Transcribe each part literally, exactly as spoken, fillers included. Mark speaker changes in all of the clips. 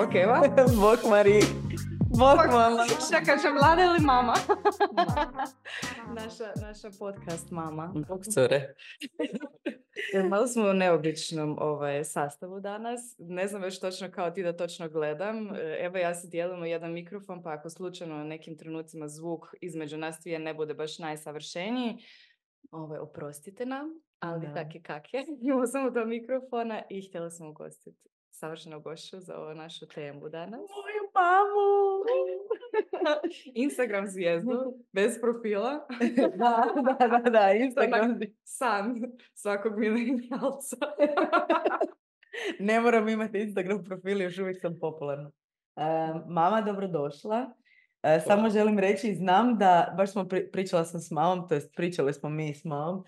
Speaker 1: Bok Eva.
Speaker 2: Bok Mari. Bok mama.
Speaker 1: Čekaj, će Vlada ili mama? naša, naša podcast mama.
Speaker 2: Bok cure.
Speaker 1: Malo smo u neobičnom ovaj, sastavu danas. Ne znam već točno kao ti da točno gledam. Evo ja se dijelimo jedan mikrofon, pa ako slučajno na nekim trenucima zvuk između nas dvije ne bude baš najsavršeniji, ovaj, oprostite nam, ali
Speaker 2: Da.
Speaker 1: tak je kak je. Imamo samo dva mikrofona i htjela sam ugostiti savršeno gošću za ovu našu temu danas.
Speaker 2: Moju mamu!
Speaker 1: Instagram zvijezdu, bez profila.
Speaker 2: da, da, da, da, Instagram.
Speaker 1: San svakog milenijalca.
Speaker 2: Ne moram imati Instagram profil, još uvijek sam popularna. Uh, mama, dobrodošla. Uh, samo želim reći, znam da, baš smo pri, pričala sam s mamom, to jest pričali smo mi s mamom, uh,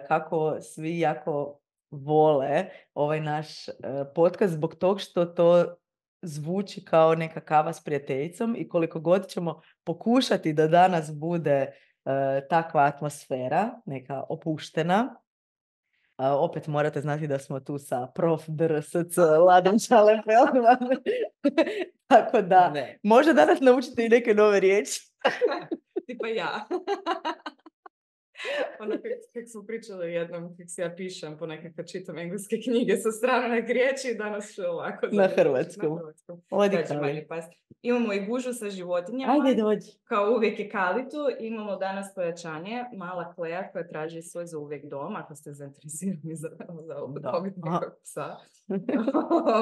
Speaker 2: kako svi jako vole ovaj naš uh, podcast zbog tog što to zvuči kao neka kava s prijateljicom i koliko god ćemo pokušati da danas bude uh, takva atmosfera, neka opuštena. Uh, opet morate znati da smo tu sa prof drsc Ladom Čalefeldman. Tako da, ne. Možda danas naučite i neke nove riječi.
Speaker 1: Tipa ja. Ono kako smo pričali jednom, kako se ja pišem po nekakve čitam engleske knjige sa stranih riječi, danas ću ovako.
Speaker 2: Na hrvatskom.
Speaker 1: Imamo i gužu sa životinjama.
Speaker 2: Ajde, dođi.
Speaker 1: Kao uvijek je Kalitu. Imamo danas pojačanje. Mala Kleja koja traži svoj za uvijek dom, ako ste zainteresirani za, za dobiti nekog psa.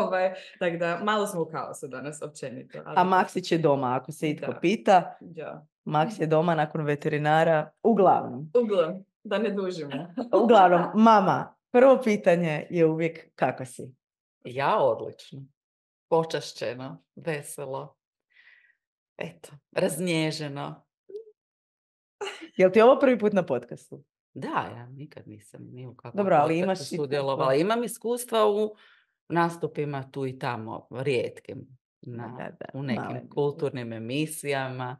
Speaker 1: ovaj, tako da, malo smo u kaosu danas, općenito. Ali...
Speaker 2: A Maksić je doma, ako se itko da. pita.
Speaker 1: Da.
Speaker 2: Max je doma nakon veterinara. Uglavnom.
Speaker 1: Uglavnom, da ne dužimo.
Speaker 2: Uglavnom, mama, prvo pitanje je uvijek kako si?
Speaker 3: Ja odlično. Počašćeno, veselo. Eto, raznježeno.
Speaker 2: Jel ti ovo prvi put na podcastu?
Speaker 3: Da, ja nikad nisam ni u kakvom
Speaker 2: Dobro, ali imaš
Speaker 3: sudjelovala. Imam iskustva u nastupima tu i tamo, rijetkim. Na, da, da, u nekim male. kulturnim emisijama.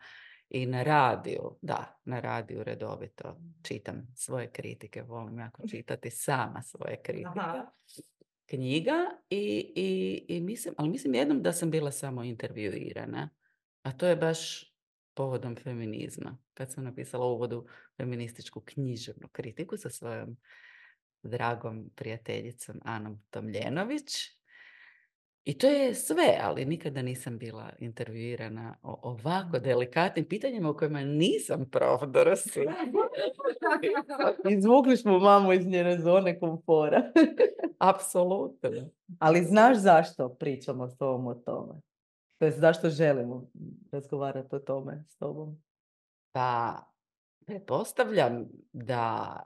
Speaker 3: I na radiju, da, na radiju redovito čitam svoje kritike, volim jako čitati sama svoje kritike. Aha. Knjiga i, i, i mislim, ali mislim jednom da sam bila samo intervjuirana, a to je baš povodom feminizma, kad sam napisala u uvodu feminističku književnu kritiku sa svojom dragom prijateljicom Anom Tomljenović. I to je sve, ali nikada nisam bila intervjuirana o ovako delikatnim pitanjima u kojima nisam prof drsc.
Speaker 2: Izvukli smo mamu iz njene zone komfora.
Speaker 3: Apsolutno.
Speaker 2: Ali znaš zašto pričamo s tobom o tome? To je zašto želimo razgovarati o tome s tobom?
Speaker 3: Pa, pretpostavljam da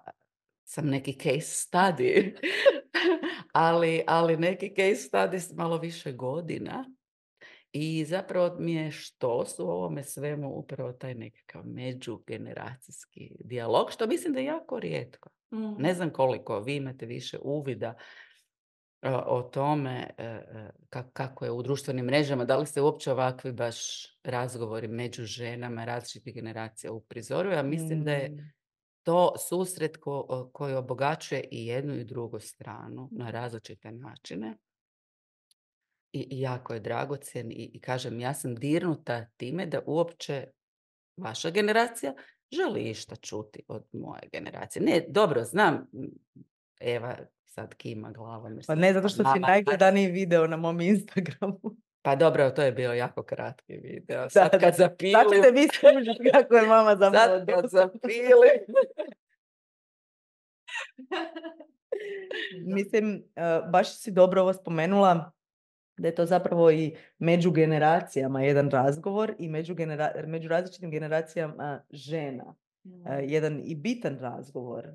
Speaker 3: sam neki case study, ali, ali neki case study s malo više godina i zapravo mi je što su u ovome svemu upravo taj nekakav međugeneracijski dijalog, što mislim da je jako rijetko. Mm. Ne znam koliko vi imate više uvida uh, o tome uh, kako je u društvenim mrežama, da li se uopće ovakvi baš razgovori među ženama različitih generacija uprizoruju, a mislim mm. da je to susret ko, koji obogaćuje i jednu i drugu stranu na različite načine. I, i jako je dragocjen i, i kažem, ja sam dirnuta time da uopće vaša generacija želi išta čuti od moje generacije. Ne, dobro, znam, Eva sad kima glavom.
Speaker 2: Pa ne, zato što si najgledaniji video na mom Instagramu.
Speaker 3: Pa dobro, to je bio jako kratki video. Sad da, kad zapilim...
Speaker 2: Sad ćete vi služiti kako je mama zapravo.
Speaker 3: Sad kad zapilim...
Speaker 2: Mislim, baš si dobro ovo spomenula da je to zapravo i među generacijama jedan razgovor i među, genera- među različitim generacijama žena. Mm. Jedan i bitan razgovor.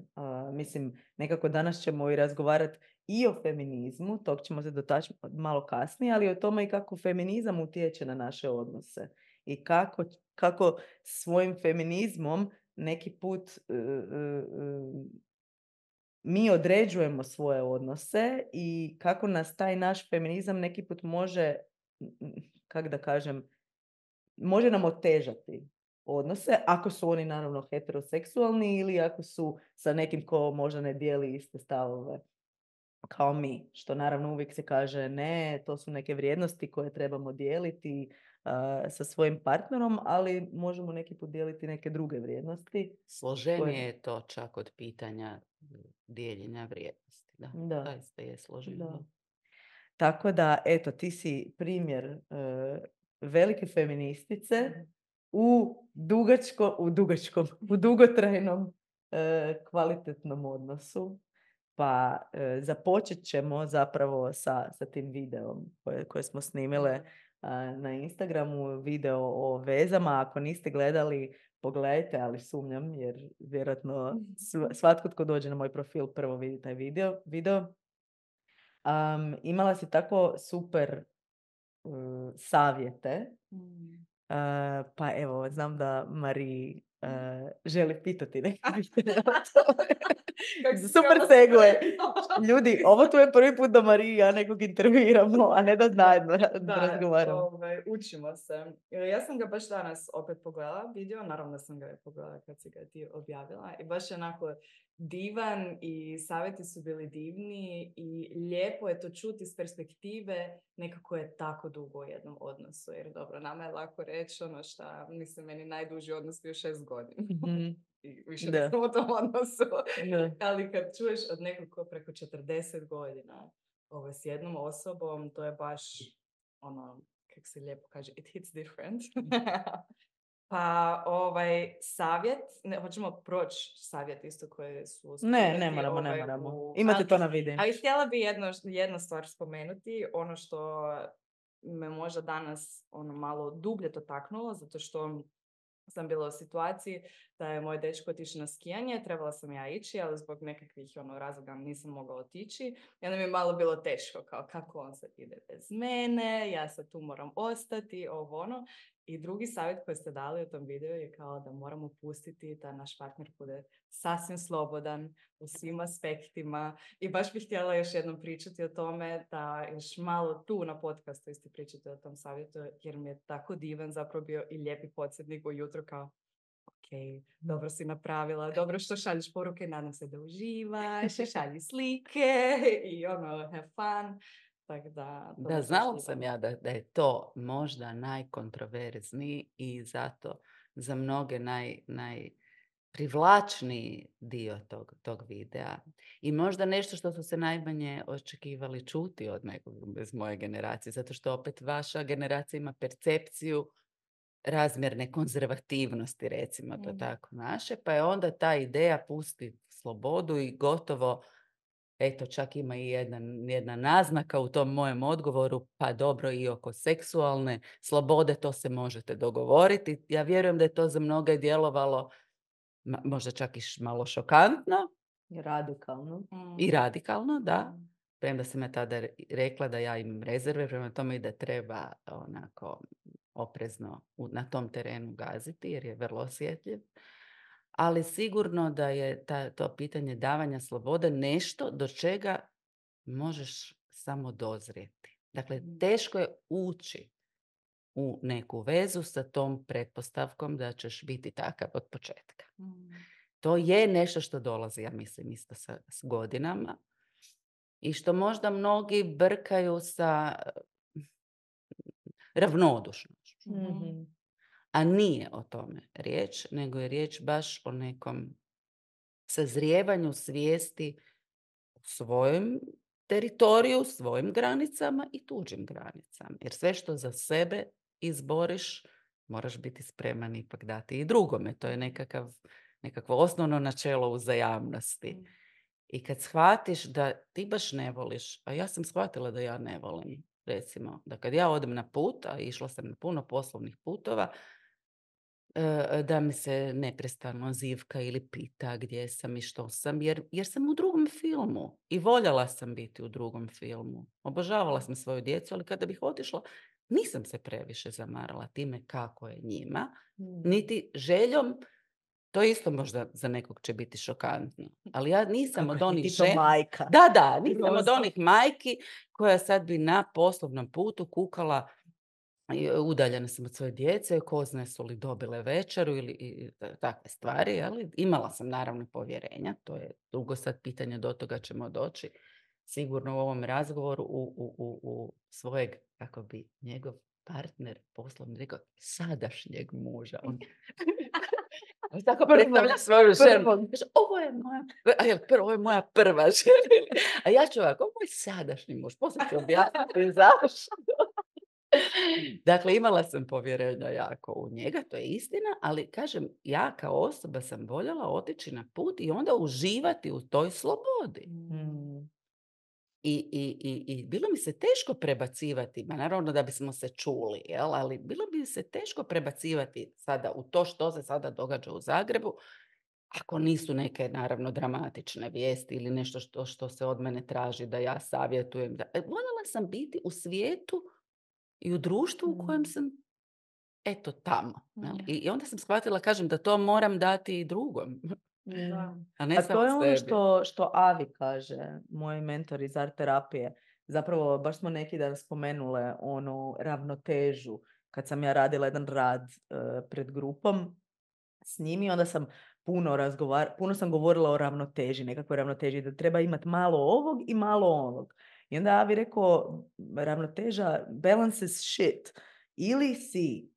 Speaker 2: Mislim, nekako danas ćemo i razgovarati i o feminizmu, tog ćemo se dotaći malo kasnije, ali o tome i kako feminizam utječe na naše odnose i kako, kako svojim feminizmom neki put uh, uh, mi određujemo svoje odnose i kako nas taj naš feminizam neki put može, kako da kažem, može nam otežati odnose, ako su oni naravno heteroseksualni ili ako su sa nekim ko možda ne dijeli iste stavove kao mi, što naravno uvijek se kaže ne, to su neke vrijednosti koje trebamo dijeliti uh, sa svojim partnerom, ali možemo neki put dijeliti neke druge vrijednosti.
Speaker 3: Složenije
Speaker 2: koje...
Speaker 3: je to čak od pitanja dijeljenja vrijednosti. Da,
Speaker 2: Da.
Speaker 3: zaista je složenije.
Speaker 2: Da. Tako da, eto, ti si primjer uh, velike feministice u dugačko, u dugačkom, u dugotrajnom uh, kvalitetnom odnosu. Pa e, započet ćemo zapravo sa, sa tim videom koje, koje smo snimile a, na Instagramu, video o vezama. Ako niste gledali, pogledajte, ali sumnjam jer vjerojatno sv- svatko tko dođe na moj profil prvo vidi taj video. video. Um, imala si tako super um, savjete.
Speaker 1: Mm.
Speaker 2: Uh, pa evo, znam da Mariji uh, želi pitati neke pitanje o tome. Super segue. Ljudi, ovo tu je prvi put da Mariji i ja nekog intervjuiramo, a ne da zajedno
Speaker 1: Da,
Speaker 2: razgovaramo.
Speaker 1: ovaj, učimo se. Ja sam ga baš danas opet pogledala video, naravno da sam ga pogledala kad si ga ti objavila i baš je onako divan i savjeti su bili divni i lijepo je to čuti iz perspektive nekako je tako dugo u jednom odnosu. Jer dobro, nama je lako reći ono šta, mislim, meni najduži odnos bio šest godina.
Speaker 2: Mm-hmm.
Speaker 1: I više da sam u tom odnosu.
Speaker 2: Da.
Speaker 1: Ali kad čuješ od nekog ko preko četrdeset godina ovo, s jednom osobom, to je baš ono, kako se lijepo kaže, it hits different. Pa ovaj savjet, ne, hoćemo proći savjet isto koje su
Speaker 2: Ne, ne moramo,
Speaker 1: ovaj,
Speaker 2: ne moramo.
Speaker 1: u,
Speaker 2: Imate
Speaker 1: ali,
Speaker 2: to na videu.
Speaker 1: Ali htjela bi jedno, jednu stvar spomenuti, ono što me možda danas ono malo dublje to taknulo, zato što sam bila u situaciji da je moj dečko otišao na skijanje, trebala sam ja ići, ali zbog nekakvih ono, razloga nisam mogla otići. I onda mi je malo bilo teško, kao kako on sad ide bez mene, ja sad tu moram ostati, ovo ono. I drugi savjet koji ste dali u tom videu je kao da moramo pustiti da naš partner bude sasvim slobodan u svim aspektima. I baš bih htjela još jednom pričati o tome da još malo tu na podcastu isti pričati o tom savjetu, jer mi je tako divan zapravo bio i lijepi podsjetnik ujutro kao ok, dobro si napravila, dobro što šalješ poruke, nadam se da uživaš, i šalji slike i ono, have fun. Tak da,
Speaker 3: da, znala sam ja da, da je to možda najkontroverzniji i zato za mnoge naj, najprivlačniji dio tog, tog videa. I možda nešto što su se najmanje očekivali čuti od nekog bez moje generacije, zato što opet vaša generacija ima percepciju razmjerne konzervativnosti, recimo to mm. tako naše, pa je onda ta ideja pusti slobodu i gotovo, eto, čak ima i jedna, jedna naznaka u tom mojem odgovoru, pa dobro, i oko seksualne slobode, to se možete dogovoriti. Ja vjerujem da je to za mnoge djelovalo možda čak i malo šokantno.
Speaker 2: I radikalno.
Speaker 3: Mm. I radikalno, da. Mm. Premda sam ja tada rekla da ja imam rezerve, prema tome i da treba onako oprezno na tom terenu gaziti, jer je vrlo osjetljiv. Ali sigurno da je ta, to pitanje davanja slobode nešto do čega možeš samo dozrijeti. Dakle, teško je ući u neku vezu sa tom pretpostavkom da ćeš biti takav od početka. Mm. To je nešto što dolazi, ja mislim, isto sa, s godinama i što možda mnogi brkaju sa ravnodušnošću. Mm-hmm. A nije o tome riječ, nego je riječ baš o nekom sazrijevanju svijesti u svojem teritoriju, svojim granicama i tuđim granicama. Jer sve što za sebe izboriš, moraš biti spreman ipak dati i drugome. To je nekakav, nekakvo osnovno načelo uzajamnosti. Mm. I kad shvatiš da ti baš ne voliš, a ja sam shvatila da ja ne volim, recimo, da kad ja odem na put, a išla sam na puno poslovnih putova, da mi se neprestano zivka ili pita gdje sam i što sam, jer, jer sam u drugom filmu i voljela sam biti u drugom filmu. Obožavala sam svoju djecu, ali kada bih otišla, nisam se previše zamarala time kako je njima, mm. niti željom. To isto možda za nekog će biti šokantno. Ali ja nisam
Speaker 2: kako
Speaker 3: od onih
Speaker 2: žena... majka.
Speaker 3: Da, da, nisam od onih majki koja sad bi na poslovnom putu kukala, udaljena sam od svoje djece, ko zna su li dobile večeru ili i, takve stvari. Ali imala sam naravno povjerenja, to je dugo sad pitanje, do toga ćemo doći sigurno u ovom razgovoru u, u, u, u svojeg, kako bi njegov partner poslovni rekao, sadašnjeg muža. On, on tako predstavlja svoju ženu. Kaže, ovo je moja, a jel, prvo, ovo je moja prva žena. A ja ću ovako, ovo je sadašnji muž. Poslije ću objasniti zašto. Dakle, imala sam povjerenja jako u njega, to je istina, ali kažem, ja kao osoba sam voljela otići na put i onda uživati u toj slobodi.
Speaker 2: Mm.
Speaker 3: I, i, i, I bilo mi se teško prebacivati, ma naravno da bismo se čuli, jel? Ali bilo bi se teško prebacivati sada u to što se sada događa u Zagrebu, ako nisu neke, naravno, dramatične vijesti ili nešto što, što se od mene traži da ja savjetujem. Da... Voljela sam biti u svijetu i u društvu u kojem sam, eto, tamo. Jel? I, I onda sam shvatila, kažem, da to moram dati i drugom.
Speaker 2: Da.
Speaker 3: A ne
Speaker 2: A
Speaker 3: samo
Speaker 2: to je ono
Speaker 3: sebi.
Speaker 2: što, što Avi kaže, moj mentor iz art terapije. Zapravo, baš smo neki dan spomenule onu ravnotežu. Kad sam ja radila jedan rad uh, pred grupom s njimi, onda sam puno razgovar, puno sam govorila o ravnoteži, nekakvoj ravnoteži, da treba imati malo ovog i malo ovog. I onda Avi rekao, ravnoteža, balance is shit. Ili si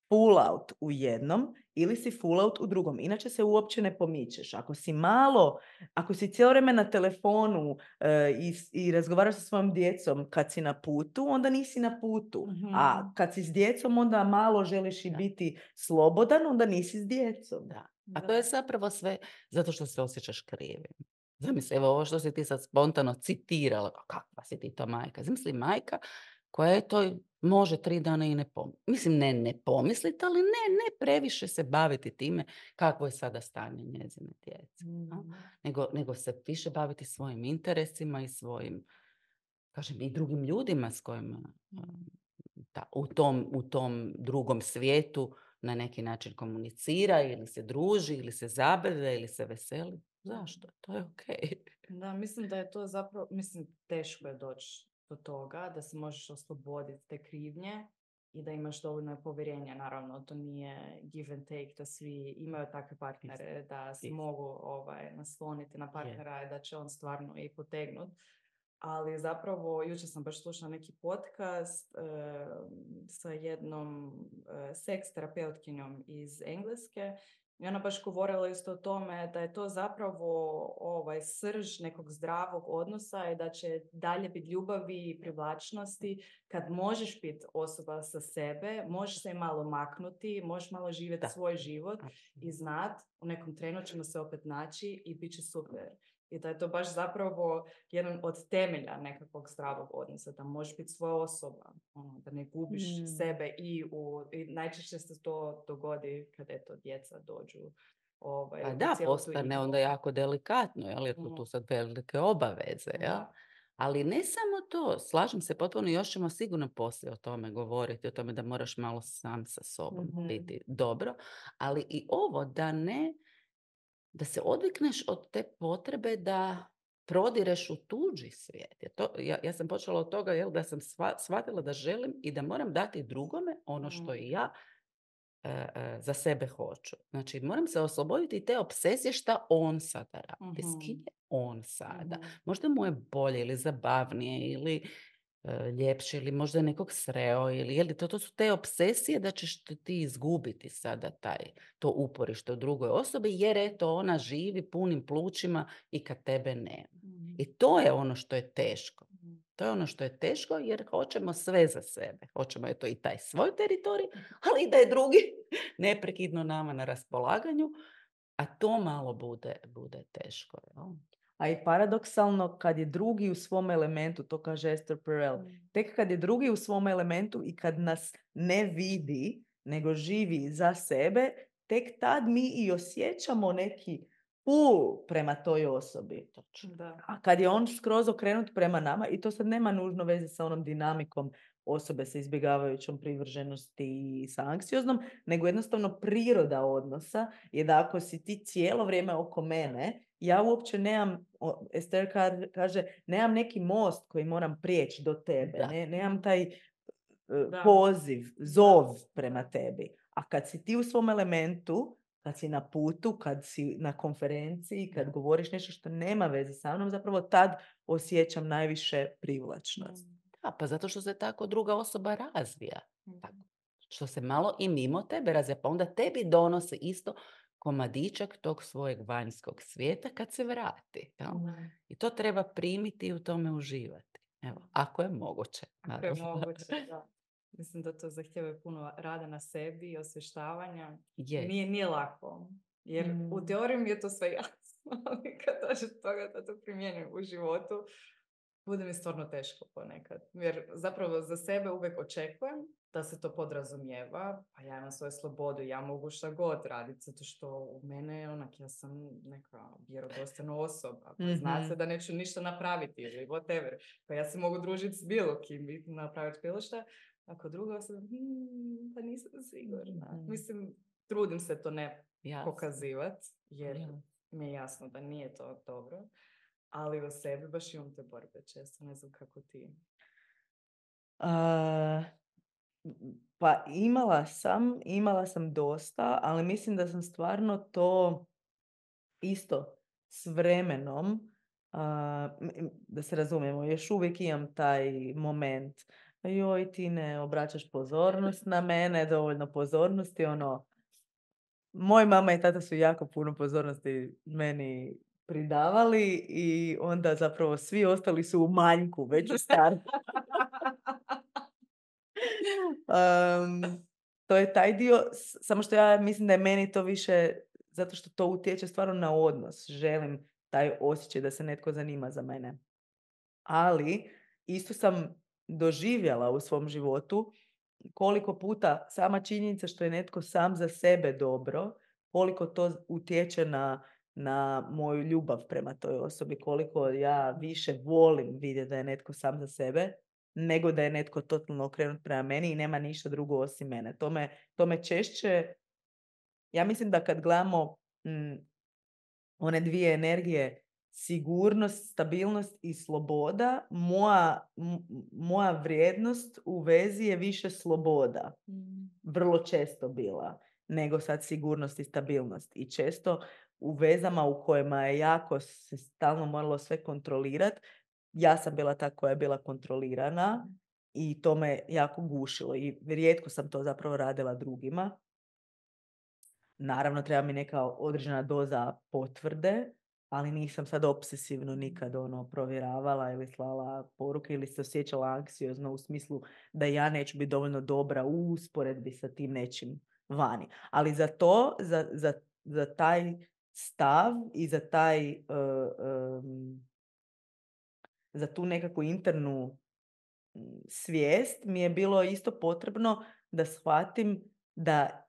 Speaker 2: full out u jednom, ili si full out u drugom. Inače se uopće ne pomičeš. Ako si malo, ako si cijelo vrijeme na telefonu e, i, i razgovaraš sa svojom djecom kad si na putu, onda nisi na putu.
Speaker 1: Mm-hmm.
Speaker 2: A kad si s djecom, onda malo želiš i
Speaker 3: da.
Speaker 2: biti slobodan, onda nisi s djecom.
Speaker 3: Da. A to je zapravo sve zato što se osjećaš krivim. Zamisli, evo ovo što si ti sad spontano citirala, kakva si ti to majka. Zamisli majka koja je to može tri dana i ne pomisliti. Mislim, ne ne pomisliti, ali ne, ne previše se baviti time kakvo je sada stanje njezine djece. Mm. Nego, nego se više baviti svojim interesima i svojim, kažem, i drugim ljudima s kojima ta, u, tom, u tom drugom svijetu na neki način komunicira ili se druži, ili se zabavlja, ili se veseli. Zašto? To je okej. Okay.
Speaker 1: Da, mislim da je to zapravo, mislim, teško je doći do toga, da se možeš osloboditi te krivnje i da imaš dovoljno povjerenja. Naravno, to nije give and take, da svi imaju takve partnere, da se mogu ovaj, nasloniti na partnera i da će on stvarno i potegnuti. Ali zapravo, jučer sam baš slušala neki podcast e, sa jednom e, seks terapeutkinjom iz Engleske i ona baš govorila isto o tome da je to zapravo ovaj, srž nekog zdravog odnosa i da će dalje biti ljubavi i privlačnosti kad možeš biti osoba sa sebe, možeš se malo maknuti, možeš malo živjeti da. svoj život i znat u nekom trenu ćemo se opet naći i bit će super. I da je to baš zapravo jedan od temelja nekakvog zdravog odnosa, da možeš biti svoja osoba, ono, da ne gubiš mm. sebe i, u, i najčešće se to dogodi kad eto djeca dođu. Ovaj,
Speaker 3: A da, postane onda jako delikatno, jer tu, tu sad velike obaveze. Mm. Ja? Ali ne samo to, slažem se potpuno, još ćemo sigurno poslije o tome govoriti, o tome da moraš malo sam sa sobom mm-hmm. biti dobro, ali i ovo da ne da se odvikneš od te potrebe da prodireš u tuđi svijet. To, ja, ja sam počela od toga jel, da sam sva, shvatila da želim i da moram dati drugome ono što i ja e, e, za sebe hoću. Znači, moram se osloboditi te obsesije šta on sada radi. Mm-hmm. S kim je on sada? Mm-hmm. Možda mu je bolje ili zabavnije ili ljepše ili možda nekog sreo ili je li to, to su te obsesije da ćeš ti izgubiti sada taj, to uporište u drugoj osobi jer eto ona živi punim plućima i kad tebe nema. Mm. I to je ono što je teško. To je ono što je teško jer hoćemo sve za sebe. Hoćemo eto i taj svoj teritorij, ali i da je drugi neprekidno nama na raspolaganju, a to malo bude, bude teško. Jel?
Speaker 2: A i paradoksalno, kad je drugi u svom elementu, to kaže Esther Perel, tek kad je drugi u svom elementu i kad nas ne vidi, nego živi za sebe, tek tad mi i osjećamo neki pull prema toj osobi.
Speaker 1: Da.
Speaker 2: A kad je on skroz okrenut prema nama, i to sad nema nužno veze sa onom dinamikom osobe sa izbjegavajućom privrženosti i sa anksioznom, nego jednostavno priroda odnosa je da ako si ti cijelo vrijeme oko mene, ja uopće nemam, Esther kaže, nemam neki most koji moram prijeći do tebe, ne, nemam taj uh, poziv, zov prema tebi. A kad si ti u svom elementu, kad si na putu, kad si na konferenciji, kad
Speaker 3: Da.
Speaker 2: govoriš nešto što nema veze sa mnom, zapravo tad osjećam najviše privlačnost.
Speaker 3: Da, pa zato što se tako druga osoba razvija.
Speaker 1: Mhm.
Speaker 3: Tako. Što se malo i mimo tebe razvija, pa onda tebi donose isto komadićak tog svojeg vanjskog svijeta kad se vrati. Jel?
Speaker 1: Mhm.
Speaker 3: I to treba primiti i u tome uživati. Evo, ako je moguće.
Speaker 1: Ako je
Speaker 3: naravno.
Speaker 1: moguće, da. Mislim da to zahtjeva puno rada na sebi i osvještavanja.
Speaker 3: Je.
Speaker 1: Nije, nije lako. Jer
Speaker 2: Mm.
Speaker 1: u teoriji mi je to sve jasno, ali kad dođe do toga da to primjenim u životu, bude mi stvarno teško ponekad. Jer zapravo za sebe uvijek očekujem da se to podrazumijeva, pa ja imam svoju slobodu, ja mogu šta god raditi, zato što u mene je onak, ja sam neka vjerodostojna osoba, pa zna
Speaker 2: Mhm.
Speaker 1: se da neću ništa napraviti ili whatever, pa ja se mogu družiti s bilo kim i napraviti bilo šta, ako druga osoba, hmm, pa nisam sigurna.
Speaker 2: Mhm.
Speaker 1: Mislim, trudim se to ne
Speaker 3: Jasno.
Speaker 1: pokazivati, jer
Speaker 3: Jasno.
Speaker 1: mi je jasno da nije to dobro, ali u sebi baš imam te borbe često, ne znam kako ti.
Speaker 2: A, pa imala sam, imala sam dosta, ali mislim da sam stvarno to isto s vremenom, a, m- m- da se razumijemo, još uvijek imam taj moment. Joj, ti ne obraćaš pozornost na mene, dovoljno pozornosti, ono, moj mama i tata su jako puno pozornosti meni pridavali i onda zapravo svi ostali su u manjku već u startu. Um, to je taj dio, s- samo što ja mislim da je meni to više, zato što to utječe stvarno na odnos. Želim taj osjećaj da se netko zanima za mene. Ali isto sam doživjela u svom životu koliko puta sama činjenica što je netko sam za sebe dobro, koliko to utječe na, na moju ljubav prema toj osobi, koliko ja više volim vidjeti da je netko sam za sebe, nego da je netko totalno okrenut prema meni i nema ništa drugo osim mene. To me, to me češće, ja mislim da kad gledamo mm, one dvije energije, sigurnost, stabilnost i sloboda, moja, m- moja vrijednost u vezi je više sloboda. Vrlo često bila nego sad sigurnost i stabilnost. I često u vezama u kojima je jako se stalno moralo sve kontrolirati, ja sam bila ta koja je bila kontrolirana i to me jako gušilo i rijetko sam to zapravo radila drugima. Naravno, treba mi neka određena doza potvrde, ali nisam sad obsesivno nikad ono provjeravala ili slala poruke ili se osjećala anksiozno u smislu da ja neću biti dovoljno dobra u usporedbi sa tim nečim vani. Ali za to, za, za, za taj stav i za taj uh, um, za tu nekakvu internu mm, svijest mi je bilo isto potrebno da shvatim da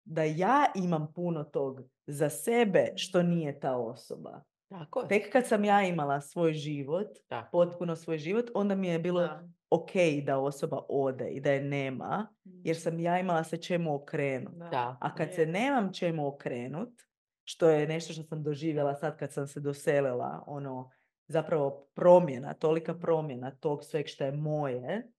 Speaker 2: da ja imam puno tog za sebe što nije ta osoba.
Speaker 3: Tako je.
Speaker 2: Tek kad sam ja imala svoj život,
Speaker 3: Tako.
Speaker 2: potpuno svoj život, onda mi je bilo
Speaker 1: Da.
Speaker 2: ok da osoba ode i da je nema, jer sam ja imala se čemu okrenut.
Speaker 1: Da.
Speaker 3: Da.
Speaker 2: A kad
Speaker 1: Je.
Speaker 2: se nemam čemu okrenut, što je nešto što sam doživjela sad kad sam se doselila, ono, zapravo promjena, tolika promjena tog sveg što je moje,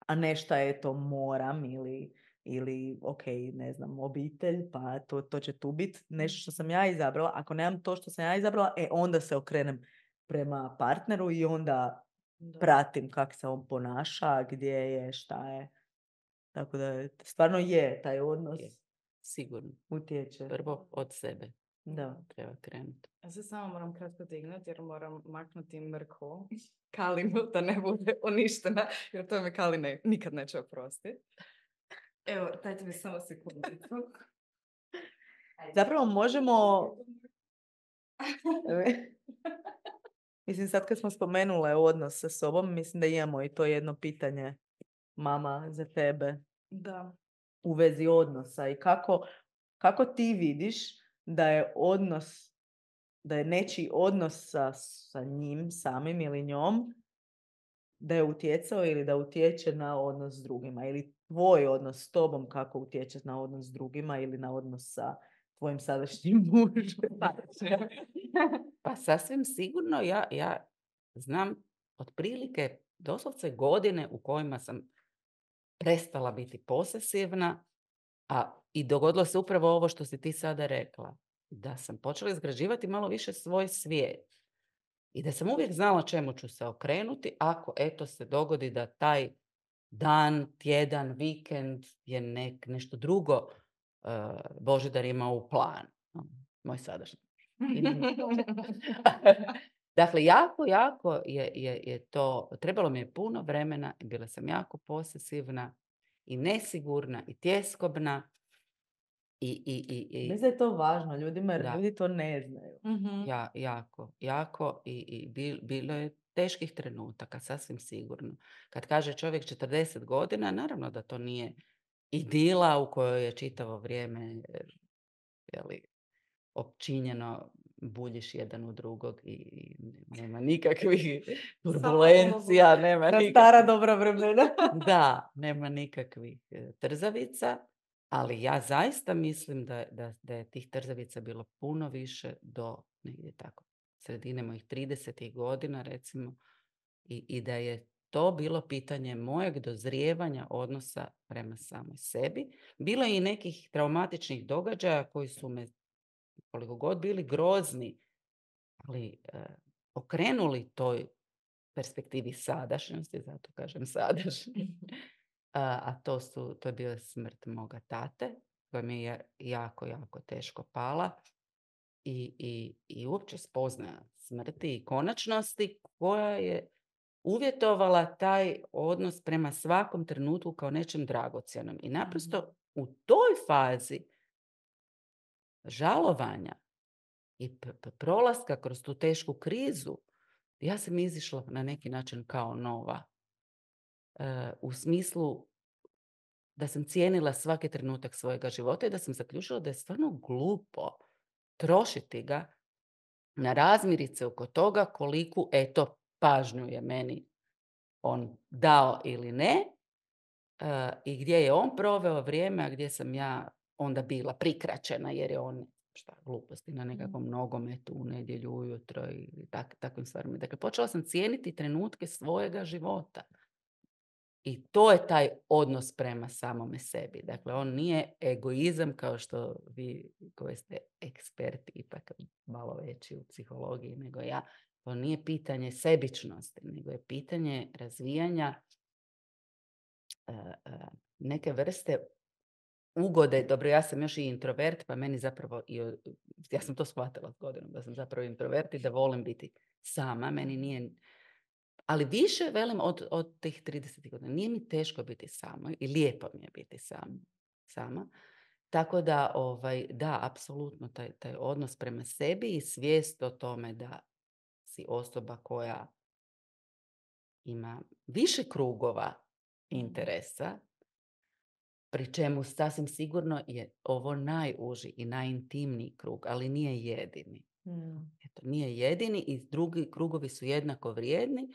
Speaker 2: a ne šta je to moram ili, ili ok, ne znam, obitelj, pa to, to će tu biti nešto što sam ja izabrala. Ako nemam to što sam ja izabrala, e onda se okrenem prema partneru i onda
Speaker 1: Da.
Speaker 2: pratim kako se on ponaša, gdje je, šta je. Tako da stvarno je taj odnos
Speaker 3: Je. Sigurno.
Speaker 2: utječe.
Speaker 3: Prvo od sebe
Speaker 2: Da.
Speaker 3: treba krenuti.
Speaker 1: Ja se samo moram kratko dignuti jer moram maknuti mrkvu Kalinu da ne bude uništena, jer to mi Kali ne, nikad neće oprostiti. Evo, dajte mi samo sekundicu.
Speaker 2: Zapravo možemo... Mislim, sad kad smo spomenule odnos sa sobom, mislim da imamo i to jedno pitanje, mama, za tebe
Speaker 1: Da.
Speaker 2: u vezi odnosa i kako, kako ti vidiš da je odnos, da je nečiji odnos sa, sa njim samim ili njom, da je utjecao ili da utječe na odnos s drugima ili tvoj odnos s tobom kako utječe na odnos s drugima ili na odnos sa tvojim sadašnjim mužem.
Speaker 3: Pa sasvim sigurno ja, ja znam otprilike doslovce godine u kojima sam prestala biti posesivna, A i dogodilo se upravo ovo što si ti sada rekla. Da sam počela izgrađivati malo više svoj svijet. I da sam uvijek znala čemu ću se okrenuti ako eto se dogodi da taj dan, tjedan, vikend je nek, nešto drugo uh, Božidar ima u planu. Moj sadašnji. Dakle, jako, jako je, je, je to, trebalo mi je puno vremena i bila sam jako posesivna i nesigurna i tjeskobna. I, i, i, i,
Speaker 2: Mislim da je to važno ljudima jer
Speaker 3: da.
Speaker 2: ljudi to ne znaju.
Speaker 1: Mhm.
Speaker 3: Ja, jako, jako i, i bil, bilo je teških trenutaka, sasvim sigurno. Kad kaže čovjek četrdeset godina, naravno da to nije idila u kojoj je čitavo vrijeme jeli, opčinjeno, buljiš jedan u drugog i, i nema nikakvih turbulencija, nema
Speaker 2: Na
Speaker 3: nikakvih...
Speaker 2: stara dobra vremena.
Speaker 3: Da, nema nikakvih e, trzavica, ali ja zaista mislim da, da, da je tih trzavica bilo puno više do negdje tako sredine mojih tridesetih godina recimo i, i da je to bilo pitanje mojeg dozrijevanja odnosa prema samoj sebi. Bilo je i nekih traumatičnih događaja koji su me koliko god bili grozni, ali e, okrenuli toj perspektivi sadašnjosti, zato kažem sadašnjosti. A, a to, su, to je bila smrt moga tate, koja mi je jako, jako teško pala. I, i, i uopće spoznaja smrti i konačnosti koja je uvjetovala taj odnos prema svakom trenutku kao nečem dragocjenom. I naprosto u toj fazi žalovanja i p- p- prolaska kroz tu tešku krizu, ja sam izišla na neki način kao nova. E, u smislu da sam cijenila svaki trenutak svojega života i da sam zaključila da je stvarno glupo trošiti ga na razmirice oko toga koliku, eto, pažnju je meni on dao ili ne e, i gdje je on proveo vrijeme, a gdje sam ja onda bila prikraćena jer je on šta, gluposti na nekakvom nogometu u nedjelju ujutro i tak, takvim stvarima. Dakle, počela sam cijeniti trenutke svojega života. I to je taj odnos prema samome sebi. Dakle, on nije egoizam kao što vi koji ste eksperti ipak malo veći u psihologiji nego ja. To nije pitanje sebičnosti, nego je pitanje razvijanja uh, uh, neke vrste ugode. Dobro, ja sam još i introvert, pa meni zapravo, i, ja sam to shvatila s godinom, da sam zapravo introvert i da volim biti sama. Meni nije... Ali više, velim, od, od tih trideset godina. Nije mi teško biti sama i lijepo mi je biti sam, sama. Tako da, ovaj, da, apsolutno, taj, taj odnos prema sebi i svijest o tome da si osoba koja ima više krugova interesa, pri čemu sasvim sigurno je ovo najuži i najintimniji krug, ali nije jedini.
Speaker 2: Mm.
Speaker 3: Eto, nije jedini i drugi krugovi su jednako vrijedni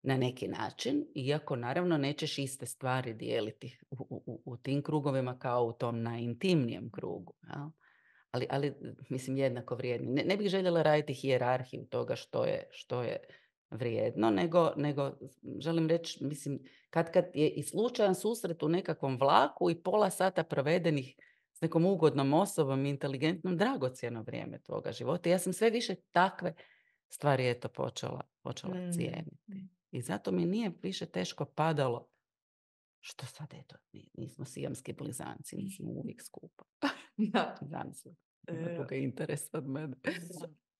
Speaker 3: na neki način, iako naravno nećeš iste stvari dijeliti u, u, u tim krugovima kao u tom najintimnijem krugu. Ja? Ali, ali, mislim, jednako vrijedni. Ne, ne bih željela raditi hijerarhiju toga što je, što je vrijedno, nego, nego želim reći, mislim, kad, kad je i slučajan susret u nekakvom vlaku i pola sata provedenih s nekom ugodnom osobom i inteligentnom, dragocjeno vrijeme tvoga života. Ja sam sve više takve stvari eto počela, počela
Speaker 2: Mm.
Speaker 3: cijeniti. I zato mi nije više teško padalo što sad, eto, nismo sijamski blizanci, nismo uvijek skupa.
Speaker 1: Da.
Speaker 3: Zamislim,
Speaker 1: E,
Speaker 3: ima druga interesa od mene.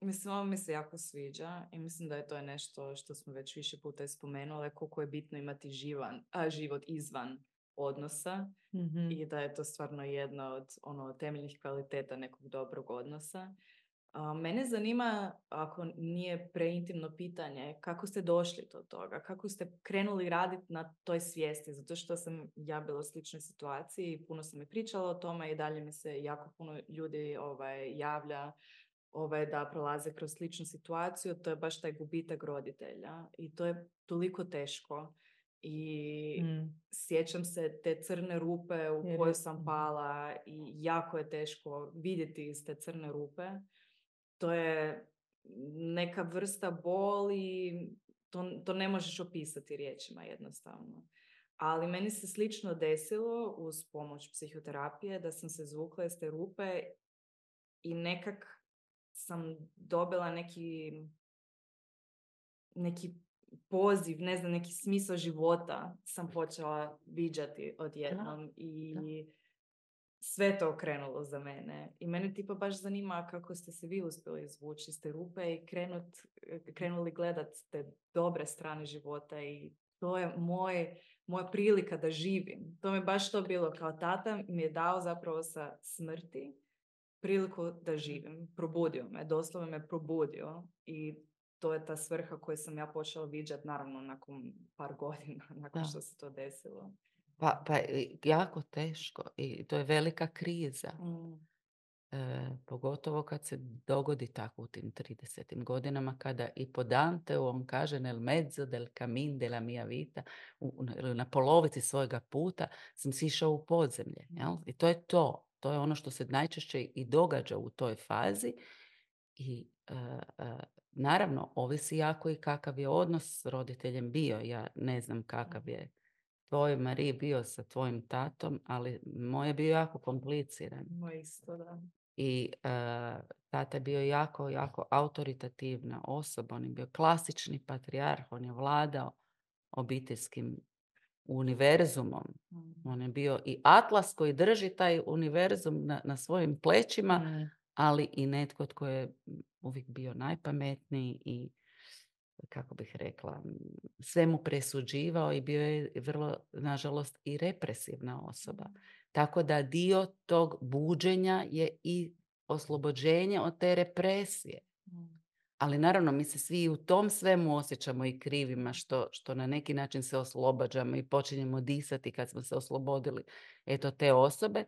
Speaker 1: Mislim, ovo mi se jako sviđa i mislim da je to nešto što smo već više puta spomenuli, koliko je bitno imati živan, a, život izvan odnosa
Speaker 2: Mm-hmm.
Speaker 1: i da je to stvarno jedna od ono, temeljnih kvaliteta nekog dobrog odnosa. A, mene zanima, ako nije preintimno pitanje, kako ste došli do toga? Kako ste krenuli raditi na toj svijesti? Zato što sam ja bila u sličnoj situaciji, puno sam mi pričala o tome i dalje mi se jako puno ljudi ovaj, javlja ovaj, da prolaze kroz sličnu situaciju. To je baš taj gubitak roditelja i to je toliko teško. I mm. sjećam se te crne rupe u Jer... koje sam pala i jako je teško vidjeti iz te crne rupe. To je neka vrsta boli, to, to ne možeš opisati riječima jednostavno. Ali meni se slično desilo uz pomoć psihoterapije da sam se zvukla iz te rupe i nekak sam dobila neki neki poziv, ne znam, neki smisao života sam počela viđati odjednom i
Speaker 3: da.
Speaker 1: sve to okrenulo za mene. I mene tipa baš zanima kako ste se vi uspjeli izvući iz te rupe i krenut, krenuli gledat te dobre strane života i to je moj, moja prilika da živim. To mi je baš to bilo, kao tata mi je dao zapravo sa smrti priliku da živim. Probudio me, doslovno me probudio i to je ta svrha koju sam ja počela viđati, naravno, nakon par godina, nakon
Speaker 3: Da.
Speaker 1: što se to desilo.
Speaker 3: Pa, pa i jako teško i to je velika kriza.
Speaker 1: Mm.
Speaker 3: E, pogotovo kad se dogodi tako u tim tridesetim godinama, kada i po Danteu on kaže nel mezzo del camin della mia vita, u, na, na polovici svojega puta sam sišao u podzemlje. Jel? I to je to. To je ono što se najčešće i događa u toj fazi. I e, e, naravno, ovisi jako i kakav je odnos s roditeljem bio. Ja ne znam kakav je tvoj Mariji bio sa tvojim tatom, ali moj je bio jako kompliciran.
Speaker 1: Moj isto, da.
Speaker 3: I uh, tata je bio jako, jako autoritativna osoba. On je bio klasični patrijarh. On je vladao obiteljskim univerzumom.
Speaker 1: Mm.
Speaker 3: On je bio i atlas koji drži taj univerzum na, na svojim plećima,
Speaker 2: Mm.
Speaker 3: ali i netko tko je uvijek bio najpametniji i, kako bih rekla, sve mu presuđivao i bio je vrlo, nažalost, i represivna osoba. Tako da dio tog buđenja je i oslobođenje od te represije.
Speaker 1: Mm.
Speaker 3: Ali naravno, mi se svi u tom svemu osjećamo i krivima što, što na neki način se oslobađamo i počinjemo disati kad smo se oslobodili eto te osobe.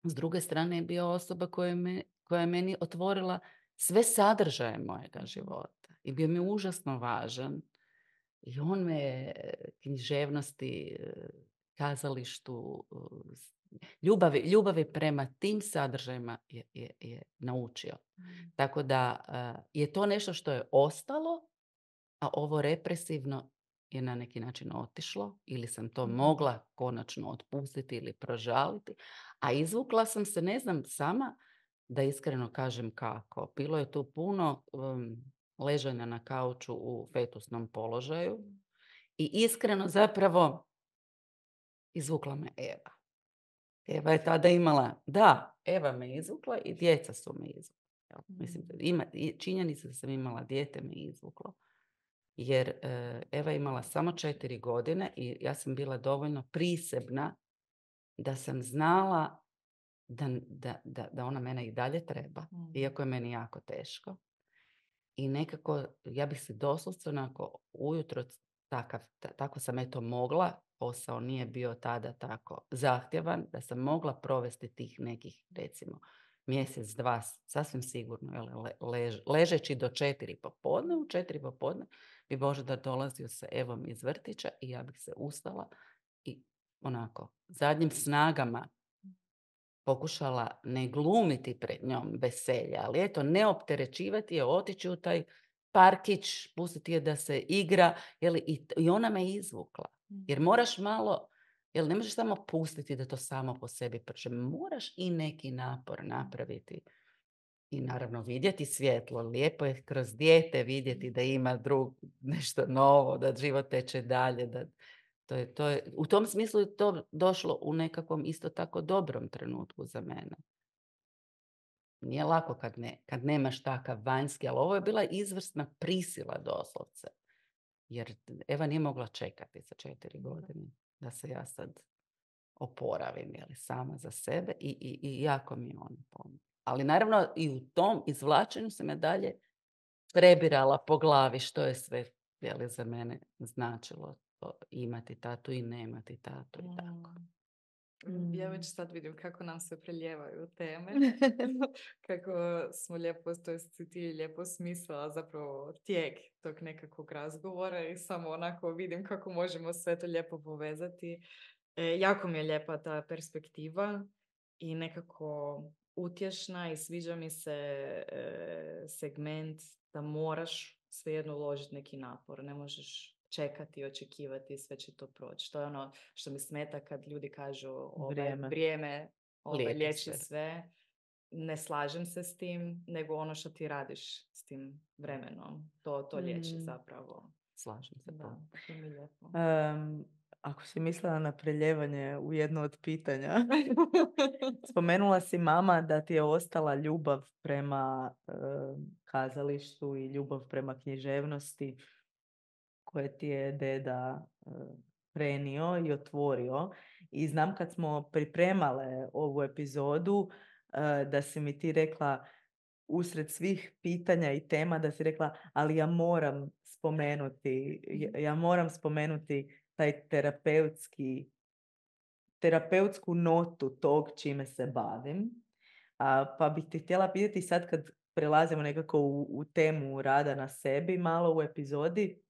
Speaker 3: S druge strane je bio osoba koja, me, koja je meni otvorila sve sadržaje mojega života. I bio mi užasno važan. I on me književnosti, kazalištu, ljubavi, ljubavi prema tim sadržajima je, je, je naučio.
Speaker 1: Mm.
Speaker 3: Tako da uh, je to nešto što je ostalo, a ovo represivno je na neki način otišlo ili sam to
Speaker 1: Mm.
Speaker 3: mogla konačno otpustiti ili prožaliti. A izvukla sam se, ne znam sama, da iskreno kažem kako. Bilo je tu puno um, ležanja na kauču u fetusnom položaju i iskreno zapravo izvukla me Eva. Eva je tada imala, da, Eva me izvukla i djeca su me izvukla. Mislim, ima, činjenica da sam imala dijete me izvuklo. Jer uh, Eva je imala samo četiri godine i ja sam bila dovoljno prisebna da sam znala da, da, da, da ona mene i dalje treba, mm. iako je meni jako teško. I nekako, ja bih se doslovce onako ujutro takav, t- tako sam eto mogla, posao nije bio tada tako zahtjevan, da sam mogla provesti tih nekih, recimo, mjesec, dva, sasvim sigurno, le, lež, ležeći do četiri popodne, u četiri popodne bi Božidar dolazio sa Evom iz vrtića i ja bih se ustala i onako, zadnjim snagama pokušala ne glumiti pred njom veselja, ali eto, ne opterećivati je, otići u taj parkić, pustiti je da se igra, jeli, i, i ona me izvukla. Jer moraš malo, jel ne možeš samo pustiti da to samo po sebi prže, moraš i neki napor napraviti. I naravno vidjeti svjetlo, lijepo je kroz dijete vidjeti da ima drug, nešto novo, da život teče dalje, da To je, to je, u tom smislu je to došlo u nekakvom isto tako dobrom trenutku za mene. Nije lako kad, ne, kad nemaš takav vanjski, ali ovo je bila izvrsna prisila doslovce. Jer Eva nije mogla čekati za četiri godine da se ja sad oporavim, jeli, sama za sebe i, i, i jako mi je on pomogla. Ali naravno i u tom izvlačenju sam ja dalje prebirala po glavi što je sve, jeli, za mene značilo imati tatu i nemati tatu i tako.
Speaker 1: Mm. Ja već sad vidim kako nam se preljevaju teme, kako smo lijepo, to jest ti lijepo smislila zapravo tijek tog nekakvog razgovora i samo onako vidim kako možemo sve to lijepo povezati. E, jako mi je lijepa ta perspektiva i nekako utješna i sviđa mi se e, segment da moraš svejedno uložiti neki napor, ne možeš čekati i očekivati, sve će to proći. To je ono što mi smeta kad ljudi kažu ovaj,
Speaker 2: Vrijeme.
Speaker 1: vrijeme ovaj,
Speaker 3: Lijepi
Speaker 1: liječi
Speaker 3: sve.
Speaker 1: sve. Ne slažem se s tim, nego ono što ti radiš s tim vremenom. To, to liječi
Speaker 2: Mm.
Speaker 1: zapravo.
Speaker 3: Slažem se.
Speaker 1: Da, to mi je lijepo.
Speaker 2: Um, ako si mislila na preljevanje u jedno od pitanja, spomenula si mama da ti je ostala ljubav prema um, kazalištu i ljubav prema književnosti koje ti je deda um, prenio i otvorio. I znam kad smo pripremale ovu epizodu uh, da si mi ti rekla usred svih pitanja i tema da si rekla, ali ja moram spomenuti, ja, ja moram spomenuti taj terapeutski, terapeutsku notu tog čime se bavim. A, pa bih te htjela pitati sad kad prelazimo nekako u, u temu rada na sebi malo u epizodi.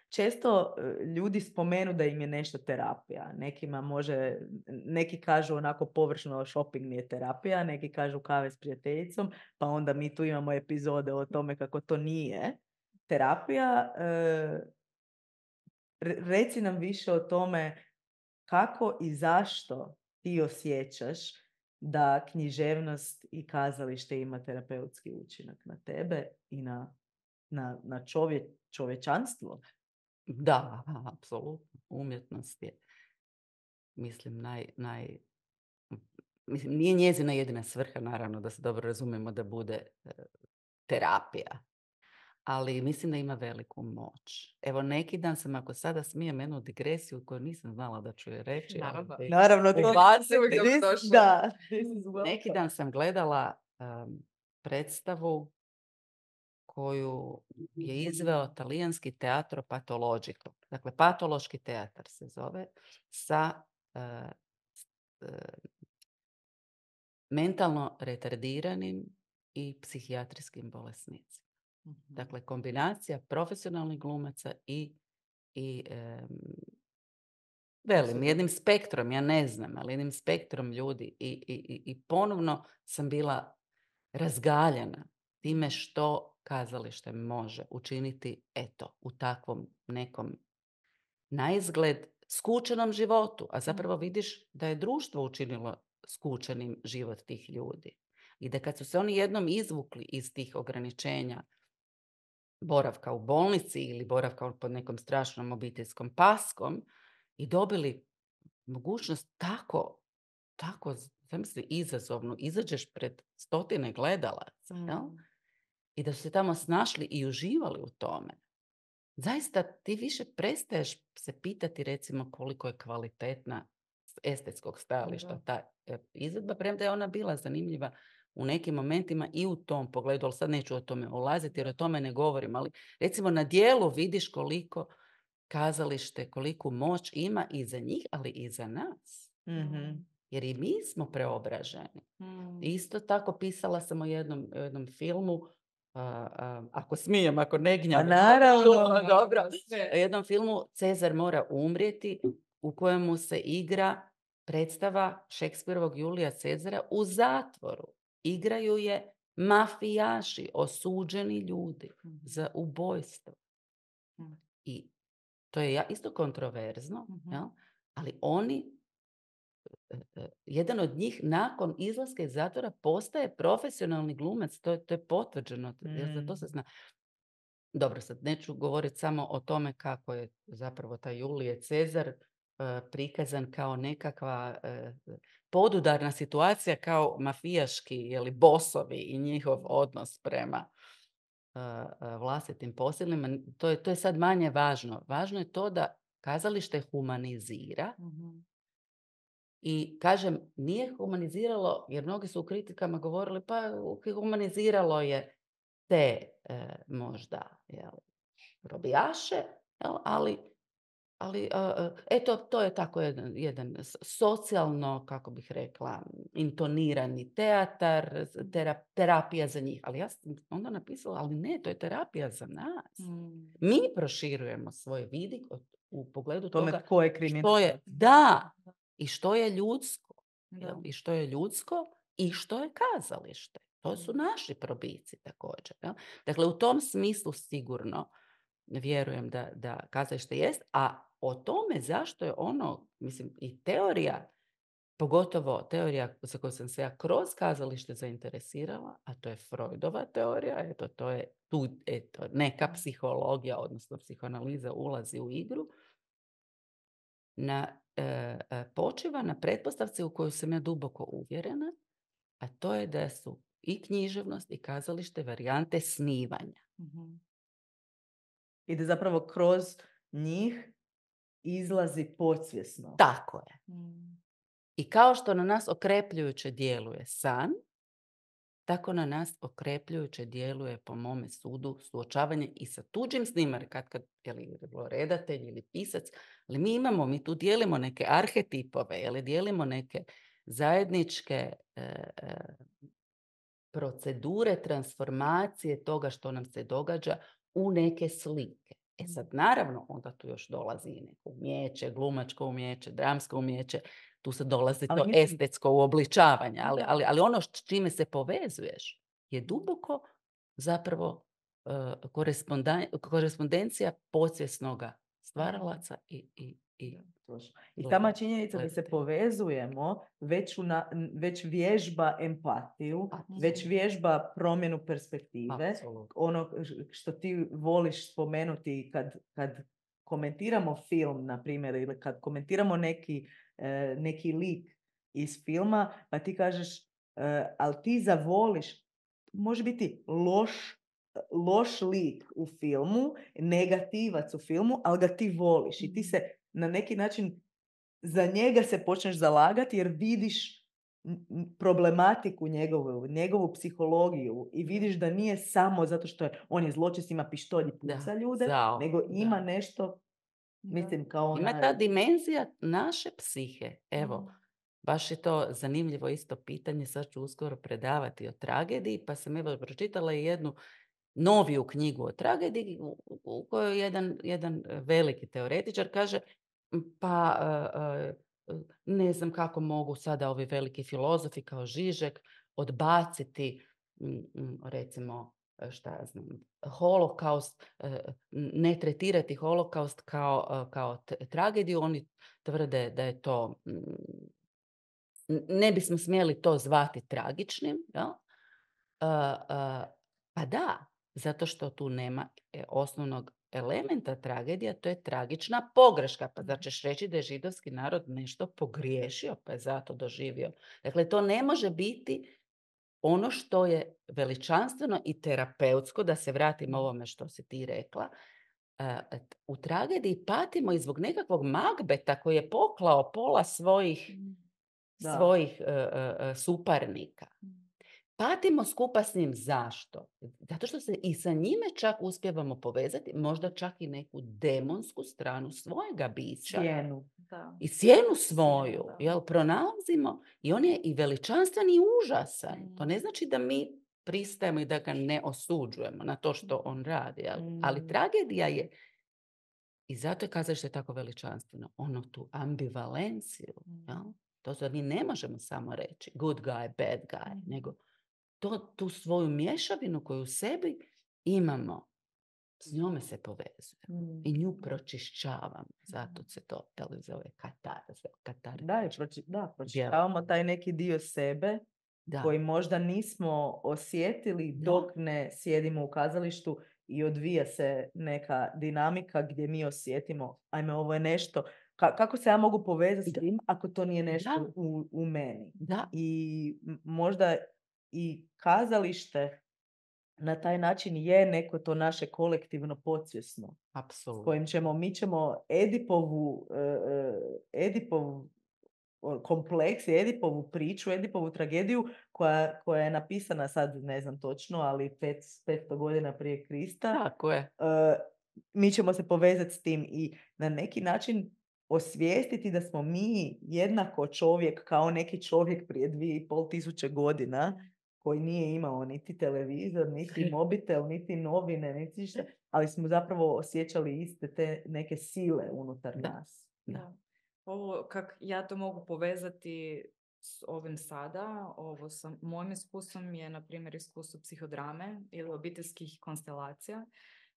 Speaker 2: Često e, ljudi spomenu da im je nešto terapija. Nekima može, neki kažu onako površno shopping mi je terapija, neki kažu kave s prijateljicom, pa onda mi tu imamo epizode o tome kako to nije terapija. E, re- reci nam više o tome kako i zašto ti osjećaš da književnost i kazalište ima terapeutski učinak na tebe i na, na, na čovje, čovječanstvo.
Speaker 3: Da, apsolutno. Umjetnost je, mislim, naj, naj... Mislim, nije njezina jedina svrha, naravno, da se dobro razumijemo da bude e, terapija. Ali mislim da ima veliku moć. Evo, neki dan sam, ako sada smijem jednu digresiju koju nisam znala da ću je reći.
Speaker 1: Naravno.
Speaker 3: ali-
Speaker 2: Naravno, to
Speaker 3: Ubaciti.
Speaker 2: This- da, this is
Speaker 3: Neki
Speaker 2: welcome.
Speaker 3: dan sam gledala um, predstavu koju je izveo talijanski teatro patologico. Dakle, patološki teatar se zove, sa uh, uh, mentalno retardiranim i psihijatrijskim bolesnicima. Dakle, kombinacija profesionalnih glumaca i, i um, velim, jednim spektrom, ja ne znam, ali jednim spektrom ljudi i, i, i- i ponovno sam bila razgaljena time što kazalište može učiniti, eto, u takvom nekom naizgled skučenom životu, a zapravo vidiš da je društvo učinilo skučenim život tih ljudi. I da kad su se oni jednom izvukli iz tih ograničenja boravka u bolnici ili boravka pod nekom strašnom obiteljskom paskom i dobili mogućnost tako, tako, zamisli, izazovnu, izađeš pred stotine gledalaca,
Speaker 1: Mm.
Speaker 3: jel? I da su se tamo snašli i uživali u tome. Zaista ti više prestaješ se pitati, recimo, koliko je kvalitetna s estetskog stajališta
Speaker 1: Da.
Speaker 3: ta e, izvedba, premda je ona bila zanimljiva u nekim momentima i u tom pogledu, ali sad neću o tome ulaziti jer o tome ne govorim, ali recimo na dijelu vidiš koliko kazalište, koliku moć ima i za njih, ali i za nas.
Speaker 2: Mhm.
Speaker 3: Jer i mi smo preobraženi.
Speaker 1: Mm.
Speaker 3: Isto tako pisala sam o jednom, o jednom filmu, a, a, ako smijem, ako ne gnjavim.
Speaker 2: A naravno.
Speaker 3: Dobro.
Speaker 1: Sve.
Speaker 3: O jednom filmu Cezar mora umrijeti, u kojemu se igra predstava Šekspirovog Julija Cezara u zatvoru. Igraju je mafijaši, osuđeni ljudi za ubojstvo.
Speaker 1: Mm.
Speaker 3: I to je ja- isto kontroverzno,
Speaker 1: Mhm.
Speaker 3: jel? Ali oni, e, e, jedan od njih nakon izlaska iz zatvora postaje profesionalni glumac, to je, to je potvrđeno, jer za to se
Speaker 2: Mm.
Speaker 3: zna. Dobro, sad neću govoriti samo o tome kako je zapravo taj Julije Cezar e, prikazan kao nekakva e, podudarna situacija, kao mafijaški, jeli, bosovi i njihov odnos prema e, e, vlastitim posilima. To je, to je sad manje važno. Važno je to da kazalište humanizira.
Speaker 1: Mhm.
Speaker 3: I kažem, nije humaniziralo, jer mnogi su u kritikama govorili, pa humaniziralo je te e, možda, jel, robijaše, jel, ali, ali a, a, eto, to je tako jedan, jedan s- socijalno, kako bih rekla, intonirani teatar, tera- terapija za njih. Ali ja sam onda napisala, ali ne, to je terapija za nas.
Speaker 1: Mm.
Speaker 3: Mi proširujemo svoj vidik od- u pogledu
Speaker 2: Tome
Speaker 3: toga
Speaker 2: tko je
Speaker 3: što
Speaker 2: kriminalac.
Speaker 3: je, da, i što je ljudsko.
Speaker 1: Da.
Speaker 3: Jel? I što je ljudsko i što je kazalište. To su naši probici također. Jel? Dakle, u tom smislu sigurno vjerujem da, da kazalište jest, a o tome zašto je ono, mislim, i teorija, pogotovo teorija za koju sam se ja kroz kazalište zainteresirala, a to je Freudova teorija, eto, to je tu, eto, neka psihologija, odnosno psihoanaliza ulazi u igru, na, e, e, počiva na pretpostavci u koju sam ja duboko uvjerena, a to je da su i književnost i kazalište varijante snivanja.
Speaker 1: Mhm.
Speaker 2: I da zapravo kroz njih izlazi podsvjesno.
Speaker 3: Tako je.
Speaker 1: Mm.
Speaker 3: I kao što na nas okrepljujuće djeluje san, tako na nas okrepljujuće djeluje, po mome sudu, suočavanje i sa tuđim snimar, kad, kad je li redatelj ili pisac, ali mi imamo, mi tu dijelimo neke arhetipove, ili dijelimo neke zajedničke e, e, procedure transformacije toga što nam se događa u neke slike. E sad, naravno, onda tu još dolazi i neko umjeće, glumačko umjeće, dramsko umjeće, tu se dolazi
Speaker 2: Ali
Speaker 3: to
Speaker 2: mislim-
Speaker 3: estetsko uobličavanje, ali,
Speaker 2: Da.
Speaker 3: ali, ali ono s čime se povezuješ je duboko zapravo uh, korespondan- korespondencija podsvjesnoga stvaralaca i, i, i
Speaker 2: I
Speaker 3: gleda-
Speaker 2: sama činjenica da se
Speaker 3: gledatelja.
Speaker 2: povezujemo već, una, već vježba empatiju,
Speaker 3: Apsolutno.
Speaker 2: već vježba promjenu perspektive.
Speaker 3: Apsolutno.
Speaker 2: Ono što ti voliš spomenuti kad, kad komentiramo film, na primjer, ili kad komentiramo neki, e, neki lik iz filma, pa ti kažeš, e, ali ti zavoliš, može biti loš, loš lik u filmu, negativac u filmu, ali ga ti voliš i ti se na neki način za njega se počneš zalagati jer vidiš n- n- problematiku njegovu, njegovu psihologiju i vidiš da nije samo zato što je, on je zločest, ima pištolj i puca
Speaker 3: Da,
Speaker 2: ljude,
Speaker 3: zao,
Speaker 2: nego ima
Speaker 3: da.
Speaker 2: nešto, mislim, kao
Speaker 3: Ima
Speaker 2: onaj...
Speaker 3: ta dimenzija naše psihe. Evo, baš je to zanimljivo isto pitanje. Sad ću uskoro predavati o tragediji, pa sam evo pročitala i jednu noviju knjigu o tragediji u, u kojoj jedan, jedan veliki teoretičar kaže pa uh, uh, ne znam kako mogu sada ovi veliki filozofi kao Žižek odbaciti mm, mm, recimo šta ja znam, holokaust, ne tretirati holokaust kao, kao t- tragediju. Oni tvrde da je to, ne bismo smjeli to zvati tragičnim. Jel? Uh, uh, pa da, zato što tu nema osnovnog elementa tragedija, to je tragična pogreška. Pa da ćeš reći da je židovski narod nešto pogriješio, pa je zato doživio. Dakle, to ne može biti ono što je veličanstveno i terapeutsko, da se vratim ovome što si ti rekla, u tragediji patimo i zbog nekakvog Magbeta koji je poklao pola svojih,
Speaker 2: Da.
Speaker 3: svojih uh, uh, suparnika. Patimo skupa s njim. Zašto? Zato što se i sa njime čak uspijevamo povezati, možda čak i neku demonsku stranu svojega bića.
Speaker 2: Sjenu.
Speaker 1: Da.
Speaker 3: I sjenu svoju,
Speaker 1: Sjenu, da.
Speaker 3: jel, pronalazimo i on je i veličanstven i užasan.
Speaker 1: Mm.
Speaker 3: To ne znači da mi pristajemo i da ga ne osuđujemo na to što on radi, jel?
Speaker 2: Mm.
Speaker 3: Ali tragedija je, i zato je kazalište tako veličanstveno, ono tu ambivalenciju,
Speaker 1: Mm.
Speaker 3: jel? To da mi ne možemo samo reći good guy, bad guy,
Speaker 1: Mm.
Speaker 3: nego to, tu svoju mješavinu koju u sebi imamo, s njome se povezujemo.
Speaker 2: Mm.
Speaker 3: I nju pročišćavamo. Zato se to jel, zove katarza. Katar.
Speaker 2: Da, i proči, da, pročitavamo taj neki dio sebe
Speaker 3: Da.
Speaker 2: koji možda nismo osjetili
Speaker 3: Da.
Speaker 2: dok ne sjedimo u kazalištu i odvija se neka dinamika gdje mi osjetimo, ajme, ovo je nešto, ka- kako se ja mogu povezati s
Speaker 3: Da.
Speaker 2: tim ako to nije nešto
Speaker 3: Da.
Speaker 2: u, u meni.
Speaker 3: Da.
Speaker 2: I m- možda i kazalište na taj način je neko to naše kolektivno podsvjesno. S
Speaker 3: Apsolutno.
Speaker 2: kojim ćemo, mi ćemo Edipovu, uh, Edipovu kompleks, Edipovu priču, Edipovu tragediju koja, koja je napisana sad, ne znam točno, ali pet, petsto godina prije Krista.
Speaker 3: Tako je.
Speaker 2: Uh, mi ćemo se povezati s tim i na neki način osvijestiti da smo mi jednako čovjek kao neki čovjek prije dvije i pol tisuće godina koji nije imao niti televizor, niti mobitel, niti novine, niti šta, ali smo zapravo osjećali iste te neke sile unutar
Speaker 3: Da.
Speaker 2: nas.
Speaker 3: Da.
Speaker 1: Ovo, kak ja to mogu povezati s ovim sada, ovo sa mojim iskustvom je, na primjer, iskustvo psihodrame ili obiteljskih konstelacija,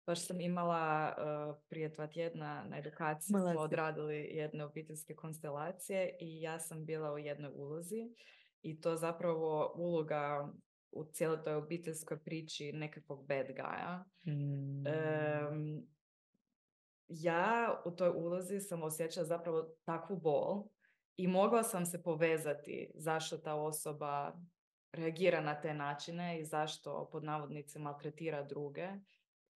Speaker 1: Baš sam imala uh, prije dva tjedna na edukaciji
Speaker 2: Imala
Speaker 1: smo
Speaker 2: si.
Speaker 1: odradili jedne obiteljske konstelacije i ja sam bila u jednoj ulozi i to zapravo uloga u cijeloj toj obiteljskoj priči nekakvog bad guya.
Speaker 2: Mm.
Speaker 1: Um, ja u toj ulozi sam osjećala zapravo takvu bol i mogla sam se povezati zašto ta osoba reagira na te načine i zašto pod navodnicima maltretira druge,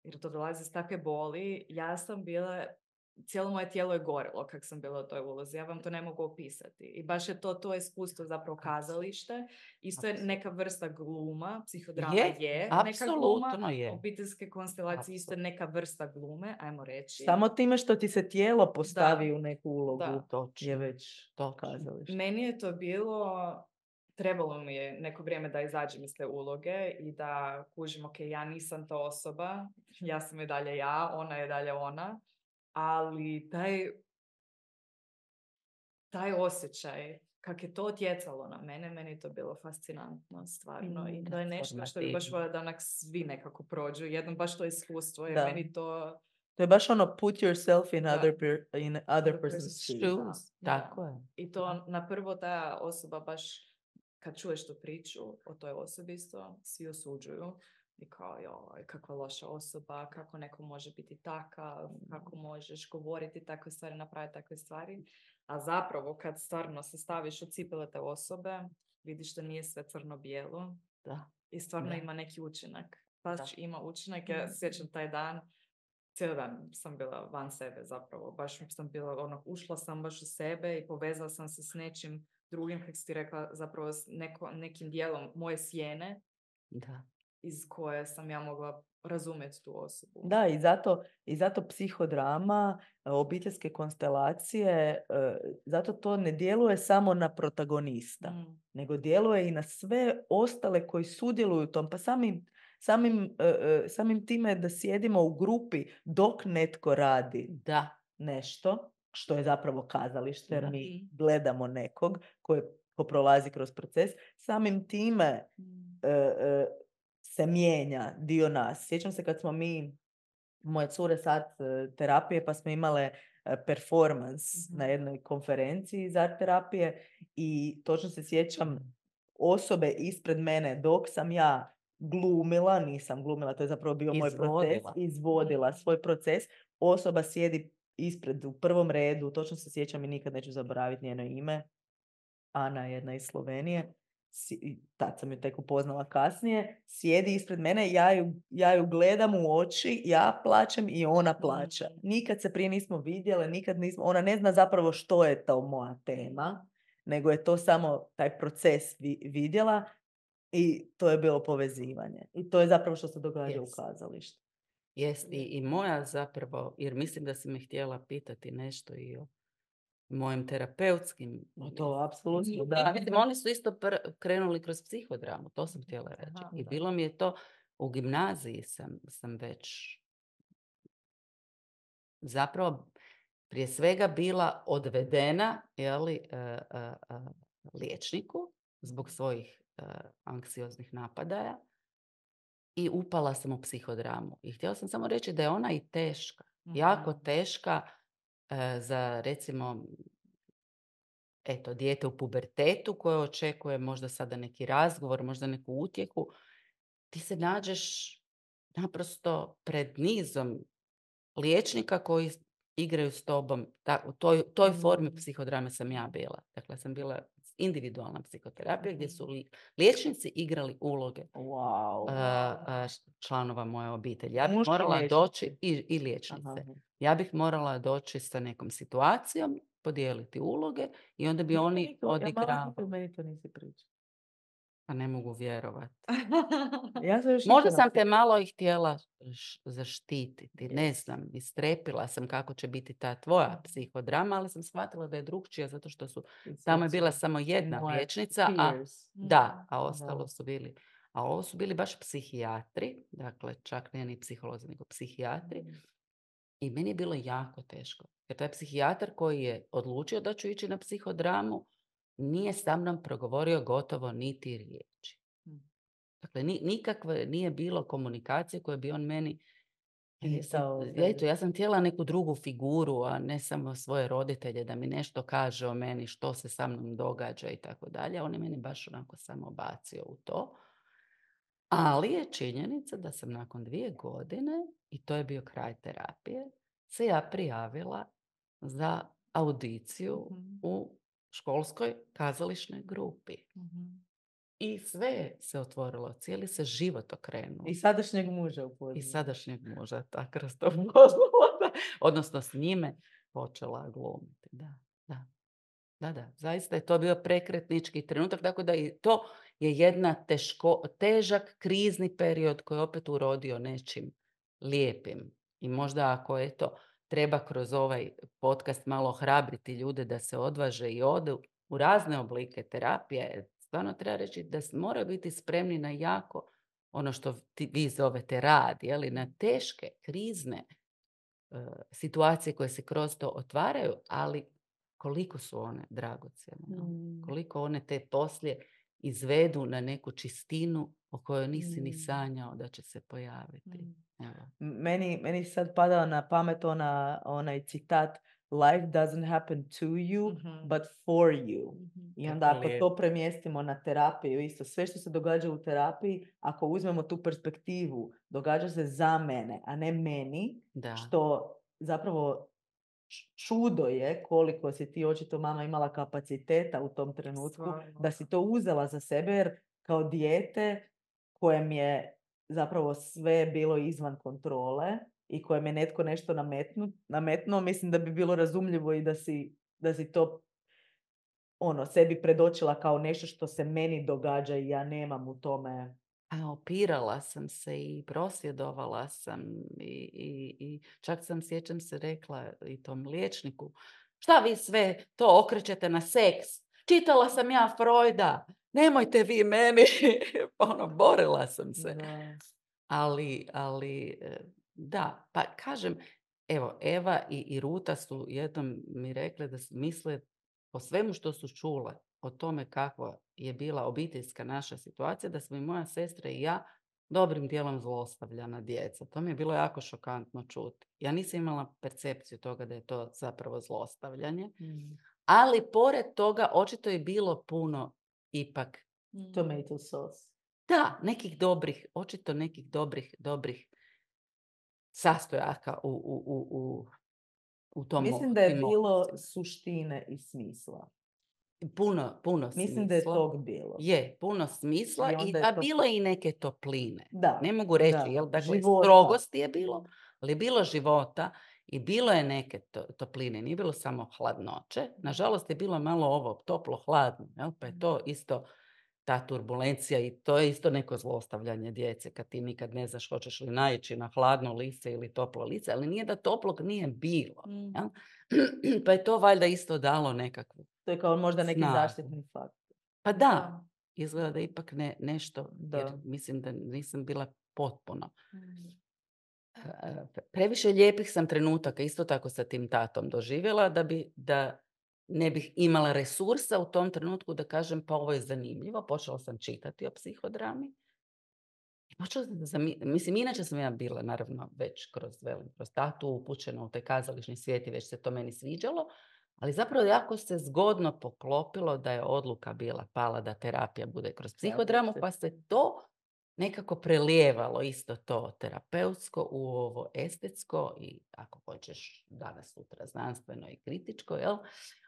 Speaker 1: jer to dolazi iz takve boli. Ja sam bila, cijelo moje tijelo je gorilo kak sam bila u toj ulozi, ja vam to ne mogu opisati. I baš je to to iskustvo zapravo kazalište, isto je neka vrsta gluma, psihodrama je, je neka gluma,
Speaker 3: je.
Speaker 1: obiteljske konstelacije isto je neka vrsta glume, ajmo reći.
Speaker 2: Samo time što ti se tijelo postavi
Speaker 1: Da.
Speaker 2: u neku ulogu
Speaker 1: Da.
Speaker 2: je već
Speaker 3: Točno.
Speaker 2: kazalište.
Speaker 1: Meni je to bilo, trebalo mi je neko vrijeme da izađem iz te uloge i da kužim, ok, ja nisam ta osoba, ja sam i dalje ja, ona je dalje ona, ali taj, taj osjećaj, kak je to utjecalo na mene, meni je to bilo fascinantno, stvarno. I to je nešto što bi baš voljela da onak svi nekako prođu, jednom baš to iskustvo, jer
Speaker 2: Da.
Speaker 1: meni to...
Speaker 2: To je baš ono put yourself in
Speaker 1: Da.
Speaker 2: other, per, in other
Speaker 1: Other
Speaker 2: person's
Speaker 1: person's
Speaker 2: shoes.
Speaker 1: Da,
Speaker 3: Tako
Speaker 1: da.
Speaker 3: je.
Speaker 1: I to na prvo ta osoba baš, kad čuješ tu priču o toj osobi isto, svi osuđuju. I kao, joj, kakva loša osoba, kako neko može biti takav, kako možeš govoriti takve stvari, napraviti takve stvari. A zapravo, kad stvarno se staviš u cipele te osobe, vidiš da nije sve crno-bijelo.
Speaker 3: Da.
Speaker 1: I stvarno
Speaker 3: Da.
Speaker 1: ima neki učinak. Baš
Speaker 3: Da.
Speaker 1: ima učinak. Ja sjećam taj dan, cijeli dan sam bila van sebe zapravo. Baš sam bila, ono, ušla sam baš u sebe i povezala sam se s nečim drugim, kako si ti rekla, zapravo s neko, nekim dijelom moje sjene.
Speaker 3: Da.
Speaker 1: Iz koje sam ja mogla razumjeti tu osobu.
Speaker 2: Da, i zato, i zato psihodrama, obiteljske konstelacije, zato to ne djeluje samo na protagonista, mm. nego djeluje i na sve ostale koji sudjeluju u tom. Pa samim, samim, samim time da sjedimo u grupi dok netko radi
Speaker 3: da.
Speaker 2: nešto, što je zapravo kazalište, jer mi gledamo nekog koji ko prolazi kroz proces, samim time mm. se mijenja dio nas. Sjećam se kad smo mi, moje cure sad terapije, pa smo imale performance mm-hmm. na jednoj konferenciji iz art terapije i točno se sjećam osobe ispred mene dok sam ja glumila, nisam glumila, to je zapravo bio
Speaker 3: izvodila.
Speaker 2: moj proces, izvodila svoj proces, osoba sjedi ispred u prvom redu, točno se sjećam i nikad neću zaboraviti njeno ime, Ana, jedna iz Slovenije, tad sam ju tek upoznala kasnije, sjedi ispred mene, ja ju, ja ju gledam u oči, ja plačem i ona plaća. Nikad se prije nismo vidjele, nikad nismo, ona ne zna zapravo što je to moja tema, nego je to samo taj proces vi, vidjela i to je bilo povezivanje. I to je zapravo što se događa yes. u kazalištu.
Speaker 3: Jest, i, i moja zapravo, jer mislim da si me htjela pitati nešto i o mojim terapeutskim.
Speaker 2: No to apsolutno, da.
Speaker 3: Mislim, oni su isto pr- krenuli kroz psihodramu, to sam htjela reći. Aha, I bilo mi je to, u gimnaziji sam, sam već zapravo prije svega bila odvedena, jeli, uh, uh, uh, liječniku zbog svojih uh, anksioznih napadaja i upala sam u psihodramu. I htjela sam samo reći da je ona i teška, mm-hmm. jako teška uh, za recimo eto, dijete u pubertetu koje očekuje možda sada neki razgovor, možda neku utjehu, ti se nađeš naprosto pred nizom liječnika koji igraju s tobom. Ta, u toj, toj formi psihodrame sam ja bila. Dakle, sam bila individualna psihoterapija gdje su li, liječnici igrali uloge
Speaker 2: wow.
Speaker 3: uh, uh, članova moje obitelji. Ja bih Muški morala liječnici. doći, i, i liječnice, Aha. ja bih morala doći sa nekom situacijom, podijeliti uloge i onda bi oni odigrali.
Speaker 2: Ja meni to nisi pričao.
Speaker 3: Pa ne mogu vjerovati.
Speaker 2: Ja sam
Speaker 3: Možda sam te malo i htjela zaštititi. Ne znam, istrepila sam kako će biti ta tvoja psihodrama, ali sam shvatila da je drugčija zato što su tamo je bila samo jedna liječnica, a, da, a ostalo su bili. A ovo su bili baš psihijatri, dakle čak ne ni psiholozi, nego psihijatri. I meni je bilo jako teško. Jer taj psihijatar koji je odlučio da ću ići na psihodramu, nije sa mnom progovorio gotovo niti riječi. Dakle, ni, nikakve nije bilo komunikacije koje bi on meni E, sad,
Speaker 2: Kao,
Speaker 3: eto, ja sam htjela neku drugu figuru, a ne samo svoje roditelje, da mi nešto kaže o meni, što se sa mnom događa i tako dalje. On je meni baš onako samo bacio u to. Ali je činjenica da sam nakon dvije godine, i to je bio kraj terapije, se ja prijavila za audiciju
Speaker 1: Mhm.
Speaker 3: u školskoj kazališnoj grupi.
Speaker 1: Mhm.
Speaker 3: I sve se otvorilo, cijeli se život okrenuo.
Speaker 2: I sadašnjeg muža upoznala.
Speaker 3: I sadašnjeg muža, tako kroz to upoznala, da. Odnosno s njime počela glumiti. Da, da. Da, da, zaista je to bio prekretnički trenutak, tako da i to je jedna teško, težak krizni period koji je opet urodio nečim lijepim. I možda ako je to treba kroz ovaj podcast malo hrabriti ljude da se odvaže i odu u razne oblike terapije, stvarno treba reći da moraju biti spremni na jako ono što ti, vi zovete rad, jeli, na teške, krizne uh, situacije koje se kroz to otvaraju, ali koliko su one dragocjene, no?
Speaker 2: Mm.
Speaker 3: Koliko one te poslije izvedu na neku čistinu o kojoj nisi
Speaker 2: Mm.
Speaker 3: ni sanjao da će se pojaviti.
Speaker 1: Mm.
Speaker 3: Evo.
Speaker 2: Meni, meni sad pada na pamet ona, onaj citat Life doesn't happen to you,
Speaker 1: Mhm.
Speaker 2: but for you.
Speaker 1: Mhm.
Speaker 2: I
Speaker 3: Kako
Speaker 2: onda ako
Speaker 3: lijepo.
Speaker 2: to premjestimo na terapiju, isto sve što se događa u terapiji, ako uzmemo tu perspektivu, događa se za mene, a ne meni,
Speaker 3: Da.
Speaker 2: što zapravo č- čudo je koliko si ti očito mama imala kapaciteta u tom trenutku
Speaker 1: Stvarno.
Speaker 2: da si to uzela za sebe, jer kao dijete kojem je zapravo sve bilo izvan kontrole i kojem je netko nešto nametnu, nametnuo, mislim da bi bilo razumljivo i da si, da si to ono, sebi predočila kao nešto što se meni događa i ja nemam u tome.
Speaker 3: A opirala sam se i prosvjedovala sam i, i, i čak sam, sjećam se, rekla i tom liječniku, šta vi sve to okrećete na seks? Čitala sam ja Freuda, nemojte vi meni. Ono, borila sam se.
Speaker 2: Da.
Speaker 3: Ali, ali e, da, pa kažem, evo, Eva i, i Ruta su jednom mi rekle da su misle po svemu što su čule o tome kakva je bila obiteljska naša situacija, da smo i moja sestra i ja dobrim dijelom zlostavljana djeca. To mi je bilo jako šokantno čuti. Ja nisam imala percepciju toga da je to zapravo zlostavljanje,
Speaker 2: Mm.
Speaker 3: ali pored toga očito je bilo puno ipak
Speaker 1: Mm.
Speaker 2: Tomato sauce.
Speaker 3: da, nekih dobrih, očito nekih dobrih, dobrih sastojaka u, u, u, u, u tom
Speaker 2: Mislim da je
Speaker 3: tim
Speaker 2: bilo
Speaker 3: odnosima.
Speaker 2: suštine i smisla.
Speaker 3: Puno, puno
Speaker 2: Mislim da je
Speaker 3: smisla.
Speaker 2: tog bilo.
Speaker 3: Je, puno smisla,
Speaker 2: I
Speaker 3: i,
Speaker 2: onda je
Speaker 3: a
Speaker 2: to-
Speaker 3: bilo je i neke topline.
Speaker 2: Da,
Speaker 3: Ne mogu reći,
Speaker 2: da,
Speaker 3: jel? Dakle,
Speaker 2: života.
Speaker 3: strogosti je bilo, ali je bilo života i bilo je neke to, topline, nije bilo samo hladnoće. Nažalost je bilo malo ovo toplo-hladno, jel? Pa je to isto ta turbulencija i to je isto neko zlostavljanje djece, kad ti nikad ne znaš hoćeš li naići na hladno lice ili toplo lice, ali nije da toplog nije bilo.
Speaker 1: Mm.
Speaker 3: Jel? Pa je to valjda isto dalo nekakvu.
Speaker 2: To je kao možda neki
Speaker 3: Snagu.
Speaker 2: zaštitni faktor.
Speaker 3: Pa da,
Speaker 1: Da.
Speaker 3: izgleda da ipak ne, nešto,
Speaker 2: Da.
Speaker 3: jer mislim da nisam bila potpuno.
Speaker 1: Mm.
Speaker 3: E, Previše lijepih sam trenutaka isto tako sa tim tatom doživjela da bi, da ne bih imala resursa u tom trenutku da kažem pa ovo je zanimljivo. Počela sam čitati o psihodrami. I počela sam, zami- mislim, inače sam ja bila naravno već kroz, velim, kroz tatu upućena u taj kazališni svijet i već se to meni sviđalo. Ali zapravo jako se zgodno poklopilo da je odluka bila pala da terapija bude kroz psihodramu, pa se to nekako prelijevalo isto to terapeutsko u ovo estetsko i ako hoćeš danas sutra znanstveno i kritičko, jel?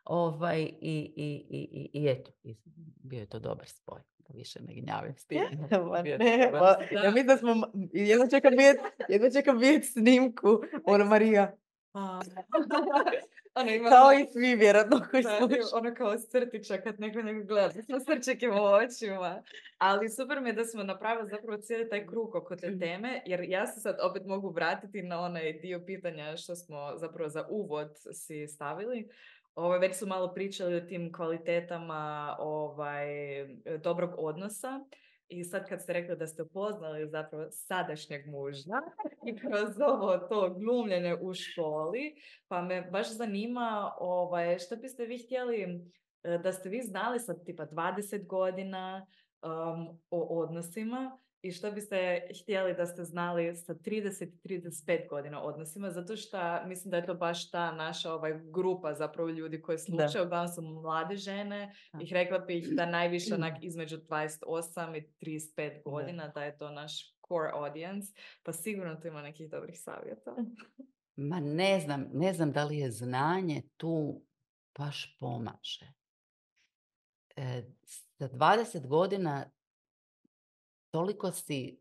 Speaker 3: Ovaj, i, i, i, i, i eto, i bio je to dobar spoj, da više ne gnjavim s tim.
Speaker 2: Ma
Speaker 3: Bio je
Speaker 2: ne,
Speaker 3: dobar
Speaker 2: pa,
Speaker 3: spoj.
Speaker 2: ja mislim da smo, jedno čekam vidjeti, jedno čekam vidjeti snimku, ono Marija,
Speaker 1: A. Ono ima
Speaker 2: kao
Speaker 1: ono-
Speaker 2: i svi vjerojatno koji
Speaker 1: Da,
Speaker 2: slušaju.
Speaker 1: ono kao crtića kad neko nego gleda, smo srčeke u očima. Ali super mi je da smo napravili zapravo cijeli taj krug oko te teme, jer ja se sad opet mogu vratiti na onaj dio pitanja što smo zapravo za uvod si stavili. Ovaj, već su malo pričali o tim kvalitetama ovaj, dobrog odnosa. I sad kad ste rekli da ste upoznali zapravo sadašnjeg muža i kroz ovo to glumljenje u školi, pa me baš zanima ovaj, što biste vi htjeli e, da ste vi znali sad tipa dvadeset godina um, o odnosima i što biste htjeli da ste znali sa trideset i trideset pet godina odnosima, zato što mislim da je to baš ta naša ovaj, grupa zapravo ljudi koji slušaju, uglavnom su mlade žene,
Speaker 3: Da.
Speaker 1: i rekla bih da najviše onak između dvadeset osam i trideset pet godina,
Speaker 2: Da.
Speaker 1: da je to naš core audience, pa sigurno tu ima nekih dobrih savjeta.
Speaker 3: Ma ne znam, ne znam da li je znanje tu baš pomaže. E, za dvadeset godina toliko si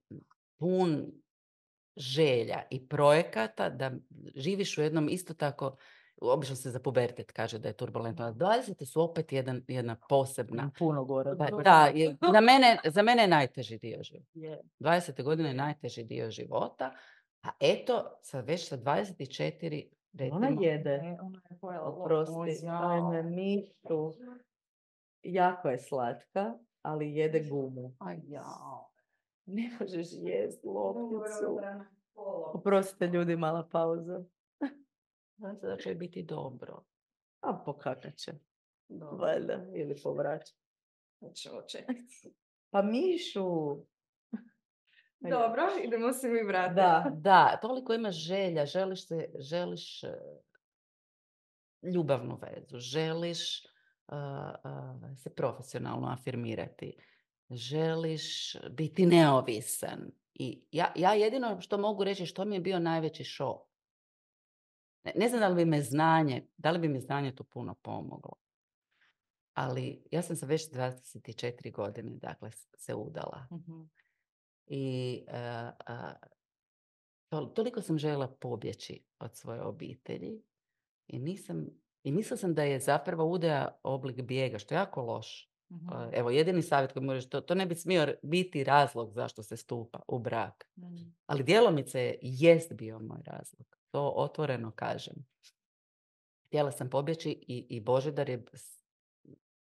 Speaker 3: pun želja i projekata da živiš u jednom isto tako, obično se za pubertet kaže da je turbulentno, a dvadesete su opet jedan, jedna posebna.
Speaker 2: Puno gore.
Speaker 3: Da, da, je, za, mene, za mene je najteži dio života.
Speaker 1: Je.
Speaker 3: dvadesete godine je najteži dio života, a eto, sad već sa dvadeset četiri, recimo,
Speaker 2: Ona jede.
Speaker 1: E, ona je pojela
Speaker 2: Oprosti.
Speaker 1: loptu.
Speaker 2: Ajme, Mišu. Jako je slatka, ali jede gumu.
Speaker 3: aj jao.
Speaker 2: Ne možeš jest lopticu. Oprostite ljudi, mala pauza.
Speaker 3: Znam se da će biti dobro.
Speaker 2: A pokakat će.
Speaker 1: Dobro.
Speaker 2: Valjda. Ili povraća.
Speaker 1: Hoćemo čekati.
Speaker 2: Pa Mišu.
Speaker 1: Dobro, idemo se mi vratiti.
Speaker 2: Da.
Speaker 3: Da, toliko imaš želja, želiš, se, želiš uh, ljubavnu vezu, želiš uh, uh, se profesionalno afirmirati, želiš biti neovisan. I ja, ja jedino što mogu reći što mi je bio najveći šok. Ne, ne znam da li bi me znanje, da li bi mi znanje tu puno pomoglo. Ali ja sam se već dvadeset četiri godine, dakle, se udala.
Speaker 1: Mhm.
Speaker 3: I uh, uh, to, toliko sam željela pobjeći od svoje obitelji i nisam, i mislila sam da je zapravo udaja oblik bijega, što je jako loš.
Speaker 1: Mhm.
Speaker 3: Uh, evo, jedini savjet koji možeš, to, to ne bi smio biti razlog zašto se stupa u brak.
Speaker 1: Mhm.
Speaker 3: Ali djelomice jest bio moj razlog. To otvoreno kažem. Htjela sam pobjeći i, i Božidar je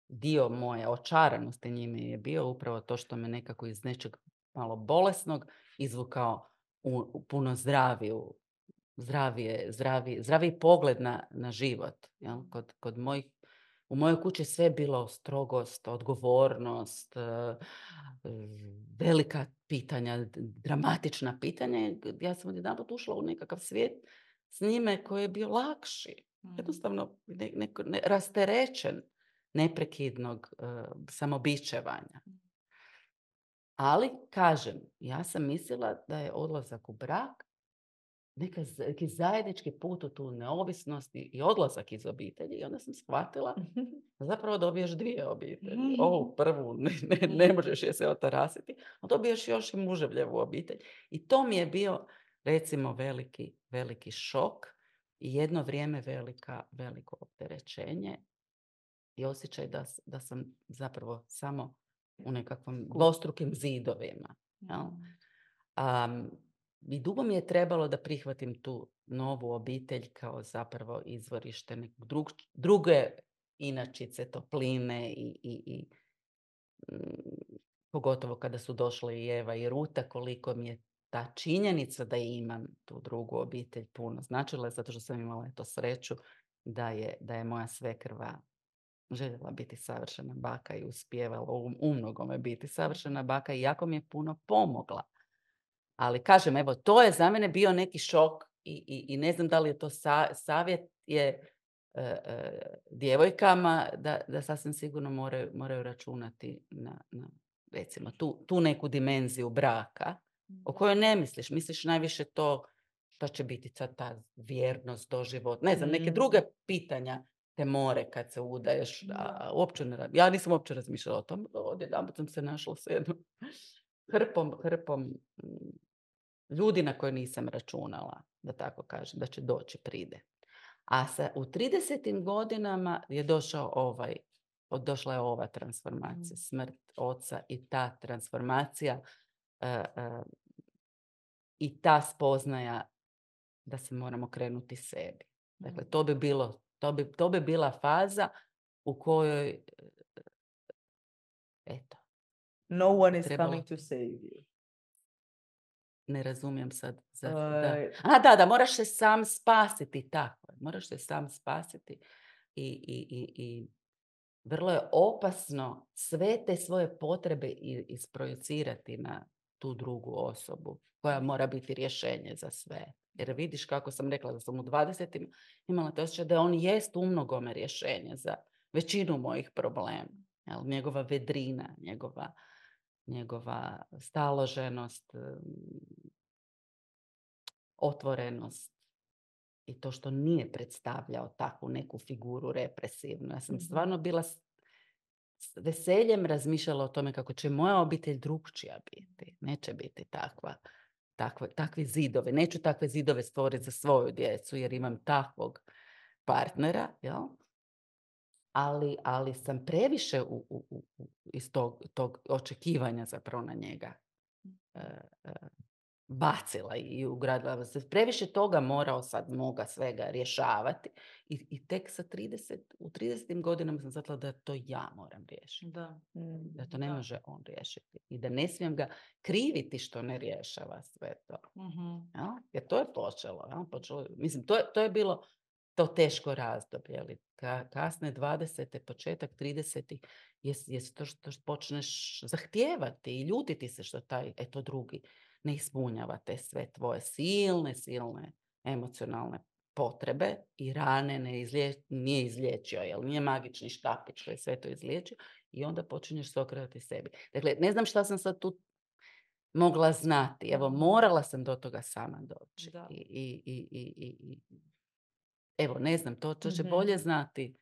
Speaker 3: dio moje očaranosti njime je bio upravo to što me nekako iz nečeg malo bolesnog izvukao u, u puno zdraviju, zdravije, zdravi, zdraviji pogled na, na život. Jel? Kod, kod mojih, u mojoj kući sve je bilo strogost, odgovornost, velika pitanja, dramatična pitanja. Ja sam odjedanput ušla u nekakav svijet s njime koji je bio lakši. Jednostavno ne, ne, ne, rasterećen neprekidnog uh, samobičevanja. Ali, kažem, ja sam mislila da je odlazak u brak neka, neki zajednički put u tu neovisnost i, i odlazak iz obitelji. I onda sam shvatila da zapravo dobiješ dvije obitelji. Ovu prvu ne, ne, ne možeš je se otarasiti, a dobiješ još i muževljevu obitelj. I to mi je bio, recimo, veliki, veliki šok i jedno vrijeme velika, veliko opterećenje i osjećaj da, da sam zapravo samo u nekakvim dvostrukim zidovima. Jel? Um, I dugo mi je trebalo da prihvatim tu novu obitelj kao zapravo izvorište nekog drug, druge inačice, topline i, i, i mm, pogotovo kada su došle i Eva i Ruta, koliko mi je ta činjenica da imam tu drugu obitelj puno značila, zato što sam imala eto sreću da je, da je moja svekrva željela biti savršena baka i uspijevala u, u mnogome biti savršena baka i jako mi je puno pomogla. Ali kažem, evo, to je za mene bio neki šok i, i, i ne znam da li je to sa, savjet je e, e, djevojkama da, da sasvim sigurno moraju, moraju računati na, na recimo tu, tu neku dimenziju braka o kojoj ne misliš. Misliš najviše to što će biti sad ta vjernost, doživot, ne znam, neke druge pitanja te more kad se udaješ. A, uopće ne, ja nisam uopće razmišljala o tom. Odjedanput sam se našla s jednom hrpom, hrpom ljudi na koje nisam računala, da tako kažem, da će doći pride. A sa, u tridesetim godinama je došao ovaj, došla je ova transformacija, smrt oca i ta transformacija uh, uh, i ta spoznaja da se moramo krenuti sebi. Dakle, to bi bilo, to bi, to bi bila faza u kojoj eto.
Speaker 2: No one is
Speaker 3: trebalo...
Speaker 2: coming to save you.
Speaker 3: Ne razumijem sad. Za,
Speaker 2: Uh,
Speaker 3: da. A, da, da, moraš se sam spasiti, tako je. Moraš se sam spasiti i, i, i, i vrlo je opasno sve te svoje potrebe isprojecirati na tu drugu osobu koja mora biti rješenje za sve. Jer vidiš kako sam rekla da sam u dvadesetim imala to osjećaj da on jest u mnogome rješenje za većinu mojih problema. Jel? Njegova vedrina, njegova, njegova staloženost, otvorenost i to što nije predstavljao takvu neku figuru represivnu. Ja sam stvarno bila s veseljem razmišljala o tome kako će moja obitelj drugčija biti. Neće biti takva, takve, takvi zidovi. Neću takve zidove stvoriti za svoju djecu jer imam takvog partnera, jel? Ali, ali sam previše u, u, u, iz tog, tog očekivanja zapravo na njega e, e, bacila i ugradila se. Previše toga morao sad moga svega rješavati i, i tek sa trideset, u tridesetim godinama sam shvatila da to ja moram riješiti.
Speaker 1: Da.
Speaker 3: Da to ne
Speaker 1: Da.
Speaker 3: može on riješiti. I da ne smijem ga kriviti što ne rješava sve to.
Speaker 1: Mhm.
Speaker 3: Ja? Jer to je počelo. Ja? počelo mislim, to je, to je bilo to teško razdoblje. Ali ka, kasne dvadesete, početak tridesetih je, je to što počneš zahtijevati i ljutiti se što taj, eto drugi, ne ispunjava te sve tvoje silne, silne emocionalne potrebe i rane ne izlije, nije izliječio, jer nije magični štapić koji sve to izliječio i onda počinješ se okretati sebi. Dakle, ne znam šta sam sad tu mogla znati. Evo, morala sam do toga sama doći.
Speaker 1: Da.
Speaker 3: I, i, i, i, i, evo, ne znam, to, to će
Speaker 2: Mhm.
Speaker 3: bolje znati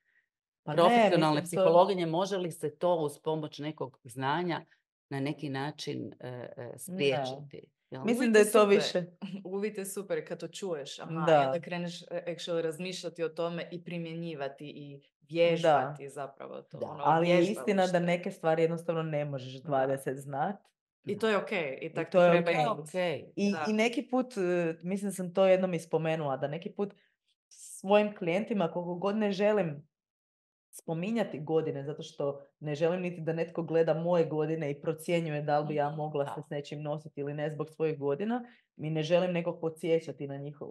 Speaker 2: Pa ne,
Speaker 3: profesionalne
Speaker 2: mislim, to-
Speaker 3: psihologinje. Može li se to uz pomoć nekog znanja na neki način e, e, spriječiti? Jel?
Speaker 2: Mislim
Speaker 1: Uvijek
Speaker 2: da je to
Speaker 1: super.
Speaker 2: više.
Speaker 1: Uvijek je super kad to čuješ. Aha,
Speaker 2: Da.
Speaker 1: i onda kreneš e, actually razmišljati o tome i primjenjivati i vježbati zapravo to.
Speaker 3: Da.
Speaker 1: Ono,
Speaker 2: Ali je istina da
Speaker 1: vježbalište.
Speaker 2: neke stvari jednostavno ne možeš dvadeset znat.
Speaker 1: I to je okej. I tak
Speaker 2: to
Speaker 1: to
Speaker 2: je
Speaker 1: treba
Speaker 2: okej.
Speaker 1: imati.
Speaker 3: Okay.
Speaker 2: I,
Speaker 1: Da.
Speaker 2: I neki put, e, mislim da sam to jednom ispomenula, da neki put svojim klijentima koliko god ne želim spominjati godine, zato što ne želim niti da netko gleda moje godine i procjenjuje da li bi ja mogla se s nečim nositi ili ne zbog svojih godina. Mi ne želim nekog podsjećati na, njihov,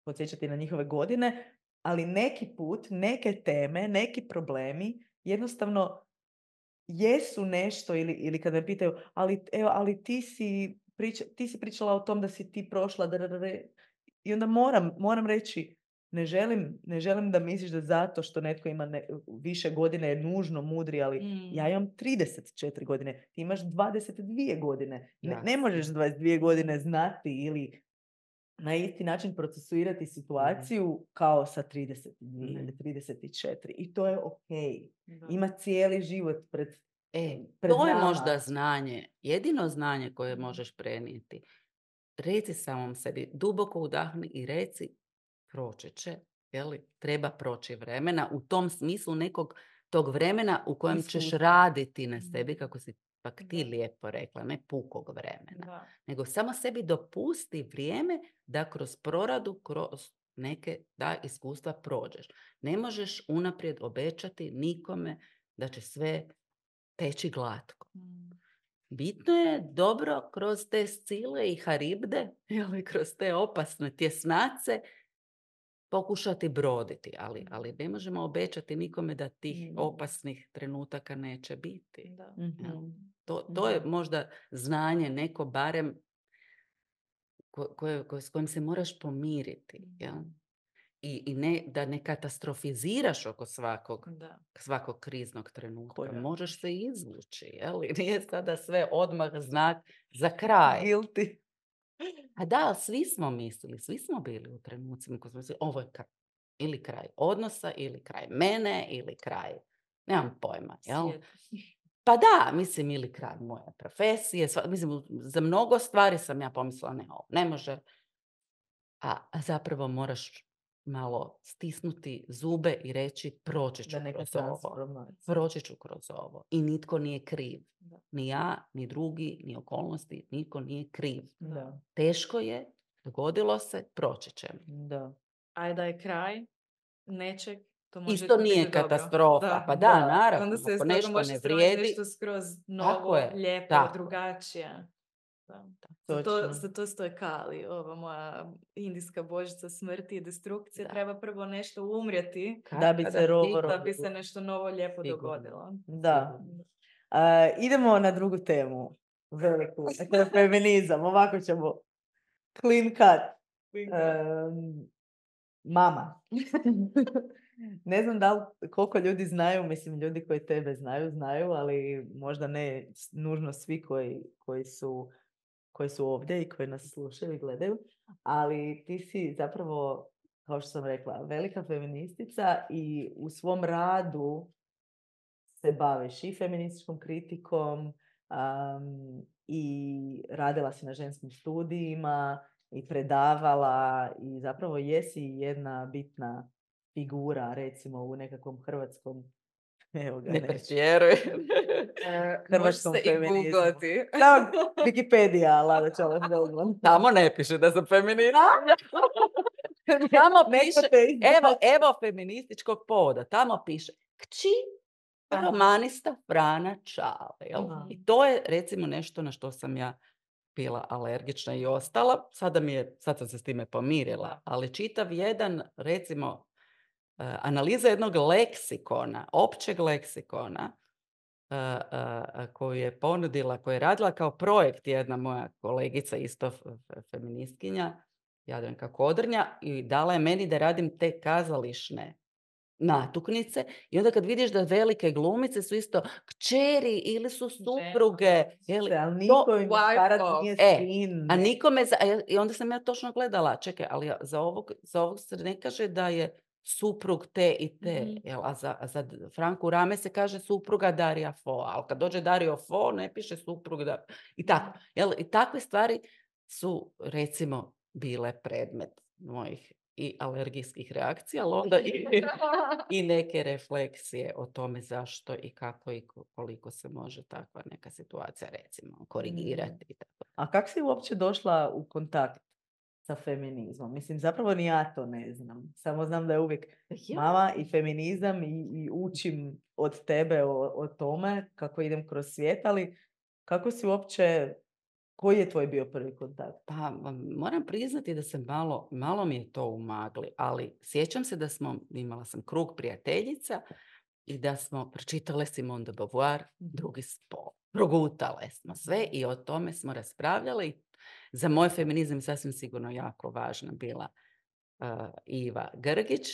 Speaker 2: podsjećati na njihove godine, ali neki put, neke teme, neki problemi jednostavno jesu nešto ili, ili kad me pitaju, ali, evo, ali ti, si priča, ti si pričala o tom da si ti prošla, da, da, da, da. I onda moram, moram reći, ne želim, ne želim da misliš da zato što netko ima ne, više godine je nužno mudri, ali
Speaker 1: Mm.
Speaker 2: ja imam trideset četiri godine, ti imaš dvadeset dvije godine. Ne, ne
Speaker 3: Jasno.
Speaker 2: možeš dvadeset dvije godine znati ili na isti način procesuirati situaciju kao sa trideset dvije
Speaker 3: Ne.
Speaker 2: ili trideset četiri. I to je okej.
Speaker 1: Da.
Speaker 2: Ima cijeli život pred,
Speaker 3: E,
Speaker 2: pred
Speaker 3: to je
Speaker 2: nama.
Speaker 3: možda znanje, jedino znanje koje možeš prenijeti. Reci samom sebi, duboko udahni i reci, proći će, jeli, treba proći vremena, u tom smislu nekog tog vremena u kojem ćeš
Speaker 2: Iskustva.
Speaker 3: raditi na sebi,
Speaker 1: Mhm.
Speaker 3: kako si pak ti
Speaker 1: Da.
Speaker 3: lijepo rekla, ne pukog vremena.
Speaker 1: Da.
Speaker 3: Nego samo sebi dopusti vrijeme da kroz proradu, kroz neke da iskustva prođeš. Ne možeš unaprijed obećati nikome da će sve teći glatko.
Speaker 1: Mm.
Speaker 3: Bitno je dobro kroz te scile i haribde, ili kroz te opasne tjesnace, pokušati broditi, ali, ali ne možemo obećati nikome da tih
Speaker 2: Mm.
Speaker 3: opasnih trenutaka neće biti.
Speaker 1: Da.
Speaker 2: Mhm.
Speaker 3: Jel? To, to je možda znanje neko barem ko, koje, koje, s kojim se moraš pomiriti. Jel? I, i ne, da ne katastrofiziraš oko svakog,
Speaker 1: Da.
Speaker 3: svakog kriznog trenutka.
Speaker 2: Korak.
Speaker 3: Možeš se izvući. Jel? I nije sada sve odmah znak za kraj.
Speaker 2: Guilty.
Speaker 3: A da, ali svi smo mislili, svi smo bili u trenucima koji smo mislili, ovo je kraj. Ili kraj odnosa, ili kraj mene, ili kraj, nemam pojma, jel?
Speaker 1: Svijet.
Speaker 3: Pa da, mislim, ili kraj moje profesije, sva, mislim, za mnogo stvari sam ja pomislila, ne, ovo ne može. A, a zapravo moraš malo stisnuti zube i reći, proći ću
Speaker 2: Da neka
Speaker 3: kroz ovo.
Speaker 2: transformacija.
Speaker 3: Proći ću kroz ovo. I nitko nije kriv.
Speaker 1: Da.
Speaker 3: Ni ja, ni drugi, ni okolnosti, nitko nije kriv.
Speaker 2: Da.
Speaker 3: Teško je, dogodilo se, proći ćemo.
Speaker 2: Da.
Speaker 1: A da je kraj nečeg, to može
Speaker 3: Isto
Speaker 1: biti
Speaker 3: nije
Speaker 1: dobro.
Speaker 3: katastrofa.
Speaker 1: Da.
Speaker 3: Pa da,
Speaker 2: Da.
Speaker 3: naravno,
Speaker 1: Onda se iz
Speaker 3: ako
Speaker 1: toga
Speaker 3: nešto
Speaker 1: može
Speaker 3: ne
Speaker 1: stvoriti
Speaker 3: vrijedi,
Speaker 1: nešto skroz
Speaker 3: Tako
Speaker 1: novo,
Speaker 3: je,
Speaker 1: lijepo,
Speaker 3: tako.
Speaker 1: drugačije. Da. Za
Speaker 2: Točno.
Speaker 1: to, za to stoji Kali, ova moja indijska božica smrti i destrukcije.
Speaker 3: Da.
Speaker 1: Treba prvo nešto umrijeti
Speaker 2: Da bi
Speaker 3: Kada
Speaker 2: se rovo
Speaker 3: sigurno-
Speaker 1: da bi se nešto novo lijepo
Speaker 3: Sigurno.
Speaker 1: dogodilo.
Speaker 2: Da.
Speaker 3: Sigurno.
Speaker 2: A, idemo na drugu temu. veliku. To je feminizam. Ovako ćemo clean cut. Um, mama. Ne znam da li, koliko ljudi znaju, mislim ljudi koji tebe znaju, znaju, ali možda ne nužno svi koji, koji, su, koji su ovdje i koji nas slušaju i gledaju, ali ti si zapravo, kao što sam rekla, velika feministica i u svom radu se baviš i feminističkom kritikom um, i radila si na ženskim studijima i predavala i zapravo jesi jedna bitna figura, recimo, u nekakvom hrvatskom, evo ga,
Speaker 3: Ne
Speaker 2: ne,
Speaker 3: pretjeruj.
Speaker 2: hrvatskom
Speaker 1: Može se i
Speaker 2: feminizmu.
Speaker 1: googlati.
Speaker 2: Da, Wikipedia, Lada Čolet Feldman.
Speaker 3: Tamo ne piše da sam feminista. Tamo piše, evo, evo feminističkog povoda, tamo piše kći romanista Frana Čale. Jel?
Speaker 2: Aha.
Speaker 3: I to je recimo nešto na što sam ja bila alergična i ostala. Sada mi je, sad sam se s time pomirila, ali čitav jedan, recimo, Uh, analiza jednog leksikona, općeg leksikona, uh, uh, koju je ponudila, koju je radila kao projekt jedna moja kolegica, isto f- f- feministkinja, Jadranka Kodrnja, i dala je meni da radim te kazališne natuknice. I onda kad vidiš da velike glumice su isto kćeri ili su supruge. Jeli,
Speaker 2: Ali
Speaker 3: to-
Speaker 2: niko im starac
Speaker 1: wife-off.
Speaker 2: nije
Speaker 3: E,
Speaker 2: sin.
Speaker 3: a nikome, za, a ja- i onda sam ja točno gledala, čekaj, ali ja- za ovog, za ovog se ne kaže da je suprug te i te,
Speaker 1: Mhm.
Speaker 3: jel? A za, a za Franku Rame se kaže supruga Darija Fo, ali kad dođe Dario Fo ne piše suprug da, i tako. Jel? I takve stvari su, recimo, bile predmet mojih i alergijskih reakcija, ali onda i, i neke refleksije o tome zašto i kako i ko- koliko se može takva neka situacija, recimo, korigirati. i tako.
Speaker 2: A kako si uopće došla u kontakt sa feminizmom? Mislim, zapravo ni ja to ne znam. Samo znam da je uvijek
Speaker 3: Ja.
Speaker 2: mama i feminizam i, i učim od tebe o, o tome kako idem kroz svijet, ali kako si uopće, koji je tvoj bio prvi kontakt?
Speaker 3: Pa m- moram priznati da se malo, malo mi je to u magli, ali sjećam se da smo, imala sam krug prijateljica i da smo pročitale Simone de Beauvoir, drugi spol. Progutale smo sve i o tome smo raspravljali. Za moj feminizam je sasvim sigurno jako važna bila uh, Iva Grgić,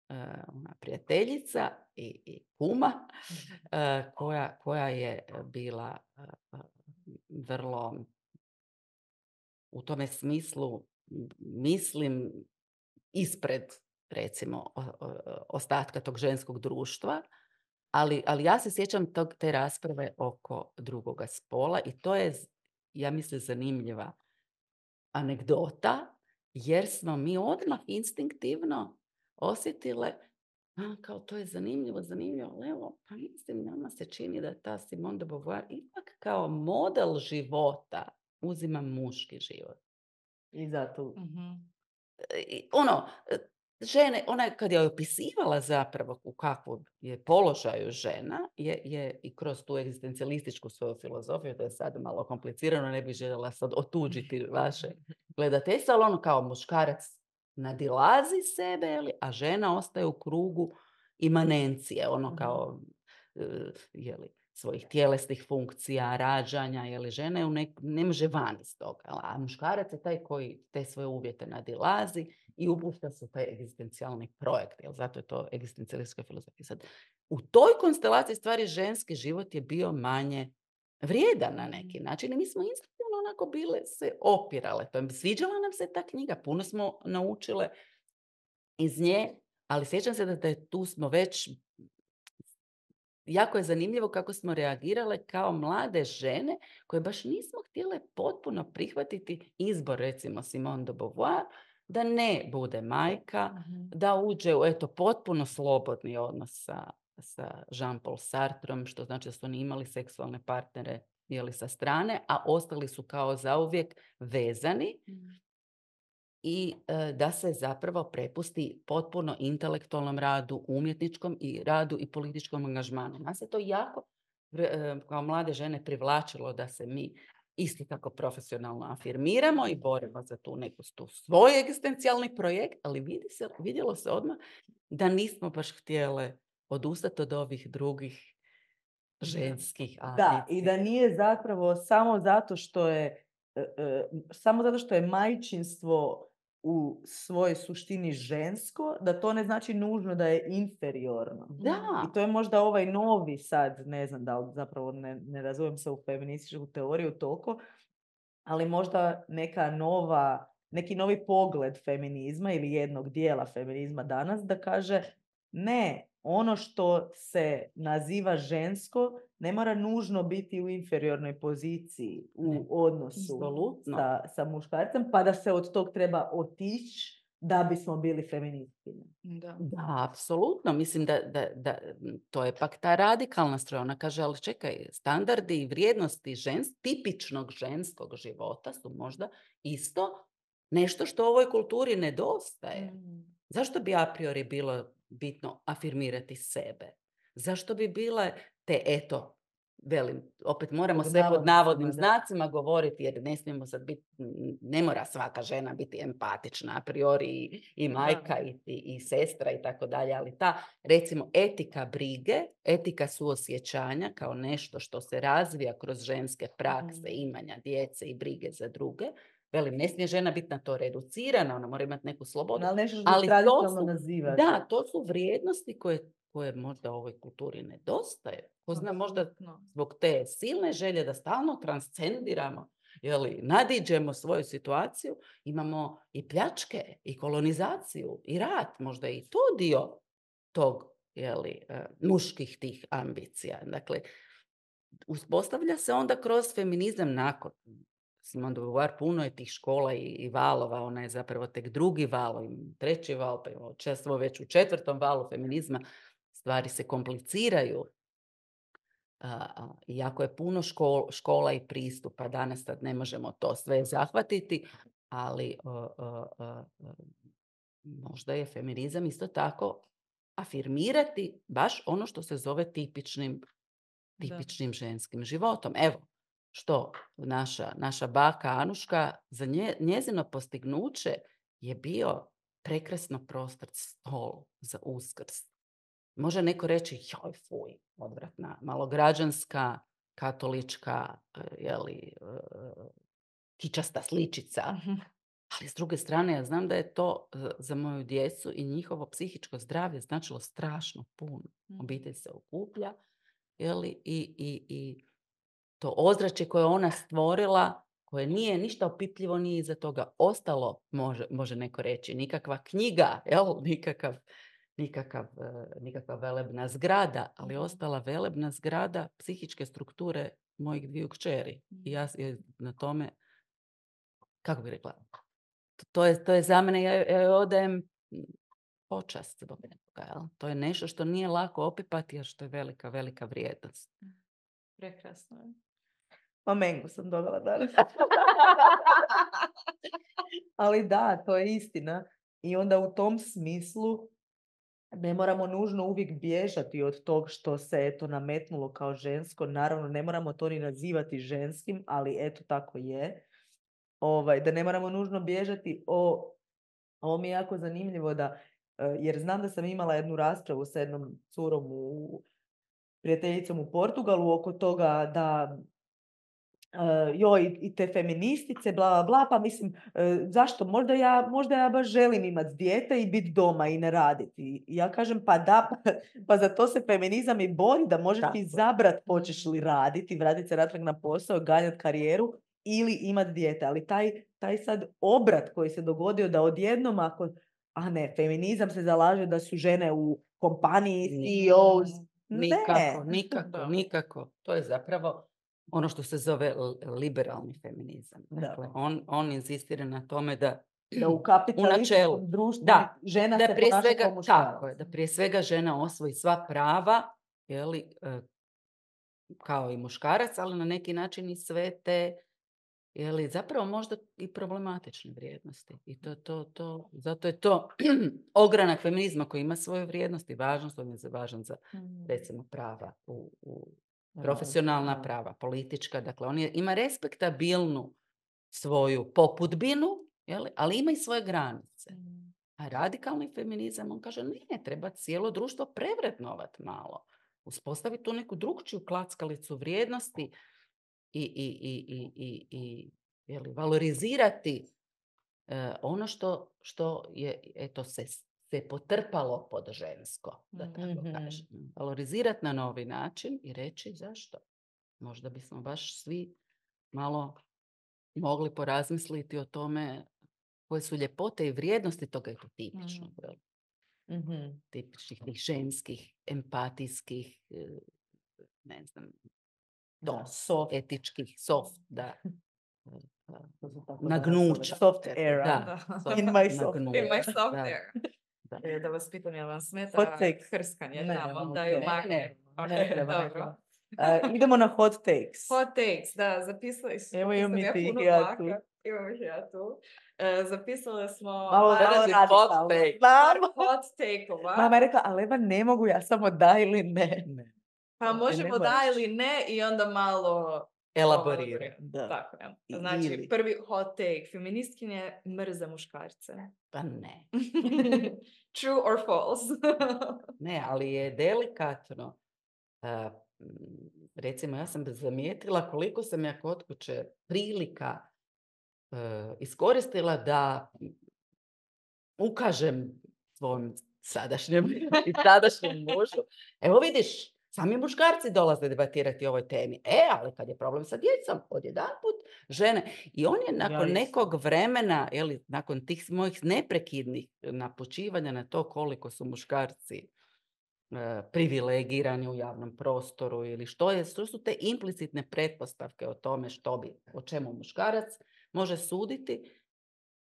Speaker 3: uh, ona prijateljica i, i kuma, uh, koja, koja je bila uh, vrlo u tome smislu, m, mislim, ispred, recimo, o- o- ostatka tog ženskog društva, ali, ali ja se sjećam tog, te rasprave oko drugoga spola i to je, z- ja mislim, zanimljiva anegdota, jer smo mi odmah instinktivno osjetile, a, kao to je zanimljivo, zanimljivo, ali evo, pa mislim, nama se čini da ta Simone de Beauvoir ipak kao model života uzima muški život.
Speaker 2: I zato...
Speaker 1: Mhm.
Speaker 3: I ono, e, žene, ona je kad je opisivala zapravo u kakvom je položaju žena, je, je i kroz tu egzistencijalističku svoju filozofiju, to je sad malo komplicirano, ne bih željela sad otuđiti vaše gledateljstvo, ali ono kao muškarac nadilazi sebe, jeli, a žena ostaje u krugu imanencije, ono kao e, jeli, svojih tjelesnih funkcija, rađanja, jeli, žena je u nek- ne može van iz toga, a muškarac je taj koji te svoje uvjete nadilazi i upušta se u taj egzistencijalni projekt, jel, zato je to egzistencijalistička filozofija. Sad, u toj konstelaciji stvari ženski život je bio manje vrijedan na neki način i mi smo instinktivno onako bile se opirale. To je, sviđala nam se ta knjiga, puno smo naučile iz nje, ali sjećam se da, da je tu smo već, jako je zanimljivo kako smo reagirale kao mlade žene koje baš nismo htjele potpuno prihvatiti izbor, recimo Simone de Beauvoir, da ne bude majka, da uđe u eto, potpuno slobodni odnos sa, sa Jean-Paul Sartrom, što znači da su oni imali seksualne partnere jeli, sa strane, a ostali su kao zauvijek vezani i e, da se zapravo prepusti potpuno intelektualnom radu, umjetničkom i radu i političkom angažmanu. Nas je to jako e, kao mlade žene privlačilo da se mi isto tako profesionalno afirmiramo i borimo za tu neku tu svoj egzistencijalni projekt, ali vidi se, vidjelo se odmah da nismo baš htjele odustati od ovih drugih ženskih
Speaker 2: Da,
Speaker 3: ambicija.
Speaker 2: i da nije zapravo samo zato što je e, e, samo zato što je majčinstvo u svojoj suštini žensko, da to ne znači nužno da je inferiorno.
Speaker 3: Da,
Speaker 2: I to je možda ovaj novi sad, ne znam da li zapravo ne, ne razumijem se u feminističku teoriju toliko, ali možda neka nova, neki novi pogled feminizma ili jednog dijela feminizma danas da kaže ne, ono što se naziva žensko ne mora nužno biti u inferiornoj poziciji u
Speaker 3: Ne,
Speaker 2: odnosu
Speaker 3: apsolutno.
Speaker 2: sa, sa muškarcem, pa da se od tog treba otići da bismo bili feministkinje.
Speaker 1: Da.
Speaker 3: Da, apsolutno. Mislim da, da, da to je pak ta radikalna strana. Ona kaže, ali čekaj, standardi i vrijednosti žens, tipičnog ženskog života su možda isto nešto što ovoj kulturi nedostaje.
Speaker 1: Mm.
Speaker 3: Zašto bi a priori bilo bitno afirmirati sebe? Zašto bi bile te, eto, velim, opet moramo
Speaker 2: Pod
Speaker 3: sve pod
Speaker 2: navodnicima,
Speaker 3: navodnim
Speaker 2: da.
Speaker 3: znacima govoriti, jer ne smijemo sad biti, ne mora svaka žena biti empatična a priori i, i majka i, i, i sestra i tako dalje, ali ta, recimo, etika brige, etika suosjećanja kao nešto što se razvija kroz ženske prakse,
Speaker 1: Mm.
Speaker 3: imanja djece i brige za druge. Velim, ne smije žena biti na to reducirana, ona mora imati neku slobodu.
Speaker 2: Ali nešto što
Speaker 3: Ali to
Speaker 2: tradicionalno
Speaker 3: su,
Speaker 2: naziva.
Speaker 3: da, to su vrijednosti koje, koje možda ovoj kulturi nedostaje. Ko zna, možda
Speaker 1: Apsolutno.
Speaker 3: zbog te silne želje da stalno transcendiramo, jeli, nadiđemo svoju situaciju, imamo i pljačke, i kolonizaciju, i rat, možda i to dio tog, jeli, eh, muških tih ambicija. Dakle, uspostavlja se onda kroz feminizam nakon Simone de Beauvoir, puno je tih škola i, i valova, ona je zapravo tek drugi val, treći val, pa često već u četvrtom valu feminizma stvari se kompliciraju. A, a, iako je puno škol, škola i pristupa, danas sad ne možemo to sve zahvatiti, ali a, a, a, a, možda je feminizam isto tako afirmirati baš ono što se zove tipičnim, tipičnim ženskim životom. Evo, što naša, naša baka Anuška, za nje, njezino postignuće je bio prekrasno prostrt stol za Uskrs. Može neko reći, joj, fuj, odvratna, malograđanska, katolička, jeli, kičasta sličica. Ali s druge strane, ja znam da je to za moju djecu i njihovo psihičko zdravlje značilo strašno puno. Obitelj se okuplja, jeli, i, i, i to ozračje koje ona stvorila, koje nije ništa opipljivo, nije iza toga ostalo, može, može neko reći, nikakva knjiga, jel, nikakav, nikakav, nikakva velebna zgrada, ali ostala velebna zgrada psihičke strukture mojih dviju kćeri. I ja na tome, kako bih rekla, to je, to je za mene, ja, ja joj odajem počast zbog toga, jel? To je nešto što nije lako opipati, a što je velika, velika vrijednost.
Speaker 1: Prekrasno je.
Speaker 2: Pa mengu sam dobila danas. Ali da, to je istina. I onda u tom smislu ne moramo nužno uvijek bježati od tog što se eto nametnulo kao žensko. Naravno, ne moramo to ni nazivati ženskim, ali eto tako je. Ovaj, da ne moramo nužno bježati o... Ovo mi je jako zanimljivo da, jer znam da sam imala jednu raspravu sa jednom curom u prijateljicom u Portugalu oko toga da Uh, joj, i te feministice, bla, bla, bla, pa mislim, uh, zašto? Možda ja, možda ja baš želim imati dijete i biti doma i ne raditi. I ja kažem, pa da, pa, pa za to se feminizam i bori, da možeš izabrat hoćeš li raditi, vratiti se natrag na posao, ganjati karijeru ili imati dijete. Ali taj, taj sad obrat koji se dogodio da odjednom ako, a ne, feminizam se zalaže da su žene u kompaniji, C E Os.
Speaker 3: Nikako,
Speaker 2: Ne.
Speaker 3: nikako, nikako. To je zapravo ono što se zove liberalni feminizam. Dakle, on, on insistira na tome da,
Speaker 2: da u kapitalističkom društvu
Speaker 3: da,
Speaker 2: žena
Speaker 3: da
Speaker 2: se
Speaker 3: prije
Speaker 2: ponaša
Speaker 3: svega,
Speaker 2: kao muškarac.
Speaker 3: tako je, da prije svega žena osvoji sva prava, jeli, kao i muškarac, ali na neki način i sve te, jeli, zapravo možda i problematične vrijednosti. I to, to, to, zato je to ogranak feminizma koji ima svoje vrijednosti, važnost, on je važan za, recimo, prava u, u profesionalna prava, politička, dakle on je, ima respektabilnu svoju popudbinu, jeli, ali ima i svoje granice. A radikalni feminizam, on kaže, ne, treba cijelo društvo prevrednovati malo. uspostaviti tu neku drugčiju klackalicu vrijednosti i, i, i, i, i, i jeli, valorizirati uh, ono što, što je eto, se, se potrpalo pod žensko, da tako
Speaker 2: Mm-hmm.
Speaker 3: kažem. Valorizirati na novi način i reći zašto. Možda bismo baš svi malo mogli porazmisliti o tome koje su ljepote i vrijednosti toga je tipično.
Speaker 2: Mm-hmm.
Speaker 3: Tipičnih tih ženskih, empatijskih, ne znam,
Speaker 2: Da, soft.
Speaker 3: etičkih, soft, da.
Speaker 2: To su tako
Speaker 3: Nagnuća.
Speaker 2: Soft era.
Speaker 3: Da, soft,
Speaker 2: In my soft
Speaker 3: nagnuća.
Speaker 1: In my soft
Speaker 3: Da.
Speaker 1: era.
Speaker 3: Da.
Speaker 1: E, da vas pitam, jel vam
Speaker 2: Hot
Speaker 1: smeta
Speaker 2: takes.
Speaker 1: hrskanje
Speaker 2: Ne,
Speaker 1: tamo,
Speaker 2: ne,
Speaker 1: da ju
Speaker 2: ne,
Speaker 1: makne?
Speaker 3: ne,
Speaker 1: Ok,
Speaker 2: ne treba, ne
Speaker 1: dobro.
Speaker 2: treba. Uh, idemo na hot takes.
Speaker 1: Hot takes, da, zapisali smo.
Speaker 2: Evo imam
Speaker 1: Nisam
Speaker 2: i ti,
Speaker 1: puno
Speaker 2: ja tu.
Speaker 1: dlaka. Imam ih ja tu. E, zapisali smo
Speaker 2: Malo,
Speaker 1: par,
Speaker 2: malo
Speaker 3: Hot
Speaker 2: radikalno.
Speaker 3: take.
Speaker 1: par
Speaker 2: Mama.
Speaker 1: hot take-ova.
Speaker 2: Mama je rekla, ali Eva ne mogu, ja samo da ili ne.
Speaker 3: Ne.
Speaker 1: Pa
Speaker 2: Ne,
Speaker 1: možemo
Speaker 2: ne
Speaker 1: da
Speaker 2: moraš.
Speaker 1: ili ne i onda malo
Speaker 3: Elaborirati.
Speaker 2: Da.
Speaker 1: Tako je.
Speaker 2: I-
Speaker 1: Znači,
Speaker 2: ili.
Speaker 1: prvi hot take. Feministkinje mrze muškarce.
Speaker 3: Pa ne.
Speaker 1: True or false?
Speaker 3: Ne, ali je delikatno. Uh, recimo, ja sam zamijetila koliko sam ja kod kuće prilika uh, iskoristila da ukažem svom sadašnjem i tadašnjem mužu. Evo vidiš, sami muškarci dolaze debatirati o ovoj temi. E, ali kad je problem sa djecom, odjedanput žene. I on je nakon
Speaker 2: Ja
Speaker 3: nekog vremena, jeli, nakon tih mojih neprekidnih napučivanja na to koliko su muškarci e, privilegirani u javnom prostoru ili što je, što su te implicitne pretpostavke o tome što bi, o čemu muškarac može suditi.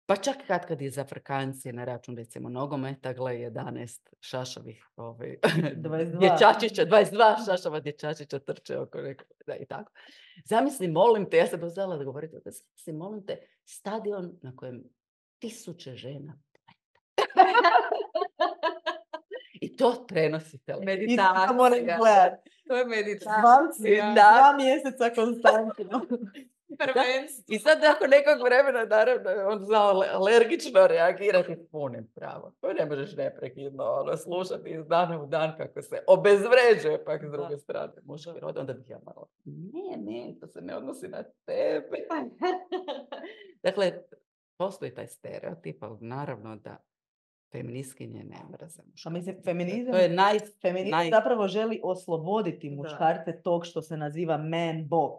Speaker 3: Pa čak kad kad je za Afrikanci na račun, recimo, nogometa, gle, jedanaest šašavih ovaj,
Speaker 2: dvadeset dva.
Speaker 3: dječačića, dvadeset dva šašava dječačića trče oko nekog, da i tako. Zamisli, molim te, ja sam pozvala da govorite, da zamisli, molim te, stadion na kojem tisuće žena i to prenosi televizija.
Speaker 2: I to moram
Speaker 1: Meditacija.
Speaker 2: gledat.
Speaker 1: To je
Speaker 2: Dva,
Speaker 1: meditacija.
Speaker 3: Da.
Speaker 2: dva mjeseca konstantno.
Speaker 1: Prvenstvo.
Speaker 3: I sad nakon nekog vremena, naravno, on znao alergično reagirati s punim pravom. To ne možeš neprekidno ono, slušati iz dana u dan kako se obezvređuje pak s druge strane muški rod. Onda bih ja malo, ne, ne, to se ne odnosi na tebe. Dakle, postoji taj stereotip, ali naravno da feministkinje ne mrze
Speaker 2: A
Speaker 3: muškarce.
Speaker 2: mislim, feminizam,
Speaker 3: To je naj...
Speaker 2: feminizam
Speaker 3: naj-
Speaker 2: zapravo želi osloboditi
Speaker 1: Da.
Speaker 2: muškarce tog što se naziva man box.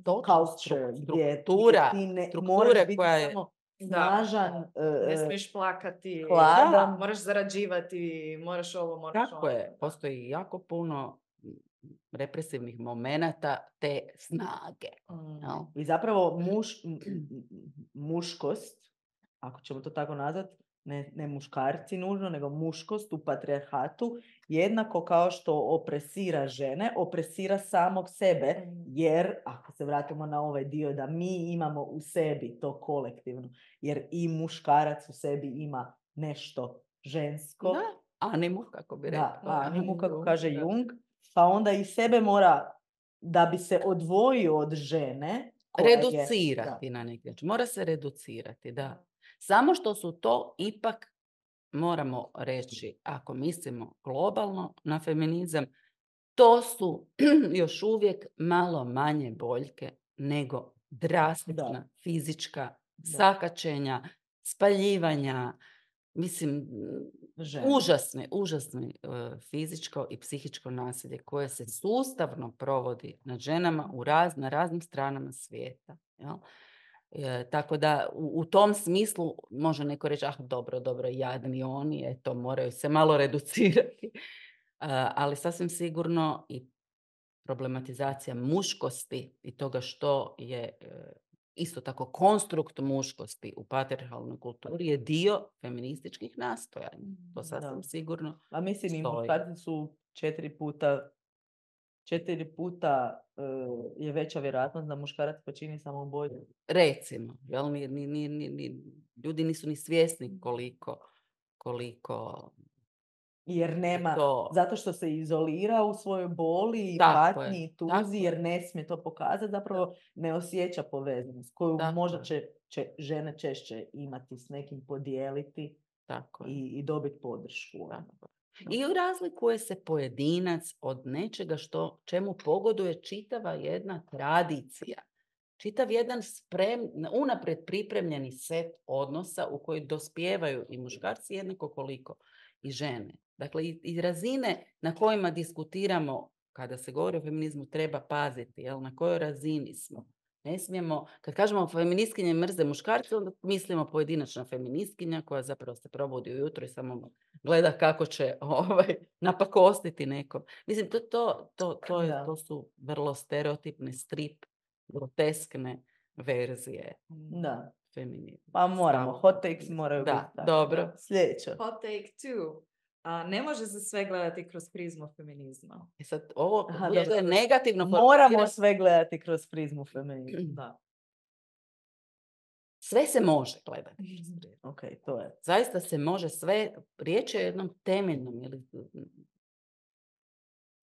Speaker 3: Točno,
Speaker 2: Culture,
Speaker 3: stru-
Speaker 2: gdje
Speaker 3: struktura,
Speaker 2: ti ne,
Speaker 3: strukture
Speaker 2: moraš biti
Speaker 3: koja je-
Speaker 2: samo
Speaker 1: Da.
Speaker 2: snažan,
Speaker 1: Ne
Speaker 2: e,
Speaker 1: smiješ plakati.
Speaker 2: hladan.
Speaker 1: Da, moraš zarađivati, moraš ovo, moraš
Speaker 3: Tako
Speaker 1: ono.
Speaker 3: je, postoji jako puno represivnih momenata te snage.
Speaker 1: Mm.
Speaker 3: jel?
Speaker 2: I zapravo muš, m- m- muškost, ako ćemo to tako nazvati, ne, ne muškarci nužno, nego muškost u patrijarhatu, jednako kao što opresira žene, opresira samog sebe,
Speaker 1: Mm.
Speaker 2: jer, ako se vratimo na ovaj dio, da mi imamo u sebi to kolektivno, jer i muškarac u sebi ima nešto žensko,
Speaker 3: Da, animu, kako bi rekao.
Speaker 2: da, animu, kako
Speaker 3: Jung,
Speaker 2: kaže
Speaker 3: da.
Speaker 2: Jung, pa onda i sebe mora, da bi se odvojio od žene, koja je-
Speaker 3: Reducirati na neki način. Mora se reducirati, da. Samo što su to ipak, moramo reći, ako mislimo globalno na feminizam, to su još uvijek malo manje boljke nego drastična
Speaker 2: Da.
Speaker 3: fizička
Speaker 2: Da.
Speaker 3: sakačenja, spaljivanja, mislim,
Speaker 2: Žene.
Speaker 3: užasne, užasne uh, fizičko i psihičko nasilje koje se sustavno provodi nad ženama u raz, na raznim stranama svijeta. Jel? E, tako da u, u tom smislu može neko reći, ah dobro, dobro, jadni oni, eto, moraju se malo reducirati. Uh, ali sasvim sigurno i problematizacija muškosti i toga što je e, isto tako konstrukt muškosti u patrijarhalnoj kulturi je dio feminističkih nastojanja. To sasvim
Speaker 2: Da.
Speaker 3: sigurno.
Speaker 2: A mislim, i
Speaker 3: stoji.
Speaker 2: muškarci su četiri puta, četiri puta e, je veća vjerojatnost da muškarac počini samoubojstvo.
Speaker 3: Recimo, jel, ni, ni, ni, ni, ni- ljudi nisu ni svjesni koliko, koliko
Speaker 2: Jer nema,
Speaker 3: to...
Speaker 2: zato što se izolira u svojoj boli i
Speaker 3: Tako
Speaker 2: patnji
Speaker 3: je,
Speaker 2: i tuzi,
Speaker 3: tako je.
Speaker 2: jer ne smije to pokazati, zapravo ne osjeća povezanost koju
Speaker 3: Tako
Speaker 2: možda
Speaker 3: je.
Speaker 2: će, će žene češće imati s nekim, podijeliti
Speaker 3: Tako je.
Speaker 2: i, i dobiti podršku. ono.
Speaker 3: Tako je. I razlikuje se pojedinac od nečega što, čemu pogoduje čitava jedna tradicija. Čitav jedan sprem, unaprijed pripremljeni set odnosa u koji dospijevaju i muškarci jednako koliko i žene. Dakle, i, i razine na kojima diskutiramo kada se govori o feminizmu treba paziti, jel, na kojoj razini smo. Ne smijemo, kad kažemo feministkinje mrze muškarce, onda mislimo pojedinačna feministkinja koja zapravo se probudi ujutro i samo gleda kako će ovaj, napakostiti neko. Mislim, to, to, to, to, je, to su vrlo stereotipne, strip, groteskne verzije
Speaker 2: Da.
Speaker 3: feminizma.
Speaker 2: Pa moramo,
Speaker 3: Stavno.
Speaker 2: hot takes moraju
Speaker 3: Da,
Speaker 2: biti.
Speaker 3: dobro.
Speaker 2: Sljedeće.
Speaker 1: Hot take two. A, ne može se sve gledati kroz prizmu feminizma.
Speaker 3: I sad ovo
Speaker 2: Aha,
Speaker 3: je
Speaker 2: dobro.
Speaker 3: negativno.
Speaker 2: Moramo sve gledati kroz prizmu feminizma.
Speaker 1: Da.
Speaker 3: Sve se može gledati kroz prizmu.
Speaker 2: Ok, to je.
Speaker 3: Zaista se može sve, riječ je o jednom temeljnom. Ili,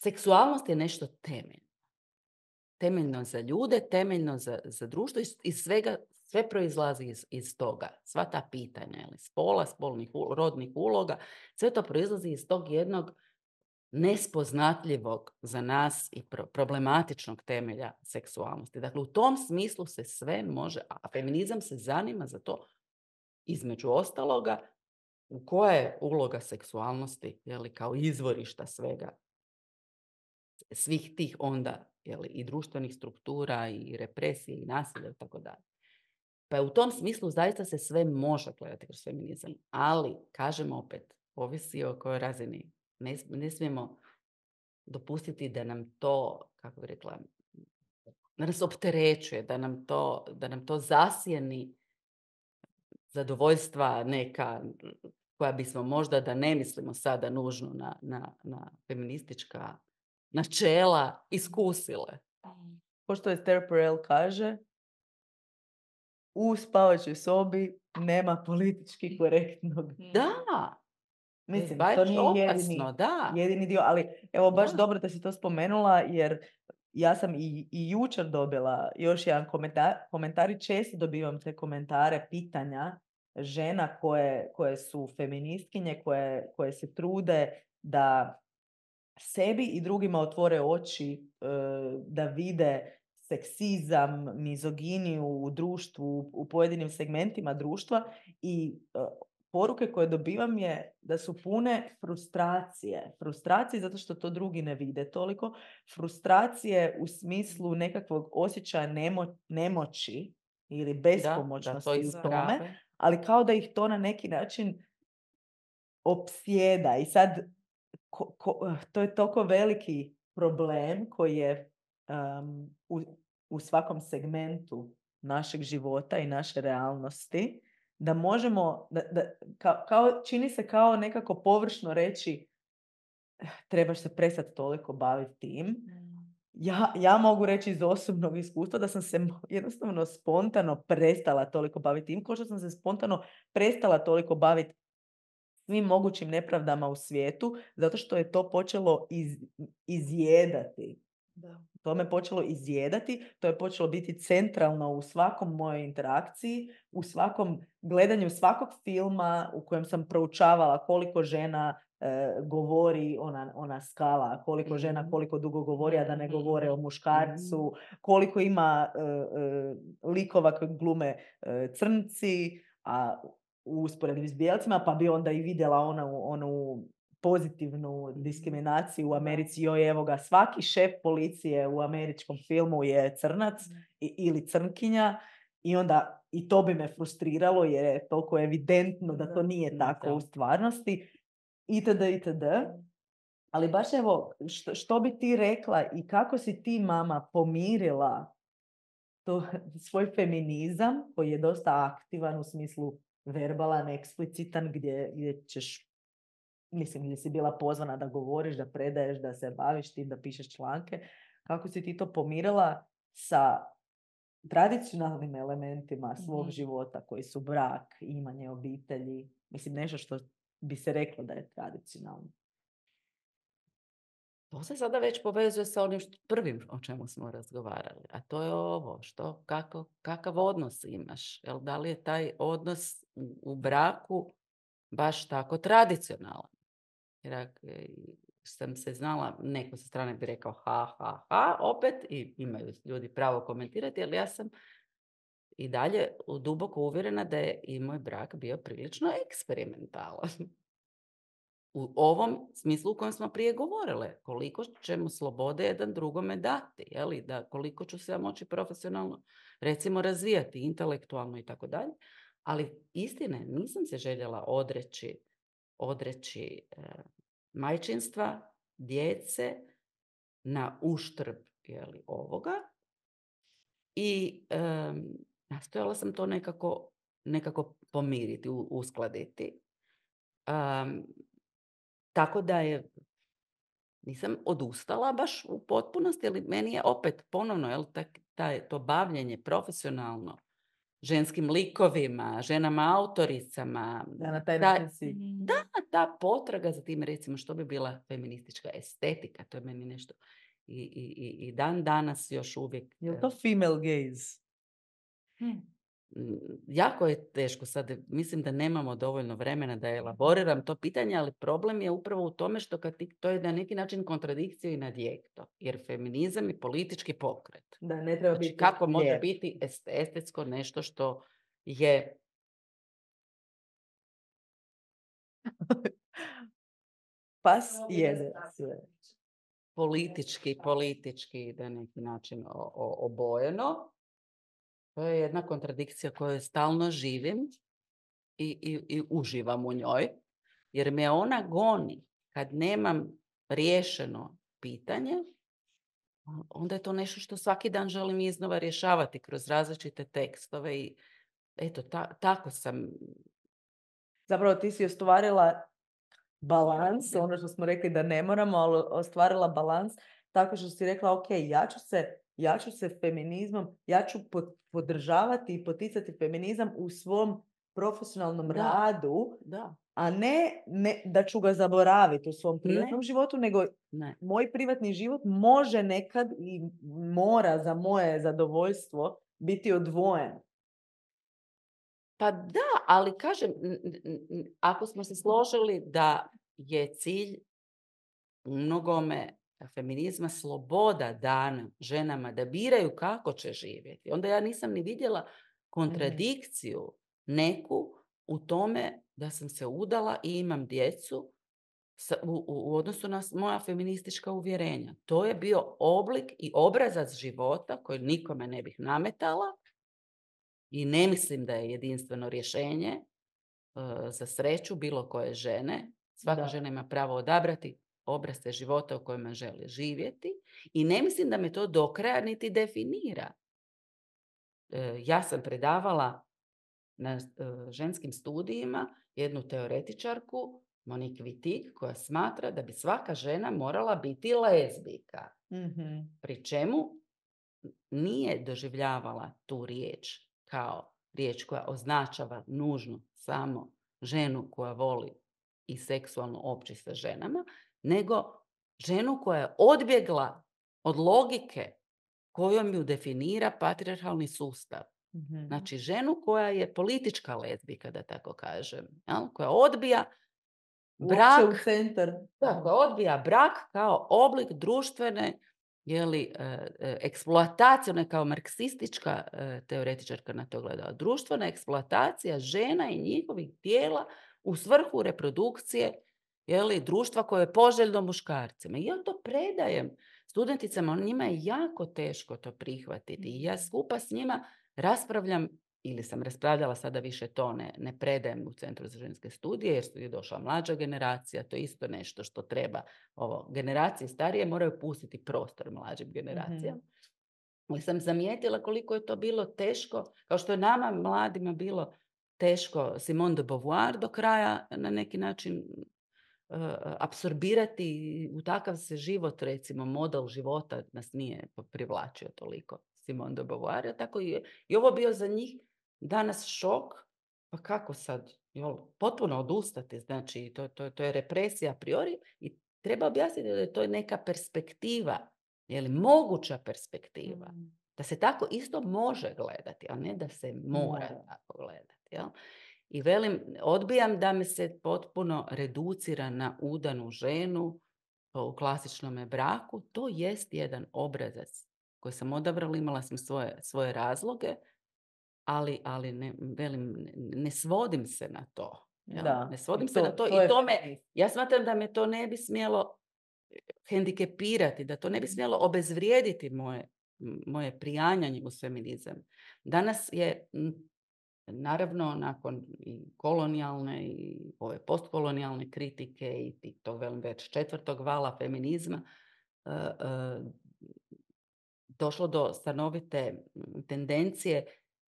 Speaker 3: seksualnost je nešto temeljno. Temeljno za ljude, temeljno za, za društvo i, i svega, sve proizlazi iz, iz toga. Sva ta pitanja, ili spola, spolnih, rodnih uloga, sve to proizlazi iz tog jednog nespoznatljivog za nas i pro, problematičnog temelja seksualnosti. Dakle, u tom smislu se sve može, a feminizam se zanima za to, između ostaloga, u koja je uloga seksualnosti, jeli, kao izvorišta svega, svih tih onda, jeli, i društvenih struktura, i represije, i nasilja, i tako dalje. Pa u tom smislu zaista se sve može gledati kroz feminizam, ali, kažemo opet, ovisi o kojoj razini. Ne, ne smijemo dopustiti da nam to, kako bi rekla, da nas opterećuje, da nam to, da nam to zasjeni zadovoljstva neka koja bismo možda, da ne mislimo sada nužno na, na, na feministička načela, iskusile.
Speaker 2: Pošto Esther Perel kaže, u spavačoj sobi nema politički korektnog.
Speaker 3: Da!
Speaker 2: Mislim,
Speaker 3: baš
Speaker 2: to nije
Speaker 3: opasno,
Speaker 2: jedini,
Speaker 3: da.
Speaker 2: jedini dio, ali evo baš
Speaker 3: Da.
Speaker 2: dobro da si to spomenula, jer ja sam i, i jučer dobila još jedan komentar, komentari, često dobivam te komentare, pitanja žena koje, koje su feministkinje, koje, koje se trude da sebi i drugima otvore oči, da vide seksizam, mizoginiju u društvu, u pojedinim segmentima društva i poruke koje dobivam je da su pune frustracije. Frustracije zato što to drugi ne vide toliko. Frustracije u smislu nekakvog osjećaja nemo, nemoći ili bespomoćnosti
Speaker 3: da, da,
Speaker 2: u tome, ali kao da ih to na neki način opsjeda. I sad ko, ko, to je toliko veliki problem koji je um, u, u svakom segmentu našeg života i naše realnosti, da možemo, da, da, kao, kao, čini se kao nekako površno reći trebaš se prestati toliko baviti tim. Ja, ja mogu reći iz osobnog iskustva da sam se jednostavno spontano prestala toliko baviti tim, kao što sam se spontano prestala toliko baviti svim mogućim nepravdama u svijetu, zato što je to počelo iz, izjedati. Da. To me počelo izjedati, to je počelo biti centralno u svakom mojoj interakciji, u svakom gledanju svakog filma u kojem sam proučavala koliko žena e, govori ona, ona skala, koliko mm-hmm. žena koliko dugo govori, a da ne govore o muškarcu, koliko ima e, e, likova koji glume e, crnci, a u usporedbi s bijelcima, pa bi onda i vidjela onu, onu pozitivnu diskriminaciju u Americi. Joj, evo ga, svaki šef policije u američkom filmu je crnac i, ili crnkinja i onda i to bi me frustriralo jer je toliko evidentno da to nije tako u stvarnosti. Itd. itd. Ali baš evo, što, što bi ti rekla i kako si ti, mama, pomirila to, svoj feminizam koji je dosta aktivan u smislu verbalan, eksplicitan, gdje, gdje ćeš, mislim, gdje si bila pozvana da govoriš, da predaješ, da se baviš tim, da pišeš članke. Kako si ti to pomirila sa tradicionalnim elementima svog mm-hmm. života, koji su brak, imanje obitelji, mislim, nešto što bi se reklo da je tradicionalno?
Speaker 3: To se sada već povezuje sa onim što, prvim o čemu smo razgovarali, a to je ovo, što, kako, kakav odnos imaš, jel, da li je taj odnos u, u braku baš tako tradicionalan? Jer ak- sam se znala, neko sa strane bi rekao ha, ha, ha, opet, i imaju ljudi pravo komentirati, ali ja sam i dalje duboko uvjerena da je i moj brak bio prilično eksperimentalan. U ovom smislu u kojem smo prije govorile, koliko ćemo slobode jedan drugome dati, jeli? Da koliko ću se ja moći profesionalno, recimo, razvijati, intelektualno i tako dalje. Ali istine, nisam se željela odreći, odreći e, majčinstva, djece na uštrb, jeli, ovoga. I e, nastojala sam to nekako, nekako pomiriti, u, uskladiti. Um, tako da je, nisam odustala baš u potpunosti, ali meni je opet ponovno, jel, tak, taj, to bavljenje profesionalno ženskim likovima, ženama autoricama.
Speaker 2: Da, na taj
Speaker 3: ta,
Speaker 2: način si.
Speaker 3: da, ta potraga za tim, recimo, što bi bila feministička estetika, to je meni nešto. I, i, i- i dan danas još uvijek.
Speaker 2: Je li to female gaze?
Speaker 3: Mm, Jako je teško sad, mislim da nemamo dovoljno vremena da elaboriram to pitanje, ali problem je upravo u tome što kad ti, to je na neki način kontradikcija i nadjekto, jer feminizam je politički pokret.
Speaker 2: Da, ne treba
Speaker 3: Znači,
Speaker 2: biti
Speaker 3: kako može
Speaker 2: lijep.
Speaker 3: biti est- estetsko nešto što je
Speaker 2: Pas jede sve.
Speaker 3: politički, politički na neki način o- o- obojeno. To je jedna kontradikcija koju stalno živim i, i, i uživam u njoj, jer me ona goni kad nemam riješeno pitanje, onda je to nešto što svaki dan želim iznova rješavati kroz različite tekstove i eto, ta, tako sam.
Speaker 2: Zapravo ti si ostvarila balans, ono što smo rekli da ne moramo, ali ostvarila balans tako što si rekla, ok, ja ću se, ja ću se feminizmom, ja ću po- podržavati i poticati feminizam u svom profesionalnom
Speaker 3: Da.
Speaker 2: radu,
Speaker 3: Da,
Speaker 2: a ne, ne da ću ga zaboraviti u svom privatnom
Speaker 3: Ne.
Speaker 2: životu, nego
Speaker 3: ne.
Speaker 2: moj privatni život može nekad i mora za moje zadovoljstvo biti odvojen.
Speaker 3: Pa da, ali kažem, n- n- n- ako smo se složili da je cilj u mnogome feminizma sloboda dana ženama da biraju kako će živjeti, onda ja nisam ni vidjela kontradikciju neku u tome da sam se udala i imam djecu sa- u, u- u odnosu na s- moja feministička uvjerenja. To je bio oblik i obrazac života koji nikome ne bih nametala i ne mislim da je jedinstveno rješenje e, za sreću bilo koje žene. Svaka
Speaker 2: Da.
Speaker 3: žena ima pravo odabrati obrasce života u kojima želi živjeti i ne mislim da me to do kraja niti definira. E, ja sam predavala na e, ženskim studijima jednu teoretičarku, Monique Wittig, koja smatra da bi svaka žena morala biti lezbijka.
Speaker 2: Mhm.
Speaker 3: Pri čemu nije doživljavala tu riječ kao riječ koja označava nužno samo ženu koja voli i seksualno opći sa ženama, nego ženu koja je odbjegla od logike kojom ju definira patrijarhalni sustav.
Speaker 2: Mhm.
Speaker 3: Znači ženu koja je politička lezbijka, da tako kažem, jel? Koja odbija
Speaker 2: Uopće
Speaker 3: brak,
Speaker 2: u centar.
Speaker 3: da, koja odbija brak kao oblik društvene, jeli, e, e, eksploatacije, ona je kao marksistička e, teoretičarka na to gledala, društvena eksploatacija žena i njihovih tijela u svrhu reprodukcije, jeli, društva koje je poželjno muškarcima. I ja to predajem studenticama, njima je jako teško to prihvatiti. I ja skupa s njima raspravljam, ili sam raspravljala, sada više to ne, ne predajem u Centru za ženske studije, jer je došla mlađa generacija, to je isto nešto što treba. Ovo, generacije starije moraju pustiti prostor mlađim generacijama. Ali sam zamijetila koliko je to bilo teško, kao što je nama mladima bilo teško Simone de Beauvoir do kraja na neki način uh, apsorbirati u takav se život, recimo model života nas nije privlačio toliko Simone de Beauvoir, tako i, i ovo bio za njih danas šok, pa kako sad, jel, potpuno odustati, znači to, to, to je represija a priori i treba objasniti da je to neka perspektiva, je li moguća perspektiva,
Speaker 2: Mm.
Speaker 3: da se tako isto može gledati, a ne da se mora
Speaker 2: Mora.
Speaker 3: tako gledati. Jel? I velim, odbijam da me se potpuno reducira na udanu ženu u klasičnom braku. To jest jedan obrazac koji sam odabrala, imala sam svoje, svoje razloge, ali, ali ne, velim, ne, ne svodim se na to. Jel?
Speaker 2: Da.
Speaker 3: Ne svodim
Speaker 2: I
Speaker 3: se
Speaker 2: to-
Speaker 3: na to,
Speaker 2: to
Speaker 3: i
Speaker 2: je
Speaker 3: to me,
Speaker 2: feminist.
Speaker 3: ja smatram da me to ne bi smjelo hendikepirati, da to ne bi smjelo obezvrijediti moje, moje prijanjanje u feminizam. Danas je, m, naravno, nakon i kolonijalne i ove postkolonijalne kritike i ti- tog velim već četvrtog vala feminizma, e, e, došlo do stanovite m, tendencije,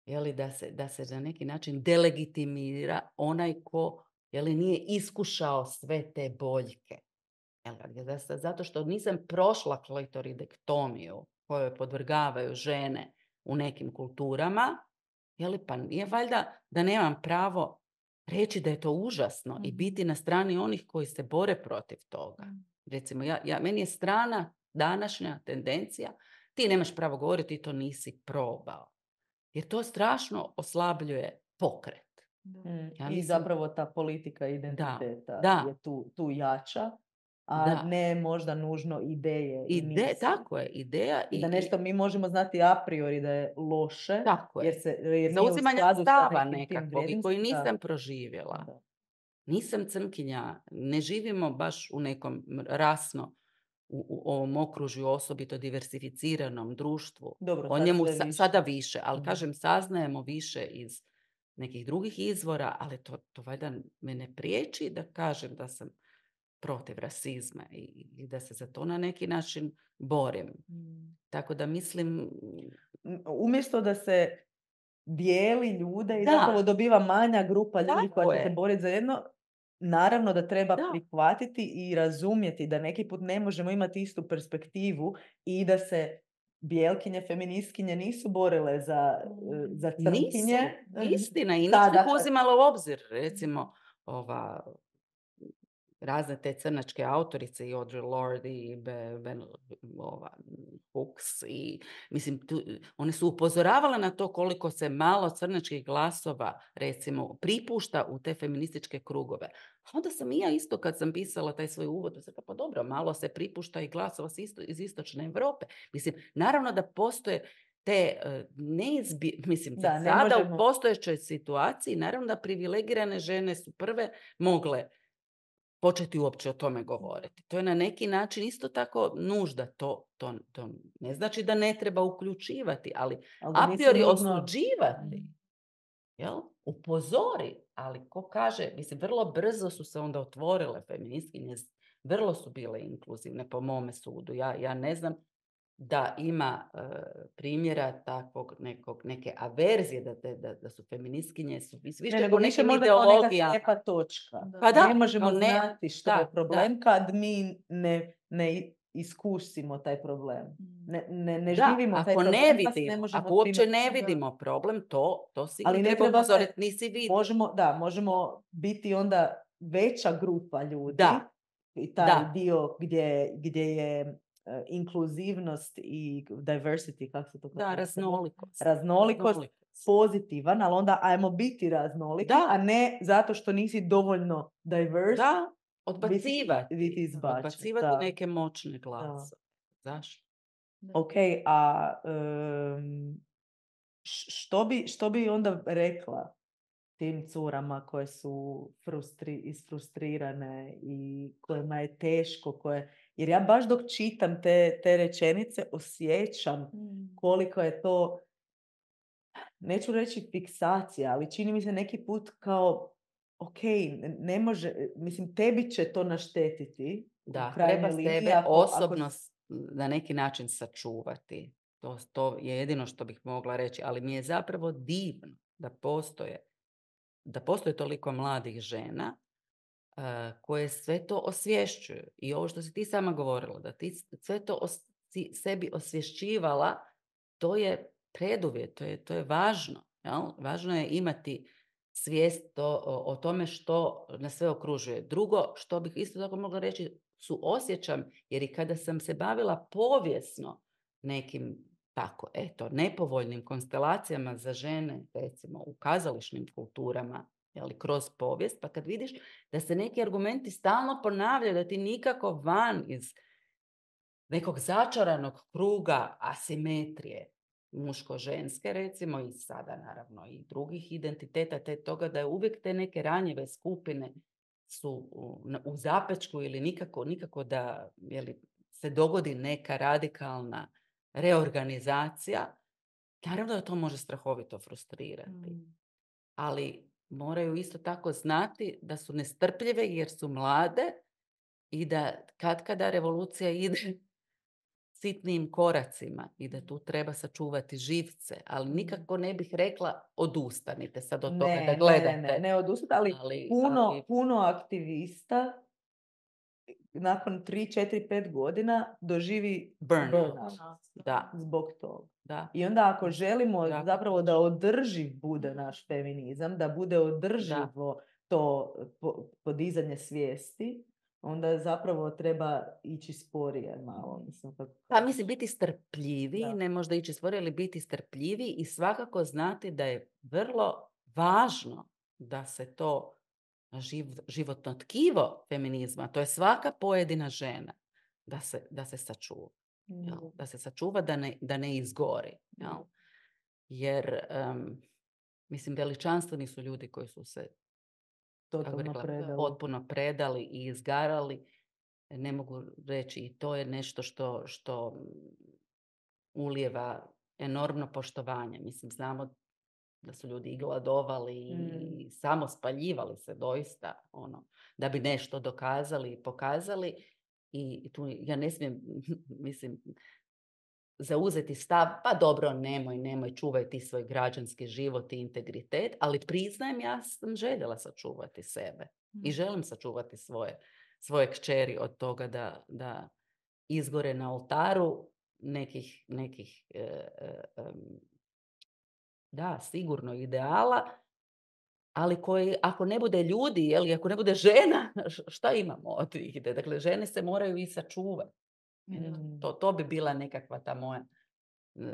Speaker 3: jeli, da se, da se na neki način delegitimira onaj ko, jeli, nije iskušao sve te boljke. Jel, da se- Zato što nisam prošla klitoridektomiju koju podvrgavaju žene u nekim kulturama, jeli, pa nije valjda da nemam pravo reći da je to užasno i
Speaker 1: Mhm.
Speaker 3: biti na strani onih koji se bore protiv toga. Recimo, ja, ja, meni je strana današnja tendencija, ti nemaš pravo govoriti, ti to nisi probao. Jer to strašno oslabljuje pokret.
Speaker 2: Mm,
Speaker 3: Ja
Speaker 2: I
Speaker 3: mislim-
Speaker 2: zapravo ta politika identiteta
Speaker 3: da.
Speaker 2: je tu, tu jača, a
Speaker 3: Da.
Speaker 2: ne možda nužno ideje i
Speaker 3: Ide,
Speaker 2: misli.
Speaker 3: tako je, ideja
Speaker 2: I da
Speaker 3: i-
Speaker 2: nešto mi možemo znati a priori da je loše,
Speaker 3: Tako je.
Speaker 2: jer se jer nije u
Speaker 3: zauzimanja
Speaker 2: skladu sa
Speaker 3: stava
Speaker 2: nekim tim
Speaker 3: nekakvog i koji
Speaker 2: vrijednostima.
Speaker 3: nisam proživjela.
Speaker 2: Da.
Speaker 3: Nisam crnkinja, ne živimo baš u nekom m- rasno, u, u ovom okružju osobito diversificiranom društvu.
Speaker 2: Dobro,
Speaker 3: O
Speaker 2: sad
Speaker 3: njemu
Speaker 2: sve
Speaker 3: sa-
Speaker 2: više.
Speaker 3: sada više, ali
Speaker 2: Mhm.
Speaker 3: kažem, saznajemo više iz nekih drugih izvora, ali to, to valjda me ne priječi da kažem da sam protiv rasizma i, i da se za to na neki način borim.
Speaker 2: Mm.
Speaker 3: Tako da mislim,
Speaker 2: M- Umjesto da se dijeli ljude i
Speaker 3: Da.
Speaker 2: zapravo dobiva manja grupa ljudi
Speaker 3: Tako
Speaker 2: koja će
Speaker 3: je.
Speaker 2: se boriti za jedno, naravno da treba
Speaker 3: Da.
Speaker 2: prihvatiti i razumjeti da neki put ne možemo imati istu perspektivu i da se bijelkinje, feministkinje nisu borile za, eh, za crnkinje.
Speaker 3: nisu, istina, i
Speaker 2: Da,
Speaker 3: nisu ih
Speaker 2: dakle-
Speaker 3: uzimala u obzir. Recimo, ova, razne te crnačke autorice i Audre Lorde i Be, Ben, ova, Hooks i mislim, tu, one su upozoravale na to koliko se malo crnačkih glasova, recimo, pripušta u te feminističke krugove. A onda sam i ja isto kad sam pisala taj svoj uvod, sam rekla, pa dobro, malo se pripušta i glasova s isto, iz istočne Europe. Mislim, naravno da postoje te uh, neizbi... Mislim,
Speaker 2: Da,
Speaker 3: za
Speaker 2: ne
Speaker 3: sada
Speaker 2: možemo-
Speaker 3: u postojećoj situaciji, naravno da privilegirane žene su prve mogle početi uopće o tome govoriti. To je na neki način isto tako nužda. To, to, to ne znači da ne treba uključivati, ali
Speaker 2: Ali da
Speaker 3: a
Speaker 2: nisu
Speaker 3: priori
Speaker 2: nužno-
Speaker 3: osuđivati. Jel? Upozori, ali ko kaže, mislim, vrlo brzo su se onda otvorile feministkinje, vrlo su bile inkluzivne po mome sudu. Ja, ja ne znam da ima e, primjera takvog nekog, neke averzije da, te, da, da su feministkinje su vis- više
Speaker 2: Ne, nego
Speaker 3: po
Speaker 2: više
Speaker 3: nekim
Speaker 2: možda kao neka
Speaker 3: ideologijama.
Speaker 2: slijepa točka.
Speaker 3: Pa da,
Speaker 2: ne možemo
Speaker 3: kao ne-
Speaker 2: znati što
Speaker 3: da,
Speaker 2: je problem
Speaker 3: da.
Speaker 2: kad mi ne, ne iskusimo taj problem. Ne, ne, ne
Speaker 3: Da,
Speaker 2: živimo taj
Speaker 3: ako
Speaker 2: problem,
Speaker 3: ne
Speaker 2: pa se
Speaker 3: vidimo,
Speaker 2: ne možemo
Speaker 3: ako uopće
Speaker 2: time-
Speaker 3: ne
Speaker 2: Da.
Speaker 3: vidimo problem, to, to sigurno
Speaker 2: Ali ne
Speaker 3: treba
Speaker 2: treba se-
Speaker 3: upozoriti, nisi vidio.
Speaker 2: Možemo, da, možemo biti onda veća grupa ljudi
Speaker 3: Da.
Speaker 2: i taj
Speaker 3: Da.
Speaker 2: dio gdje, gdje je e, inkluzivnost i diversity, kako se to
Speaker 3: Da,
Speaker 2: kaže?
Speaker 3: raznolikost.
Speaker 2: Raznolikost pozitivan, ali onda ajmo biti raznoliki,
Speaker 3: Da.
Speaker 2: a ne zato što nisi dovoljno diverse.
Speaker 3: Da, odbacivati.
Speaker 2: biti izbačen,
Speaker 3: Odbacivati
Speaker 2: da.
Speaker 3: neke moćne glasove. Zašto?
Speaker 2: Ok, a em, š- što, bi, što bi onda rekla tim curama koje su frustri, isfrustrirane i kojima je teško, koje... Jer ja baš dok čitam te, te rečenice osjećam koliko je to, neću reći fiksacija, ali čini mi se neki put kao, ok, ne može, mislim, tebi će to naštetiti. u
Speaker 3: Da,
Speaker 2: krajnjoj
Speaker 3: treba
Speaker 2: liniji,
Speaker 3: sebe
Speaker 2: ako- ako
Speaker 3: osobno s- na neki način sačuvati. To, to je jedino što bih mogla reći, ali mi je zapravo divno da postoje, da postoje toliko mladih žena uh, koje sve to osvješćuju. I ovo što si ti sama govorila, da ti sve to os, si sebi osvješćivala, to je preduvjet, to je, to je važno. Jel? Važno je imati svijest o, o, o tome što nas sve okružuje. Drugo, što bih isto tako mogla reći, su osjećam, jer i kada sam se bavila povijesno nekim tako, eto, nepovoljnim konstelacijama za žene, recimo u kazališnim kulturama jeli, kroz povijest, pa kad vidiš da se neki argumenti stalno ponavljaju, da ti nikako van iz nekog začaranog kruga asimetrije, muško-ženske recimo, i sada naravno i drugih identiteta, te toga da je uvijek te neke ranjive skupine su u, u zapečku ili nikako, nikako da jeli, se dogodi neka radikalna reorganizacija, naravno da to može strahovito frustrirati. Mm. Ali moraju isto tako znati da su nestrpljive jer su mlade i da katkada revolucija ide sitnim koracima i da tu treba sačuvati živce, ali nikako ne bih rekla odustanite sad od toga
Speaker 2: ne,
Speaker 3: da gledate.
Speaker 2: Ne, ne, ne odustanite, ali, ali, puno, ali puno aktivista nakon tri, četiri, pet godina doživi
Speaker 3: burnout.
Speaker 2: burnout.
Speaker 3: Da.
Speaker 2: Zbog toga.
Speaker 3: Da.
Speaker 2: I onda ako želimo
Speaker 3: da.
Speaker 2: zapravo da održiv bude naš feminizam, da bude održivo da. to podizanje svijesti, onda zapravo treba ići sporije malo. Mislim, kako...
Speaker 3: Pa mislim, biti strpljivi, da. ne možda ići sporije, ali biti strpljivi i svakako znati da je vrlo važno da se to živ, životno tkivo feminizma, to je svaka pojedina žena, da se, da se sačuva. Mm. Jel? Da se sačuva, da ne, da ne izgori. Jel? Mm. Jer, um, mislim, veličanstveni su ljudi koji su se rekla, predali. potpuno predali i izgarali. Ne mogu reći, i to je nešto što, što ulijeva enormno poštovanje. Mislim, znamo da su ljudi i gladovali mm. i samo spaljivali se doista, ono, da bi nešto dokazali i pokazali. I tu ja ne smijem, mislim, zauzeti stav, pa dobro, nemoj, nemoj, čuvaj ti svoj građanski život i integritet, ali priznajem, ja sam željela sačuvati sebe mm. i želim sačuvati svoje, svoje kćeri od toga da, da izgore na oltaru nekih, nekih e, e, da, sigurno ideala, ali koji, ako ne bude ljudi, jel, ako ne bude žena, šta imamo od tih? Dakle, žene se moraju i sačuvati. Mm. To, to bi bila nekakva ta moja, uh,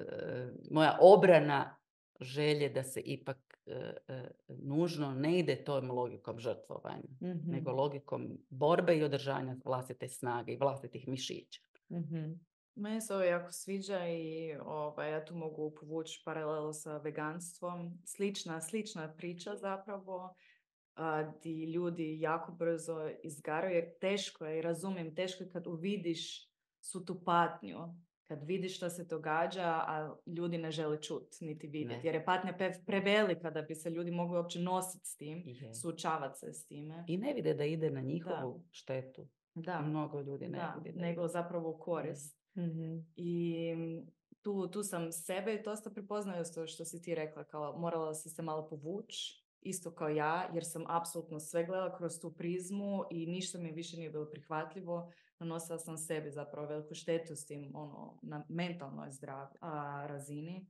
Speaker 3: moja obrana želje da se ipak uh, uh, nužno ne ide tom logikom žrtvovanja, mm-hmm. nego logikom borbe i održanja vlastite snage i vlastitih mišića.
Speaker 1: Mm-hmm. Meni se ovo jako sviđa i ovaj, ja tu mogu povući paralelu sa veganstvom. Slična, slična priča zapravo, a, di ljudi jako brzo izgaraju, jer teško je, i razumijem, teško je kad uvidiš svu tu patnju, kad vidiš što se događa, a ljudi ne žele čuti niti vidjeti. Jer je patnja prevelika da bi se ljudi mogli uopće nositi s tim, je. suočavati se s time.
Speaker 3: I ne vide da ide na njihovu da. štetu.
Speaker 1: Da.
Speaker 3: Mnogo ljudi ne
Speaker 1: da.
Speaker 3: vidi.
Speaker 1: Da. Nego zapravo u korist. Mm-hmm. I tu, tu sam sebe dosta prepoznala to što si ti rekla, kao morala si se malo povući, isto kao ja, jer sam apsolutno sve gledala kroz tu prizmu i ništa mi više nije bilo prihvatljivo. Nanosila sam sebi zapravo veliku štetu s tim, ono, na mentalnoj zdrav a, razini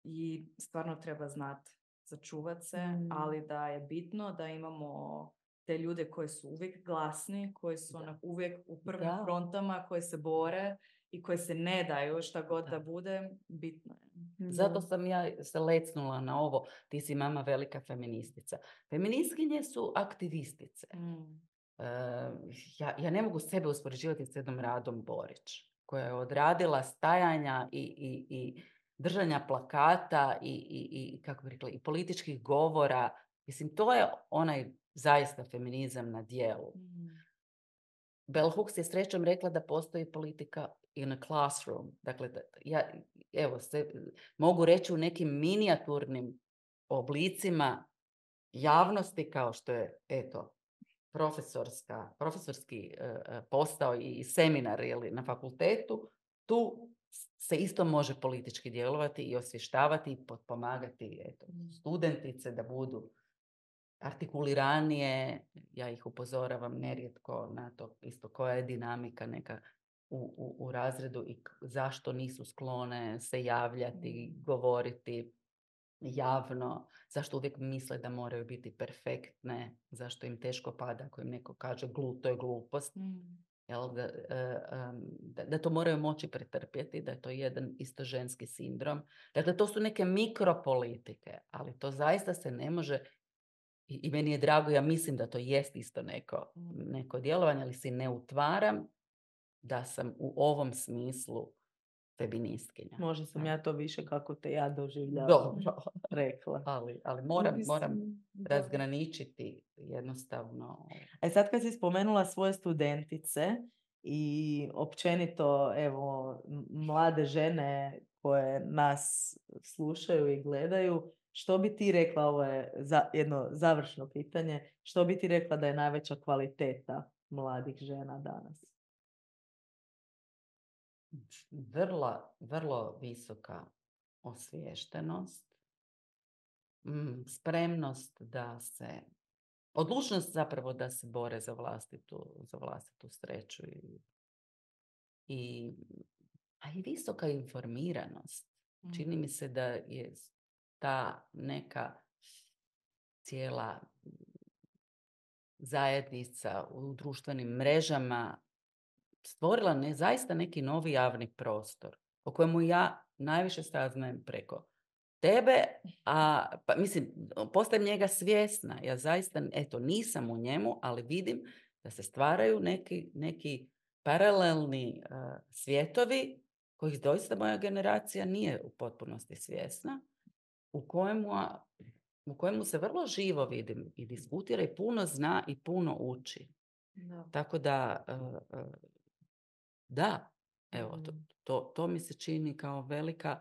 Speaker 1: i stvarno treba znati začuvat se, mm. ali da je bitno da imamo te ljude koji su uvijek glasni, koji su onak uvijek u prvim da. frontama, koji se bore i koji se ne daju šta god da, da bude, bitno je.
Speaker 3: Zato sam ja se lecnula na ovo, ti si mama velika feministica. Feministkinje su aktivistice. Mm. Uh, ja, ja ne mogu sebe uspoređivati s jednom Radom Borić, koja je odradila stajanja i, i, i držanja plakata i, i, i, kako bi rekla, i političkih govora. Mislim, to je onaj zaista feminizam na djelu. Mm. Bell Hooks je srećom rekla da postoji politika in a classroom. Dakle, da, ja evo, se, mogu reći u nekim minijaturnim oblicima javnosti kao što je, eto, profesorska, profesorski uh, postao i seminar ili na fakultetu, tu se isto može politički djelovati i osvještavati i potpomagati eto, studentice da budu artikuliranije. Ja ih upozoravam nerijetko na to isto koja je dinamika neka u, u, u razredu i zašto nisu sklone se javljati, govoriti javno, zašto uvijek misle da moraju biti perfektne, zašto im teško pada ako im neko kaže glu, to je glupost. Mm. Jel, da, da, da to moraju moći pretrpjeti, da je to jedan isto ženski sindrom. Dakle, to su neke mikropolitike, ali to zaista se ne može I, i meni je drago, ja mislim da to jest isto neko, neko djelovanje, ali si ne utvaram da sam u ovom smislu feministkinja.
Speaker 2: Možda sam ja to više kako te ja doživljavam.
Speaker 3: Dobro.
Speaker 2: Rekla.
Speaker 3: Ali, ali moram,
Speaker 1: Mislim,
Speaker 3: moram
Speaker 1: da.
Speaker 3: razgraničiti jednostavno.
Speaker 2: E sad kad si spomenula svoje studentice i općenito evo m- mlade žene koje nas slušaju i gledaju, što bi ti rekla, ovo je za, jedno završno pitanje, što bi ti rekla da je najveća kvaliteta mladih žena danas?
Speaker 3: Vrlo, vrlo visoka osviještenost, mm, spremnost da se, odlučnost zapravo da se bore za vlastitu, za vlastitu sreću i, i, a i visoka informiranost. Čini mi se da je ta neka cijela zajednica u društvenim mrežama stvorila ne, zaista neki novi javni prostor o kojemu ja najviše saznajem preko tebe, a pa, mislim, postajem njega svjesna. Ja zaista, eto, nisam u njemu, ali vidim da se stvaraju neki, neki paralelni uh, svijetovi kojih doista moja generacija nije u potpunosti svjesna, u kojemu, u kojemu se vrlo živo vidim i diskutira i puno zna i puno uči.
Speaker 1: Da.
Speaker 3: Tako da, uh, uh, da, evo, to, to, to mi se čini kao velika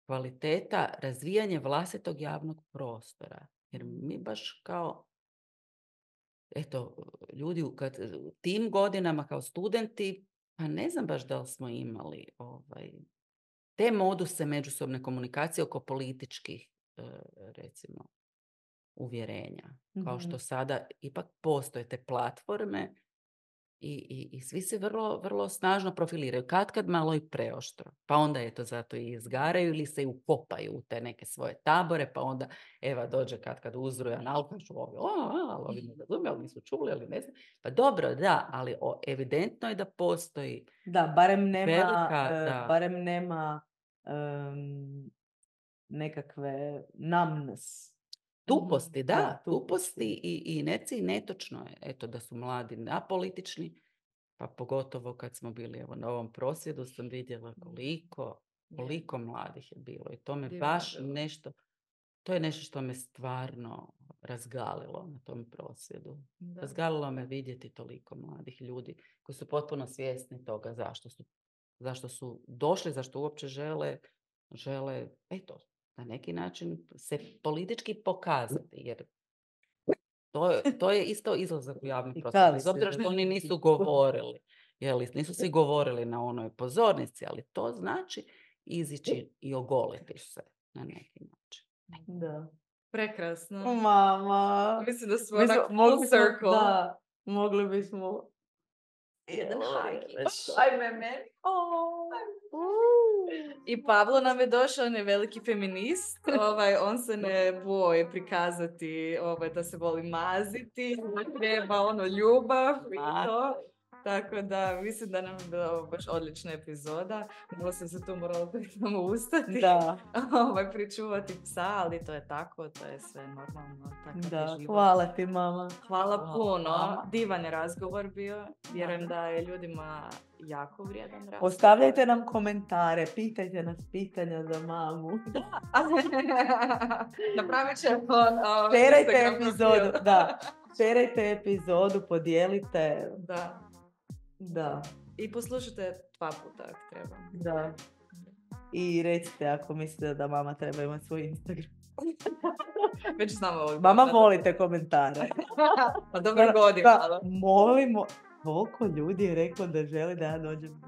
Speaker 3: kvaliteta razvijanje vlastitog javnog prostora. Jer mi baš kao, eto, ljudi u kad, u tim godinama kao studenti, pa ne znam baš da li smo imali ovaj, te moduse međusobne komunikacije oko političkih, e, recimo, uvjerenja. Mm-hmm. Kao što sada ipak postoje te platforme i, i, i svi se vrlo, vrlo snažno profiliraju. Kad kad malo i preoštro. Pa onda je to zato i izgaraju ili se i ukopaju u te neke svoje tabore, pa onda Eva dođe kad kad uzrujan alkašu, ovi, o, ali ovi ne razumiju, ali nisu čuli, ali ne znam. Pa dobro, da, ali o, evidentno je da postoji
Speaker 2: Da, barem nema,
Speaker 3: velika,
Speaker 2: uh,
Speaker 3: da.
Speaker 2: barem nema um, nekakve numbness.
Speaker 3: Tuposti, da,
Speaker 2: da
Speaker 3: tuposti i, i neci netočno je, eto, da su mladi apolitični, pa pogotovo kad smo bili evo, na ovom prosvjedu sam vidjela koliko, koliko mladih je bilo i to me
Speaker 1: Divno
Speaker 3: baš
Speaker 1: bilo.
Speaker 3: nešto, to je nešto što me stvarno razgalilo na tom prosvjedu.
Speaker 1: Da.
Speaker 3: Razgalilo me vidjeti toliko mladih ljudi koji su potpuno svjesni toga zašto su, zašto su došli, zašto uopće žele, žele, eto, na neki način se politički pokazati, jer to je, to je isto izlazak u javni prostor. Bez obzira što oni nisu govorili, jeli, nisu svi govorili na onoj pozornici, ali to znači izići i ogoliti se na neki način.
Speaker 2: Da.
Speaker 1: Prekrasno.
Speaker 2: Mama.
Speaker 1: Mislim da smo
Speaker 2: Mislim,
Speaker 1: onak full
Speaker 2: mogli smo,
Speaker 1: circle.
Speaker 2: da, mogli bismo
Speaker 3: Jedan hajki.
Speaker 2: Ajme meni. Oh.
Speaker 1: I Pavlo nam je došao, on je veliki feminist, ovaj, on se ne boji prikazati ovaj, da se voli maziti, da treba ono ljubav i to. Tako da mislim da nam je bila baš odlična epizoda. Malo sam se tu morala pritom ustati.
Speaker 2: Da.
Speaker 1: ovaj, pričuvati psa, ali to je tako, to je sve normalno. Tako
Speaker 2: Da,
Speaker 1: je život.
Speaker 2: hvala ti mama.
Speaker 1: Hvala
Speaker 3: Hvala.
Speaker 1: puno. Divan je razgovor bio. Vjerujem da je ljudima jako vrijedan razgovor.
Speaker 2: Ostavljajte nam komentare, pitajte nas pitanja za mamu.
Speaker 1: Napravit ćemo uh,
Speaker 2: Šerajte
Speaker 1: Instagram
Speaker 2: epizodu,
Speaker 1: profil.
Speaker 2: da. Šerajte epizodu, podijelite.
Speaker 1: Da.
Speaker 2: Da,
Speaker 1: I poslušajte dva puta ako treba.
Speaker 2: da. I recite ako mislite da mama treba imati svoj Instagram.
Speaker 1: Već znamo ovog.
Speaker 2: Mama, volite komentare.
Speaker 1: Pa dobro
Speaker 2: Da,
Speaker 1: godina.
Speaker 2: da, molimo. Koliko ljudi je reklo da želi da ja dođem.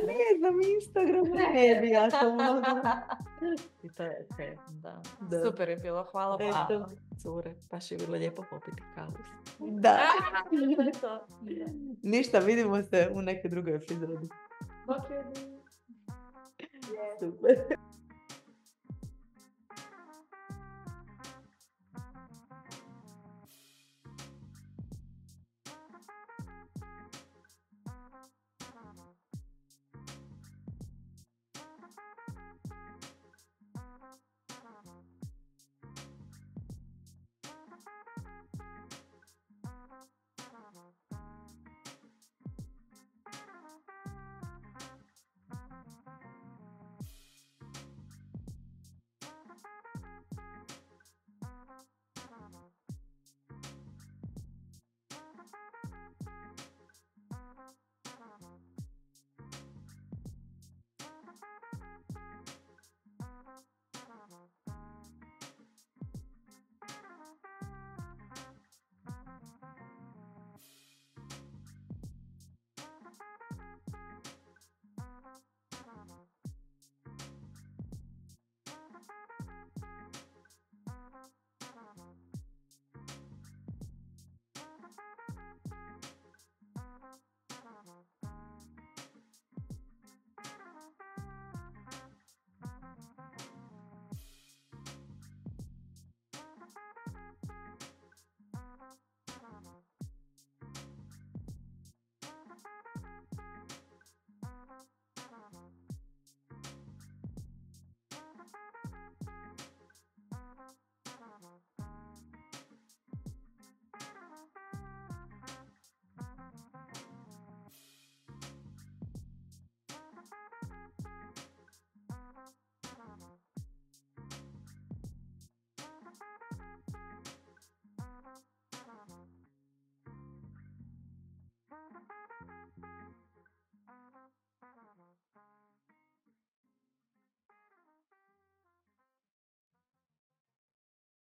Speaker 2: Ne znam, Instagram ne bi ja to mogla. I to je sve.
Speaker 1: Da.
Speaker 2: Da.
Speaker 1: Super je bilo, hvala
Speaker 2: Eto.
Speaker 1: puno.
Speaker 3: Cure, baš je bilo lijepo popiti kavu.
Speaker 2: Da.
Speaker 1: To.
Speaker 2: Ništa, vidimo se u nekoj drugoj epizodi.
Speaker 1: Okay.
Speaker 2: Super.